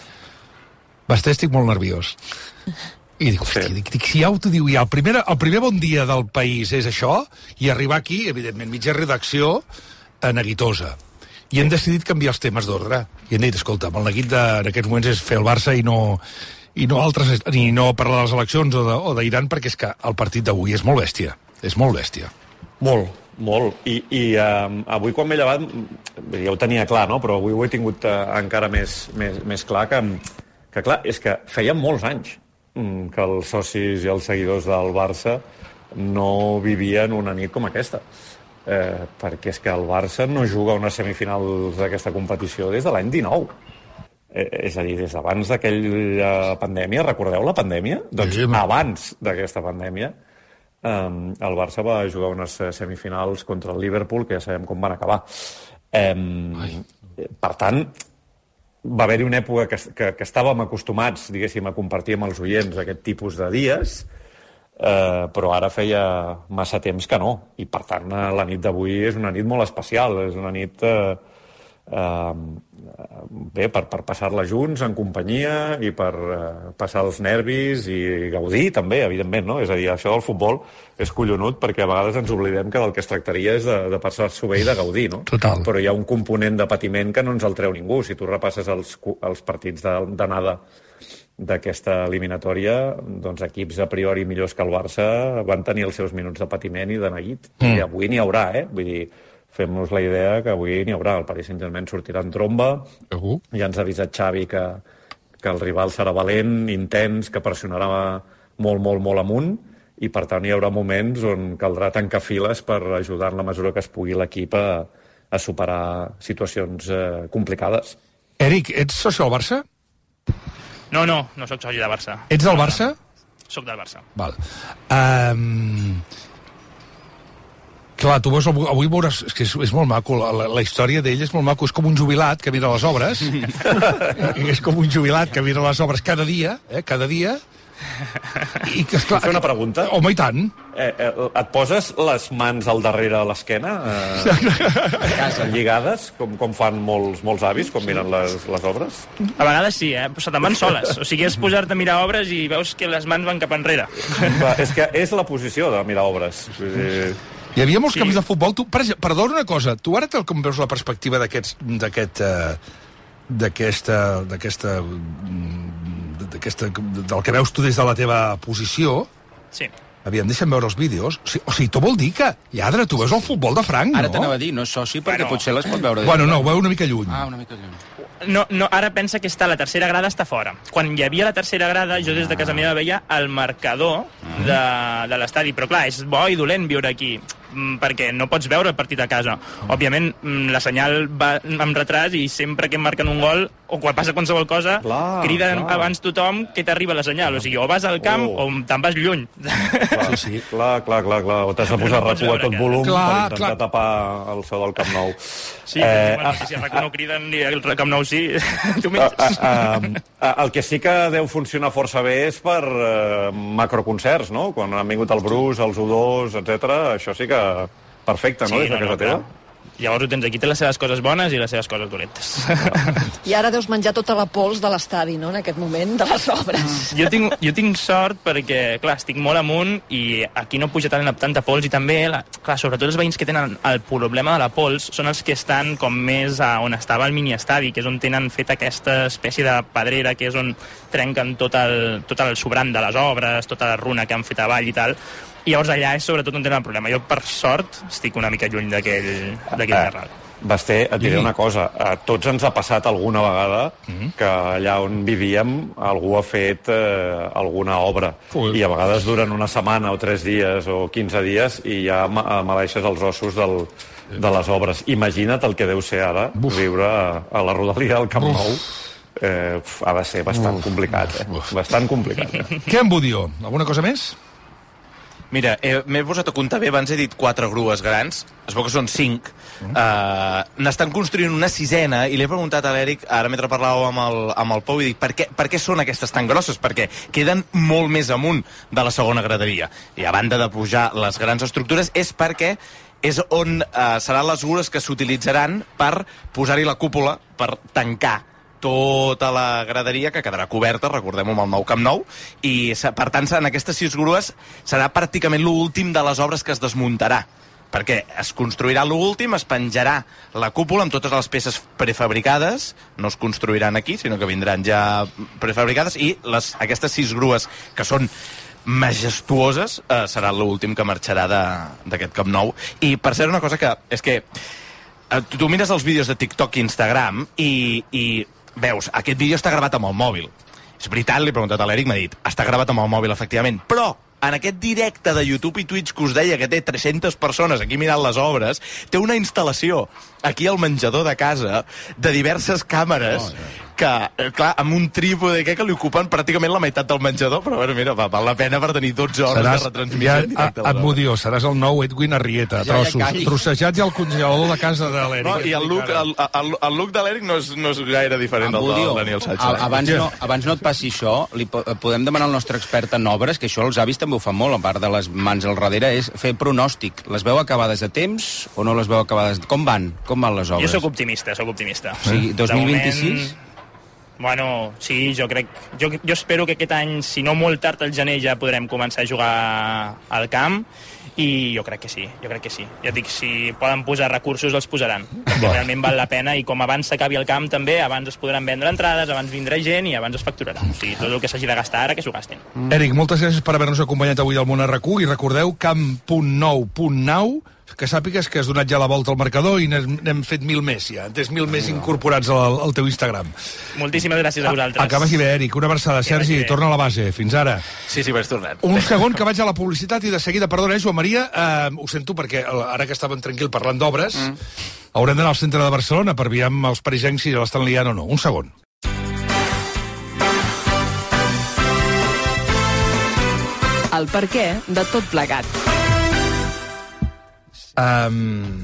Basté, estic molt nerviós. I dic, hòstia, dic, dic, si ja t'ho diu ja, el primer, el primer bon dia del país és això, i arribar aquí, evidentment, mitja redacció, eh, neguitosa. I hem decidit canviar els temes d'ordre. I hem dit, escolta, el neguit de, en aquests moments és fer el Barça i no, i no altres, ni no parlar de les eleccions o d'Iran, perquè és que el partit d'avui és molt bèstia. És molt bèstia. Molt, molt. I, i um, avui quan m'he llevat, ja ho tenia clar, no? Però avui ho he tingut uh, encara més, més, més clar que, que, clar, és que feia molts anys que els socis i els seguidors del Barça no vivien una nit com aquesta. Eh, perquè és que el Barça no juga unes semifinals d'aquesta competició des de l'any dinou. Eh, és a dir, des d'abans d'aquella pandèmia, recordeu la pandèmia? Doncs sí, abans d'aquesta pandèmia, eh, el Barça va jugar unes semifinals contra el Liverpool, que ja sabem com van acabar. Eh, per tant, va haver-hi una època que, que, que estàvem acostumats, diguéssim, a compartir amb els oients aquest tipus de dies, eh, però ara feia massa temps que no. I, per tant, la nit d'avui és una nit molt especial. És una nit eh, eh, bé, per, per passar-la junts, en companyia, i per eh, passar els nervis i gaudir, també, evidentment, no? És a dir, això del futbol és collonut, perquè a vegades ens oblidem que del que es tractaria és de, de passar-s'ho bé i de gaudir, no? Total. Però hi ha un component de patiment que no ens el treu ningú. Si tu repasses els, els partits d'anada d'aquesta eliminatòria, doncs equips a priori millors que el Barça van tenir els seus minuts de patiment i de neguit. Mm. I avui n'hi haurà, eh? Vull dir, fem-nos la idea que avui n'hi haurà. El Paris Saint-Germain sortirà en tromba. Uh-huh. Ja ens ha avisat Xavi que, que el rival serà valent, intens, que pressionarà molt, molt, molt amunt, i per tant hi haurà moments on caldrà tancar files per ajudar en la mesura que es pugui l'equip a, a superar situacions eh, complicades. Eric, ets soci del Barça? No, no, no sóc soci del Barça. Ets del Barça? Soc del Barça. Val. Um, clar, tu veus, avui veuràs, és que és, és molt maco, la, la història d'ell és molt maco, és com un jubilat que mira les obres, és com un jubilat que mira les obres cada dia, eh, cada dia, i que, esclar... Fer una pregunta? Home, i tant. Eh, eh, et poses les mans al darrere a l'esquena, eh, lligades, com, com fan molts, molts avis, quan miren les, les obres? A vegades sí, eh? Però se te'n van soles. O sigui, és pujar-te a mirar obres i veus que les mans van cap enrere. Va, és que és la posició de mirar obres. Vull dir... Hi havia molts sí. camps de futbol. Tu, per exemple, perdona una cosa, tu ara tal com veus la perspectiva d'aquest... d'aquest... d'aquesta... d'aquesta... d'aquesta... del que veus tu des de la teva posició... Sí. Aviam, deixa'm veure els vídeos. O sigui, o sigui tu vol dir que, lladre, tu veus el futbol de franc, no? Ara t'anava a dir, no és soci, perquè bueno, potser les pot veure... Bueno, no, ho veu una mica lluny. Ah, una mica lluny. No, no, ara pensa que està la tercera grada, està fora. Quan hi havia la tercera grada, jo des de casa meva veia el marcador de, de l'estadi. Però clar, és bo i dolent viure aquí, perquè no pots veure el partit a casa. Òbviament, la senyal va amb retras i sempre que em marquen un gol, o quan passa qualsevol cosa, clar, criden clar. abans tothom que t'arriba la senyal. O sigui, o vas al camp oh. o te'n vas lluny. Clar, sí, sí. clar, clar, clar, clar. O t'has de posar no RAC1 a tot volum clar, per intentar clar. tapar el so del Camp Nou. Sí, eh, bueno, ah, si el RAC1 no criden ni el Camp Nou sí, tu menys. Uh, uh, uh, el que sí que deu funcionar força bé és per uh, macroconcerts, no? Quan han vingut el Bruce, els U dos, etcètera, això sí que perfecte, no? Sí, des de no, casa no, teva. Llavors ho tens aquí, té les seves coses bones i les seves coses dolentes. I ara deus menjar tota la pols de l'estadi, no?, en aquest moment, de les obres. Jo tinc, jo tinc sort perquè, clar, estic molt amunt i aquí no puja tant, tanta pols i també, la, clar, sobretot els veïns que tenen el problema de la pols són els que estan com més a on estava el miniestadi, que és on tenen fet aquesta espècie de pedrera, que és on trenquen tot el, tot el sobrant de les obres, tota la runa que han fet avall i tal. I llavors allà és sobretot on tenen el problema. Jo, per sort, estic una mica lluny d'aquell terral. Basté, et diré una cosa. A tots ens ha passat alguna vegada que allà on vivíem algú ha fet eh, alguna obra. Ui. I a vegades duren una setmana o tres dies o quinze dies i ja maleixes els ossos del, de les obres. Imagina't el que deu ser ara Uf. viure a, a la rodalia del Camp Nou. Eh, ha de ser bastant Uf. complicat, eh? Bastant complicat. Eh? Què en Budió? Alguna cosa més? Mira, eh, m'he posat a comptar bé, abans he dit quatre grues grans, es veu que són cinc. Mm. Uh, n'estan construint una sisena, i li he preguntat a l'Eric, ara mentre parlàveu amb el, amb el Pou, i dic, per què, per què són aquestes tan grosses? Perquè queden molt més amunt de la segona graderia. I a banda de pujar les grans estructures, és perquè és on uh, seran les grures que s'utilitzaran per posar-hi la cúpula, per tancar tota la graderia, que quedarà coberta, recordem-ho, amb el nou Camp Nou, i per tant en aquestes sis grues serà pràcticament l'últim de les obres que es desmuntarà, perquè es construirà l'últim, es penjarà la cúpula amb totes les peces prefabricades, no es construiran aquí, sinó que vindran ja prefabricades, i les, aquestes sis grues que són majestuoses eh, serà l'últim que marxarà d'aquest Camp Nou. I per cert, una cosa que és que eh, tu mires els vídeos de TikTok i Instagram i, i veus, aquest vídeo està gravat amb el mòbil. És veritat, l'he preguntat a l'Eric, m'ha dit, està gravat amb el mòbil, efectivament, però en aquest directe de YouTube i Twitch que us deia que té tres-centes persones aquí mirant les obres, té una instal·lació aquí al menjador de casa de diverses càmeres, oh, yeah. que, clar, amb un trípode que li ocupen pràcticament la meitat del menjador, però bueno, mira, val la pena per tenir dotze hores seràs, de retransmissió ja, directe. Et m'ho diu, seràs el nou Edwin Arrieta, ja, trossos, ja trossejats i al congelador de casa de l'Eric. No, i el look, el, el, el look de l'Eric no, és, no és gaire diferent del de Daniel Sánchez. Abans no, abans no et passi això, li podem demanar al nostre expert en obres, que això els avis també ho fan molt, a part de les mans al darrere, és fer pronòstic. Les veu acabades a temps o no les veu acabades? Com van? Com van les obres? Jo sóc optimista, sóc optimista. O sigui, dos mil vint-i-sis? Bueno, sí, jo crec... Jo, jo espero que aquest any, si no molt tard al gener, ja podrem començar a jugar al camp, i jo crec que sí, jo crec que sí. Ja dic, si poden posar recursos, els posaran. Perquè realment val la pena, i com abans s'acabi el camp també, abans es podran vendre entrades, abans vindrà gent i abans es facturarà. O sigui, tot el que s'hagi de gastar ara, que s'ho gastin. Mm. Eric, moltes gràcies per haver-nos acompanyat avui al Món R Q, i recordeu camp punt nou punt nou, que sàpigues que has donat ja la volta al marcador i n'hem fet mil més ja. Tens mil més incorporats al, al teu Instagram. Moltíssimes gràcies a vosaltres. Acaba aquí bé, Eric. Una abraçada. Sergi, torna a la base. Fins ara. Sí, sí, vaig tornant. Un segon que vaig a la publicitat i de seguida, perdona, eh, Joan Maria, eh, ho sento perquè ara que estàvem tranquil parlant d'obres, mm. haurem d'anar al centre de Barcelona per veure amb els parisencs si l'estan liant o no. Un segon. El perquè de tot plegat. Um,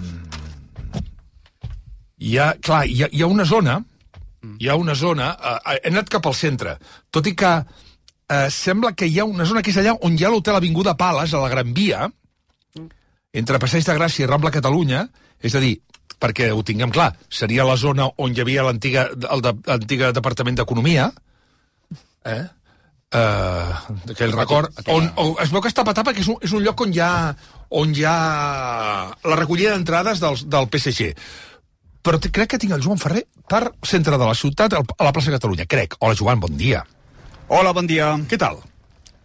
hi ha, clar, hi ha, hi ha una zona, hi ha una zona, uh, he anat cap al centre, tot i que uh, sembla que hi ha una zona que és allà on hi ha l'hotel Avinguda Pales, a la Gran Via, entre Passeig de Gràcia i Rambla Catalunya, és a dir, perquè ho tinguem clar, seria la zona on hi havia l'antiga el de, l'antiga Departament d'Economia, eh? Uh, aquell record, on, on es veu que està patat perquè és un, és un lloc on hi ha on hi ha la recollida d'entrades del, del P S G. Però te, crec que tinc el Joan Ferrer per centre de la ciutat, a la plaça Catalunya, crec. Hola, Joan, bon dia. Hola, bon dia. Què tal?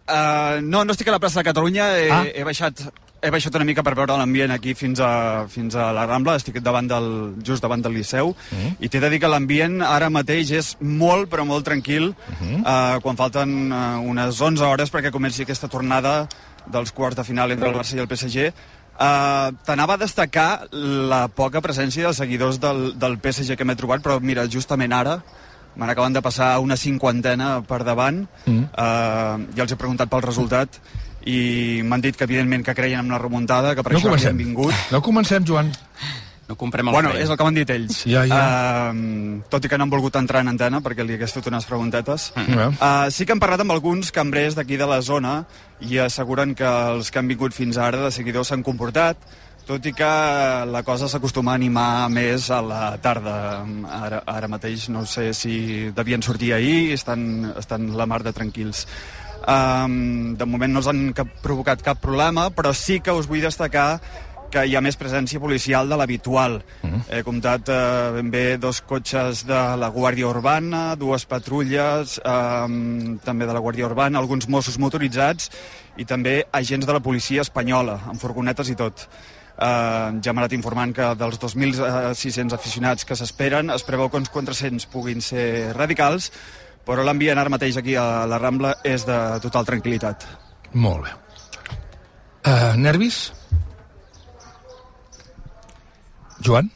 Uh, no, no estic a la plaça de Catalunya, he, ah. he baixat... He baixat una mica per veure l'ambient aquí fins a, fins a la Rambla, estic davant del, just davant del Liceu, uh-huh. i t'he de dir que l'ambient ara mateix és molt, però molt tranquil, uh-huh. uh, quan falten uh, unes onze hores perquè comenci aquesta tornada dels quarts de final entre el Barça i el P S G. Uh, T'anava a destacar la poca presència dels seguidors del, del P S G que m'he trobat, però mira, justament ara me n'acaben de passar una cinquantena per davant, uh-huh. uh, ja els he preguntat pel resultat, i m'han dit que evidentment que creien en la remuntada, que per no això comencem. havien vingut. No comencem, Joan. No comprem el bueno, frei. És el que m'han dit ells. Ja, ja. Uh, tot i que no han volgut entrar en antena perquè li hagués fet unes preguntetes. Mm. Uh, sí que han parlat amb alguns cambrers d'aquí de la zona i asseguren que els que han vingut fins ara de seguidors s'han comportat, tot i que la cosa s'acostuma a animar més a la tarda. Ara, ara mateix no sé si devien sortir ahir, estan, estan la mar de tranquils. Um, de moment no els han cap, provocat cap problema, però sí que us vull destacar que hi ha més presència policial de l'habitual. Mm-hmm. He comptat eh, ben bé dos cotxes de la Guàrdia Urbana, dues patrulles um, també de la Guàrdia Urbana, alguns Mossos motoritzats i també agents de la policia espanyola, amb furgonetes i tot. Uh, ja m'ha anat informant que dels dos mil sis-cents aficionats que s'esperen es preveu que uns quatre-cents puguin ser radicals, però l'ambient ara mateix aquí a la Rambla és de total tranquil·litat. Molt bé. Uh, nervis? Joan?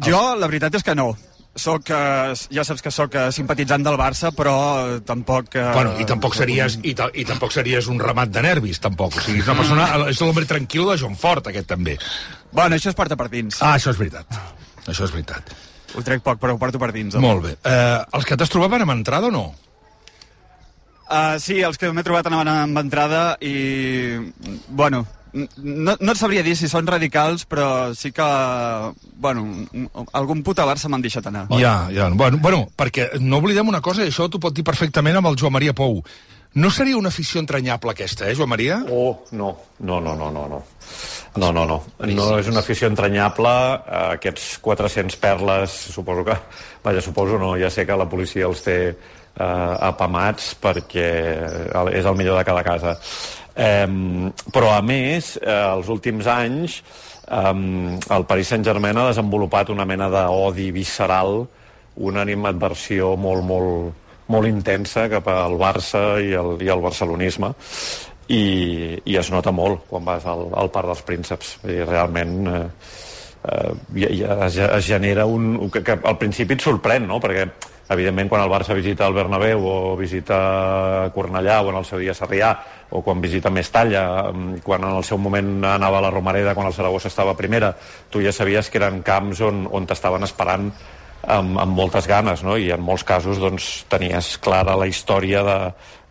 Jo, la veritat és que no. soc, eh, ja saps que sóc eh, simpatitzant del Barça, però tampoc... Eh, bueno, i tampoc series i, ta, i tampoc series un ramat de nervis, tampoc. O sigui, és una persona... És l'home tranquil de Joan Fort, aquest, també. Bueno, això es porta per dins. Ah, això és veritat. Això és veritat. Ho trec poc, però ho porto per dins. Molt bé. Eh, els que t'has trobat van amb entrada o no? Uh, sí, els que m'he trobat anaven amb entrada i... Bueno... No, no et sabria dir si són radicals, però sí que, bueno, algun puta Barça m'han deixat anar. Ja, ja. Bueno, bueno, perquè no oblidem una cosa, i això t'ho pot dir perfectament amb el Joan Maria Pou. No seria una afició entranyable aquesta, eh, Joan Maria? Oh, no. No, no, no, no. No, no, no. No, no és una afició entranyable. Aquests quatre-cents perles, suposo que... Vaja, suposo no, ja sé que la policia els té eh, apamats perquè és el millor de cada casa. Um, però a més, eh, els últims anys um, el Paris Saint-Germain ha desenvolupat una mena d'odi visceral, una animadversió molt, molt, molt intensa cap al Barça i al, i al barcelonisme, i, i es nota molt quan vas al, al Parc dels Prínceps. I realment eh, eh, ja, es, es genera un... Que, que al principi et sorprèn, no?, perquè evidentment quan el Barça visita el Bernabéu o visita Cornellà o en el seu dia Sarrià o quan visita Mestalla, quan en el seu moment anava a la Romareda, quan el Saragossa estava a primera, tu ja sabies que eren camps on, on t'estaven esperant amb, amb moltes ganes, no? I en molts casos doncs, tenies clara la història de,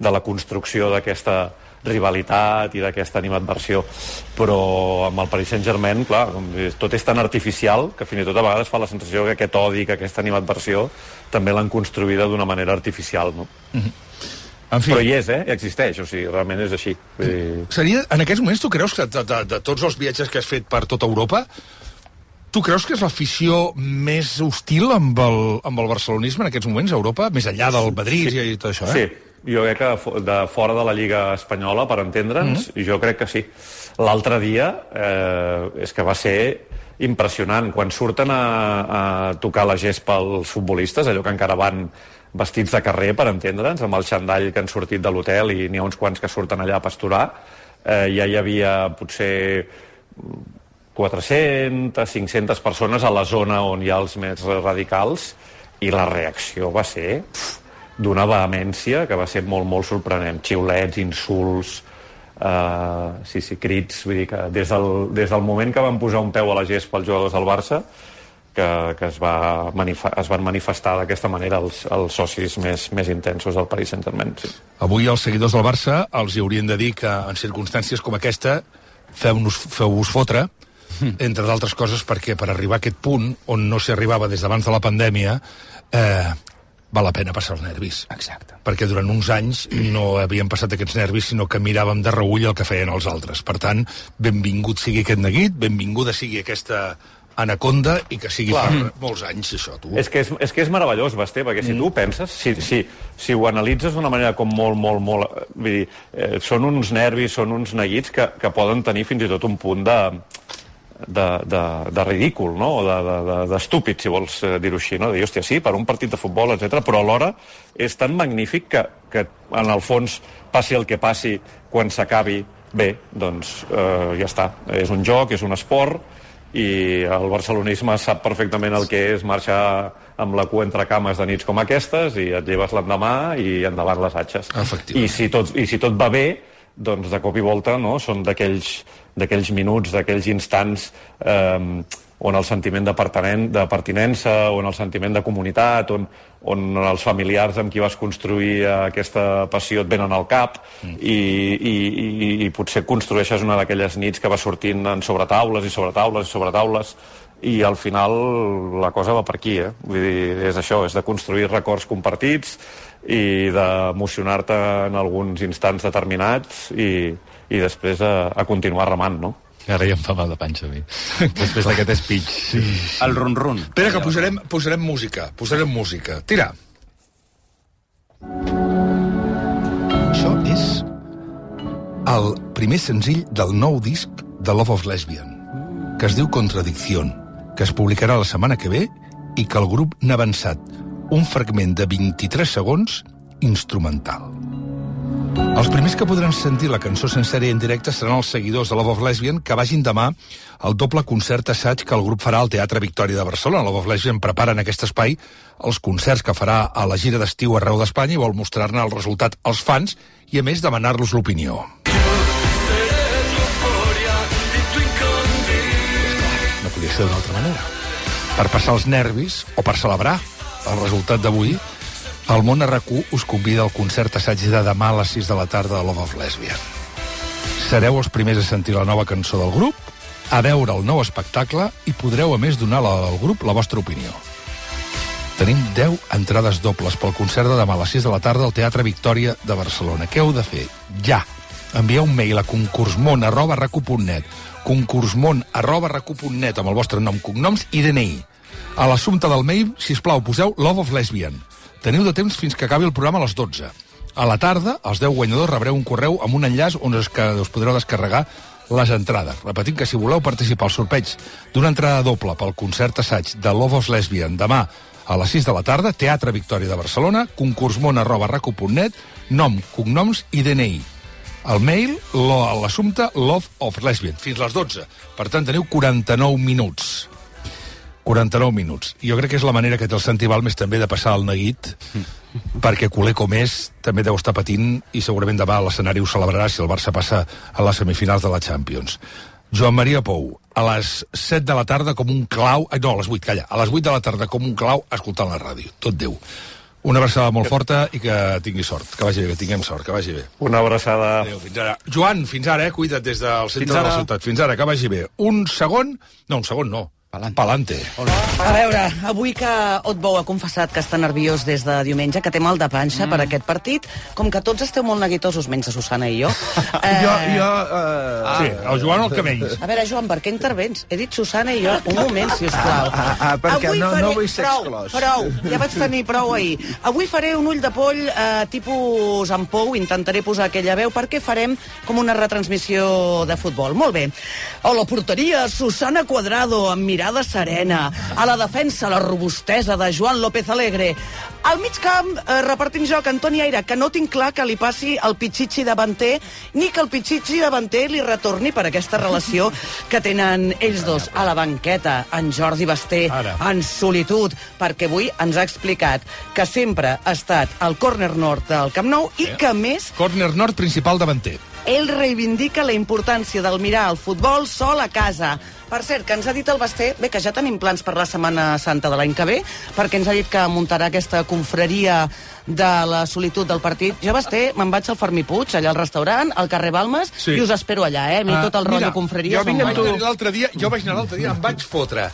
de la construcció d'aquesta rivalitat i d'aquesta animadversió, però amb el Paris Saint-Germain, clar, tot és tan artificial que fins i tot a vegades fa la sensació que aquest odi, que aquesta animadversió també l'han construïda d'una manera artificial, no? Mm-hmm. En fi. Però hi és, eh? Existeix, o sigui, realment és així. Vull dir... Seria, en aquests moments, tu creus que de, de, de tots els viatges que has fet per tota Europa, tu creus que és l'afició més hostil amb el, amb el barcelonisme en aquests moments a Europa, més enllà del Madrid sí. i tot això, eh? Sí. Jo crec que de fora de la Lliga Espanyola, per entendre'ns, mm-hmm. jo crec que sí. L'altre dia eh, és que va ser impressionant. Quan surten a, a tocar la gespa els futbolistes, allò que encara van vestits de carrer, per entendre'ns, amb el xandall que han sortit de l'hotel i n'hi ha uns quants que surten allà a pasturar, eh, ja hi havia potser quatre-centes, cinc-centes persones a la zona on hi ha els més radicals i la reacció va ser... Pff, d'una vehemència que va ser molt, molt sorprenent. Xiulets, insults, uh, sí, sí, crits. Vull dir que des del, des del moment que van posar un peu a la gespa els jugadors del Barça, que, que es, va manifa es van manifestar d'aquesta manera els, els socis més, més intensos del Paris Saint-Germain. Sí. Avui els seguidors del Barça els hi haurien de dir que en circumstàncies com aquesta feu-vos feu fotre, entre d'altres coses perquè per arribar a aquest punt, on no s'hi arribava des d'abans de la pandèmia, eh, val la pena passar els nervis. Exacte. Perquè durant uns anys no havien passat aquests nervis, sinó que miràvem de reull el que feien els altres. Per tant, benvingut sigui aquest neguit, benvinguda sigui aquesta anaconda i que sigui Clar. per molts anys, això, tu. És que és, és, que és meravellós, Basté, perquè si mm. tu penses, si, si, si ho analitzes d'una manera com molt, molt, molt... Vull dir, eh, són uns nervis, són uns neguits que, que poden tenir fins i tot un punt de... De, de, de ridícul, no? O d'estúpid, de, de, si vols dir-ho així, no? De dir, hòstia, sí, per un partit de futbol, etcètera. Però alhora és tan magnífic que, que en el fons passi el que passi, quan s'acabi bé, doncs eh, ja està. És un joc, és un esport, i el barcelonisme sap perfectament el que és marxar amb la cua entre cames de nits com aquestes i et lleves l'endemà i endavant les atxes. I si tot, i si tot va bé, doncs de cop i volta, no? Són d'aquells d'aquells minuts, d'aquells instants eh, on el sentiment de, de pertinença, on el sentiment de comunitat, on, on els familiars amb qui vas construir aquesta passió et venen al cap mm. i, i, i, i potser construeixes una d'aquelles nits que va sortint en sobretaules i sobretaules i sobretaules i al final la cosa va per aquí, eh? Vull dir, és això, és de construir records compartits i d'emocionar-te en alguns instants determinats i, i després a, a continuar remant, no? Ara ja em fa mal de panxa a mi. Després d'aquest speech. Sí. El run-run. Espera, que posarem, posarem música. Posarem música. Tira. Això és el primer senzill del nou disc de Love of Lesbian, que es diu Contradicción, que es publicarà la setmana que ve i que el grup n'ha avançat un fragment de vint-i-tres segons instrumental. Els primers que podran sentir la cançó sencera i en directe seran els seguidors de Love of Lesbian que vagin demà al doble concert assaig que el grup farà al Teatre Victòria de Barcelona. Love of Lesbian prepara en aquest espai els concerts que farà a la gira d'estiu arreu d'Espanya i vol mostrar-ne el resultat als fans i, a més, demanar-los l'opinió. No podia ser d'una altra manera. Per passar els nervis o per celebrar el resultat d'avui, el Món R Q us convida al concert assaig de demà a les sis de la tarda de Love of Lesbian. Sereu els primers a sentir la nova cançó del grup, a veure el nou espectacle i podreu, a més, donar al grup la vostra opinió. Tenim deu entrades dobles pel concert de demà a les sis de la tarda al Teatre Victòria de Barcelona. Què heu de fer? Ja! Envieu un mail a concursmon arroba racu punt net concursmon arroba racu punt net amb el vostre nom, cognoms i D N I. A l'assumpte del mail, sisplau, poseu Love of Lesbian. Teniu de temps fins que acabi el programa a les dotze. A la tarda, els deu guanyadors rebreu un correu amb un enllaç on us, us podreu descarregar les entrades. Repetint que si voleu participar al sorteig d'una entrada doble pel concert assaig de Love of Lesbian demà a les sis de la tarda, Teatre Victòria de Barcelona, concursmon arroba racu punt net, nom, cognoms i D N I. El mail, l'assumpte Love of Lesbian, fins les dotze. Per tant, teniu quaranta-nou minuts. quaranta-nou minuts. Jo crec que és la manera que té el Santi Balmes també de passar el neguit, perquè culer com és també deu estar patint i segurament demà l'escenari ho celebrarà si el Barça passa a les semifinals de la Champions. Joan Maria Pou, a les set de la tarda com un clau... No, a les vuit, calla. A les vuit de la tarda com un clau escoltant la ràdio. Tot Déu. Una abraçada molt forta i que tingui sort. Que vagi bé, que tinguem sort, que vagi bé. Una abraçada. Adéu, fins ara. Joan, fins ara, eh? Cuida't des del centre de la ciutat. Fins ara, que vagi bé. Un segon... No, un segon no. Palante. A veure, avui que Otbou ha confessat que està nerviós des de diumenge, que té mal de panxa mm. per aquest partit, com que tots esteu molt neguitosos, menys a Susana i jo... Eh... jo, jo uh... Sí, el Joan el que menys. A veure, Joan, per què intervens? He dit Susana i jo. Un moment, si us plau. Ah, ah, perquè avui no, faré... no vull ser prou, exclòs. Prou, ja vaig tenir prou ahir. Avui faré un ull de poll eh, tipus en Pou, intentaré posar aquella veu, perquè farem com una retransmissió de futbol. Molt bé. A la porteria, Susana Cuadrado, amb mirada serena. A la defensa, la robustesa de Joan López Alegre. Al mig camp, eh, repartint joc, Antoni Aire, que no tinc clar que li passi el Pichichi davanter, ni que el Pichichi davanter li retorni per aquesta relació que tenen ells dos. A la banqueta, en Jordi Basté, Ara. en solitud, perquè avui ens ha explicat que sempre ha estat al córner nord del Camp Nou i que, a més... Córner nord principal davanter. Ell reivindica la importància del mirar el futbol sol a casa. Per cert, que ens ha dit el Basté, bé, que ja tenim plans per la Setmana Santa de l'any que ve, perquè ens ha dit que muntarà aquesta confraria de la solitud del partit. Jo, Basté, me'n vaig al Fermí Puig, allà al restaurant, al carrer Balmes, sí. i us espero allà, eh? A mi tot el uh, rotllo confraria... Jo, vaig tu... l'altre dia, jo vaig anar l'altre dia, em vaig fotre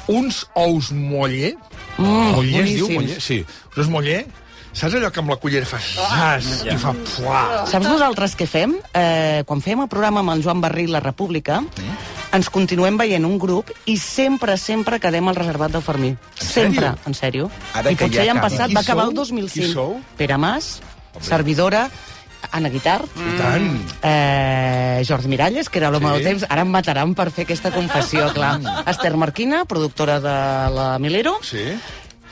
uns ous moller, mm, moller es diu, moller? Sí, uns moller. Saps allò que amb la cullera fa xas ah, i fa fuà? Saps nosaltres què fem? Eh, quan fem el programa amb el Joan Barril, La República, mm. ens continuem veient un grup i sempre, sempre quedem al reservat del Fermí. Sempre, en sèrio. Ara I potser ja han passat, va acabar el dos mil cinc. Pere Mas, Obri. servidora, Anna Guitar, mm. eh, Jordi Miralles, que era l'home sí. del temps, ara em mataran per fer aquesta confessió, clar. Esther Marquina, productora de la Milero, sí.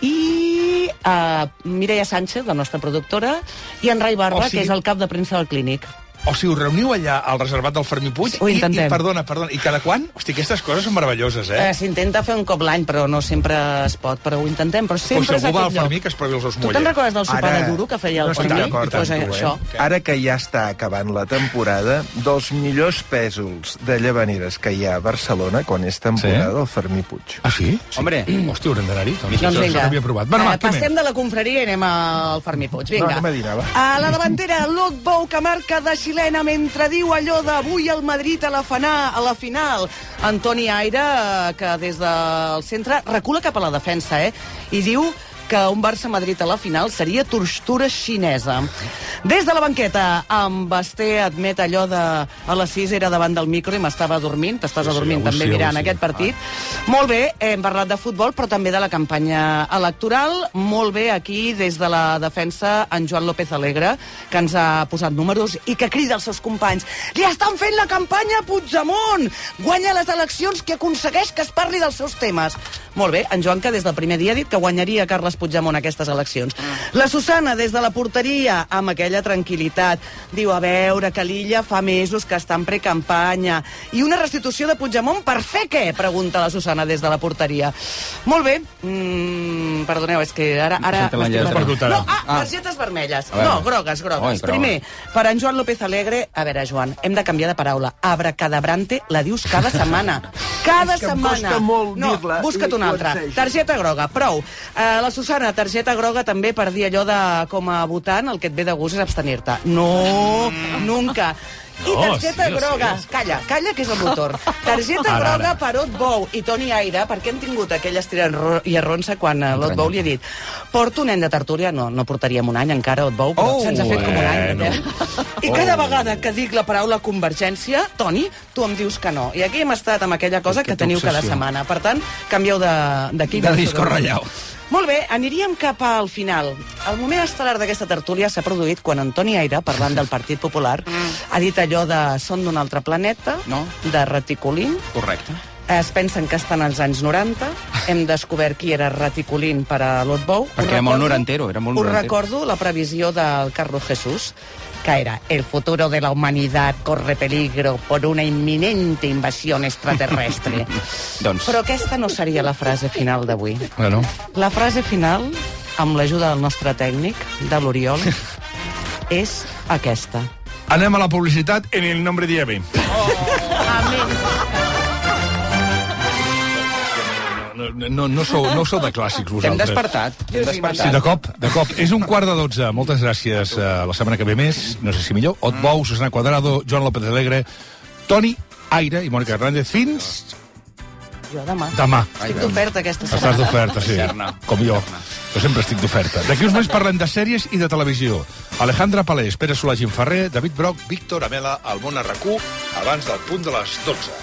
i uh, Mireia Sánchez, la nostra productora, i en Rai Barba, o sigui... que és el cap de premsa del Clínic. O sigui, us reuniu allà al reservat del Fermí Puig Ho i, intentem. i, perdona, perdona, i cada quan? Hosti, aquestes coses són meravelloses, eh? eh S'intenta fer un cop l'any, però no sempre es pot, però ho intentem, però sempre pues és algú va al aquest Fermí que es provi els ous moller. Tu te'n recordes del sopar de duro que feia el no Fermí? Pues, eh, això. Ara que ja està acabant la temporada, dels millors pèsols de llavaneres que hi ha a Barcelona quan és temporada, sí? el Fermí Puig. Ah, sí? sí. Hombre. Hòstia, haurem d'anar-hi. Doncs, doncs vinga. No provat. Bueno, eh, passem de la confraria i anem al Fermí Puig. Vinga. No, anem a dinar, va. A la davantera, Otbou, que marca de xilena mentre diu allò d'avui el Madrid a la, fana, a la final. Antoni Aire, que des del centre recula cap a la defensa, eh? I diu que un Barça-Madrid a la final seria tortura xinesa. Des de la banqueta, en Basté admet allò de a les sis era davant del micro i m'estava dormint, t'estàs sí, adormint sí, també sí, mirant sí. aquest partit. Ah. Molt bé, hem parlat de futbol, però també de la campanya electoral. Molt bé aquí, des de la defensa, en Joan López Alegre, que ens ha posat números i que crida als seus companys. Li estan fent la campanya a Puigdemont! Guanya les eleccions que aconsegueix que es parli dels seus temes. Molt bé, en Joan, que des del primer dia ha dit que guanyaria Carles Puigdemont a aquestes eleccions. La Susana, des de la porteria, amb aquella tranquil·litat, diu, a veure, que l'Illa fa mesos que està en precampanya. I una restitució de Puigdemont per fer què? Pregunta la Susana des de la porteria. Molt bé. Mm, perdoneu, és que ara... ara no, ah, targetes vermelles. No, grogues, grogues. Primer, per en Joan López Alegre, a veure, Joan, hem de canviar de paraula. Abracadabrante la dius cada setmana. Cada és que setmana. Em costa molt no, dir-la. Busca't una altra. Targeta groga, prou. Uh, la Susana, targeta groga també per dir allò de, com a votant, el que et ve de gust és abstenir-te. No, nunca. I targeta sí, groga, sí, sí. calla, calla que és el motor. Targeta Ara, groga ara. per Ot Bou i Toni Aire, perquè hem tingut aquell estirà i arronsa quan uh, l'Ot Bou li ha dit porto un nen de tertúlia, no, no portaríem un any encara Ot Bou, però Oh, se'ns ha fet com un any. bueno. Eh? I cada vegada que dic la paraula convergència, Toni, tu em dius que no. I aquí hem estat amb aquella cosa que teniu cada setmana. Per tant, canvieu d'equip. De disco ratllau. Molt bé, aniríem cap al final. El moment estel·lar d'aquesta tertúlia s'ha produït quan Antoni Aire, parlant del Partit Popular, ha dit allò de són d'un altre planeta, No. de reticulín. Correcte. Es pensen que estan als anys noranta. Hem descobert qui era reticulín per a l'Ot Bou. Perquè era molt norantero, era molt Us norantero. recordo la previsió del Carlos Jesús, que era el futuro de la humanidad corre peligro por una inminente invasión extraterrestre. Doncs... Però aquesta no seria la frase final d'avui. Bueno. La frase final, amb l'ajuda del nostre tècnic, de l'Oriol, és aquesta. Anem a la publicitat en el nombre de Eve. No, no, no, sou, no sou de clàssics, vosaltres. Hem despertat. Hem despertat. Sí, de cop, de cop. És un quart de dotze. Moltes gràcies. Uh, la setmana que ve més, no sé si millor. Ot Bou, Susana Cuadrado, Joan López Alegre, Toni Aire i Mònica Hernández. Fins Jo demà. demà. Estic d'oferta aquesta setmana. Estàs d'oferta, sí. Com jo. Jo sempre estic d'oferta. D'aquí uns moments parlem de sèries i de televisió. Alejandra Palés, Pere Solà, Gim Ferrer, David Broc, Víctor Amela, al món a RAC u, abans del punt de les dotze.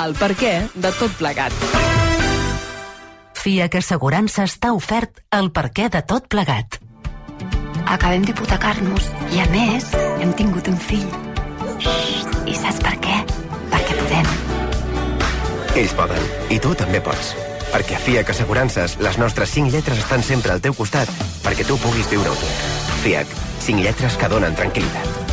El per què de tot plegat. FIAC Assegurances t'ha ofert el perquè de tot plegat. Acabem d'hipotecar-nos i, a més, hem tingut un fill. I saps per què? Perquè podem. Ells poden, i tu també pots. Perquè a FIAC Assegurances les nostres cinc lletres estan sempre al teu costat perquè tu puguis viure-ho tot. FIAC, cinc lletres que donen tranquil·litat.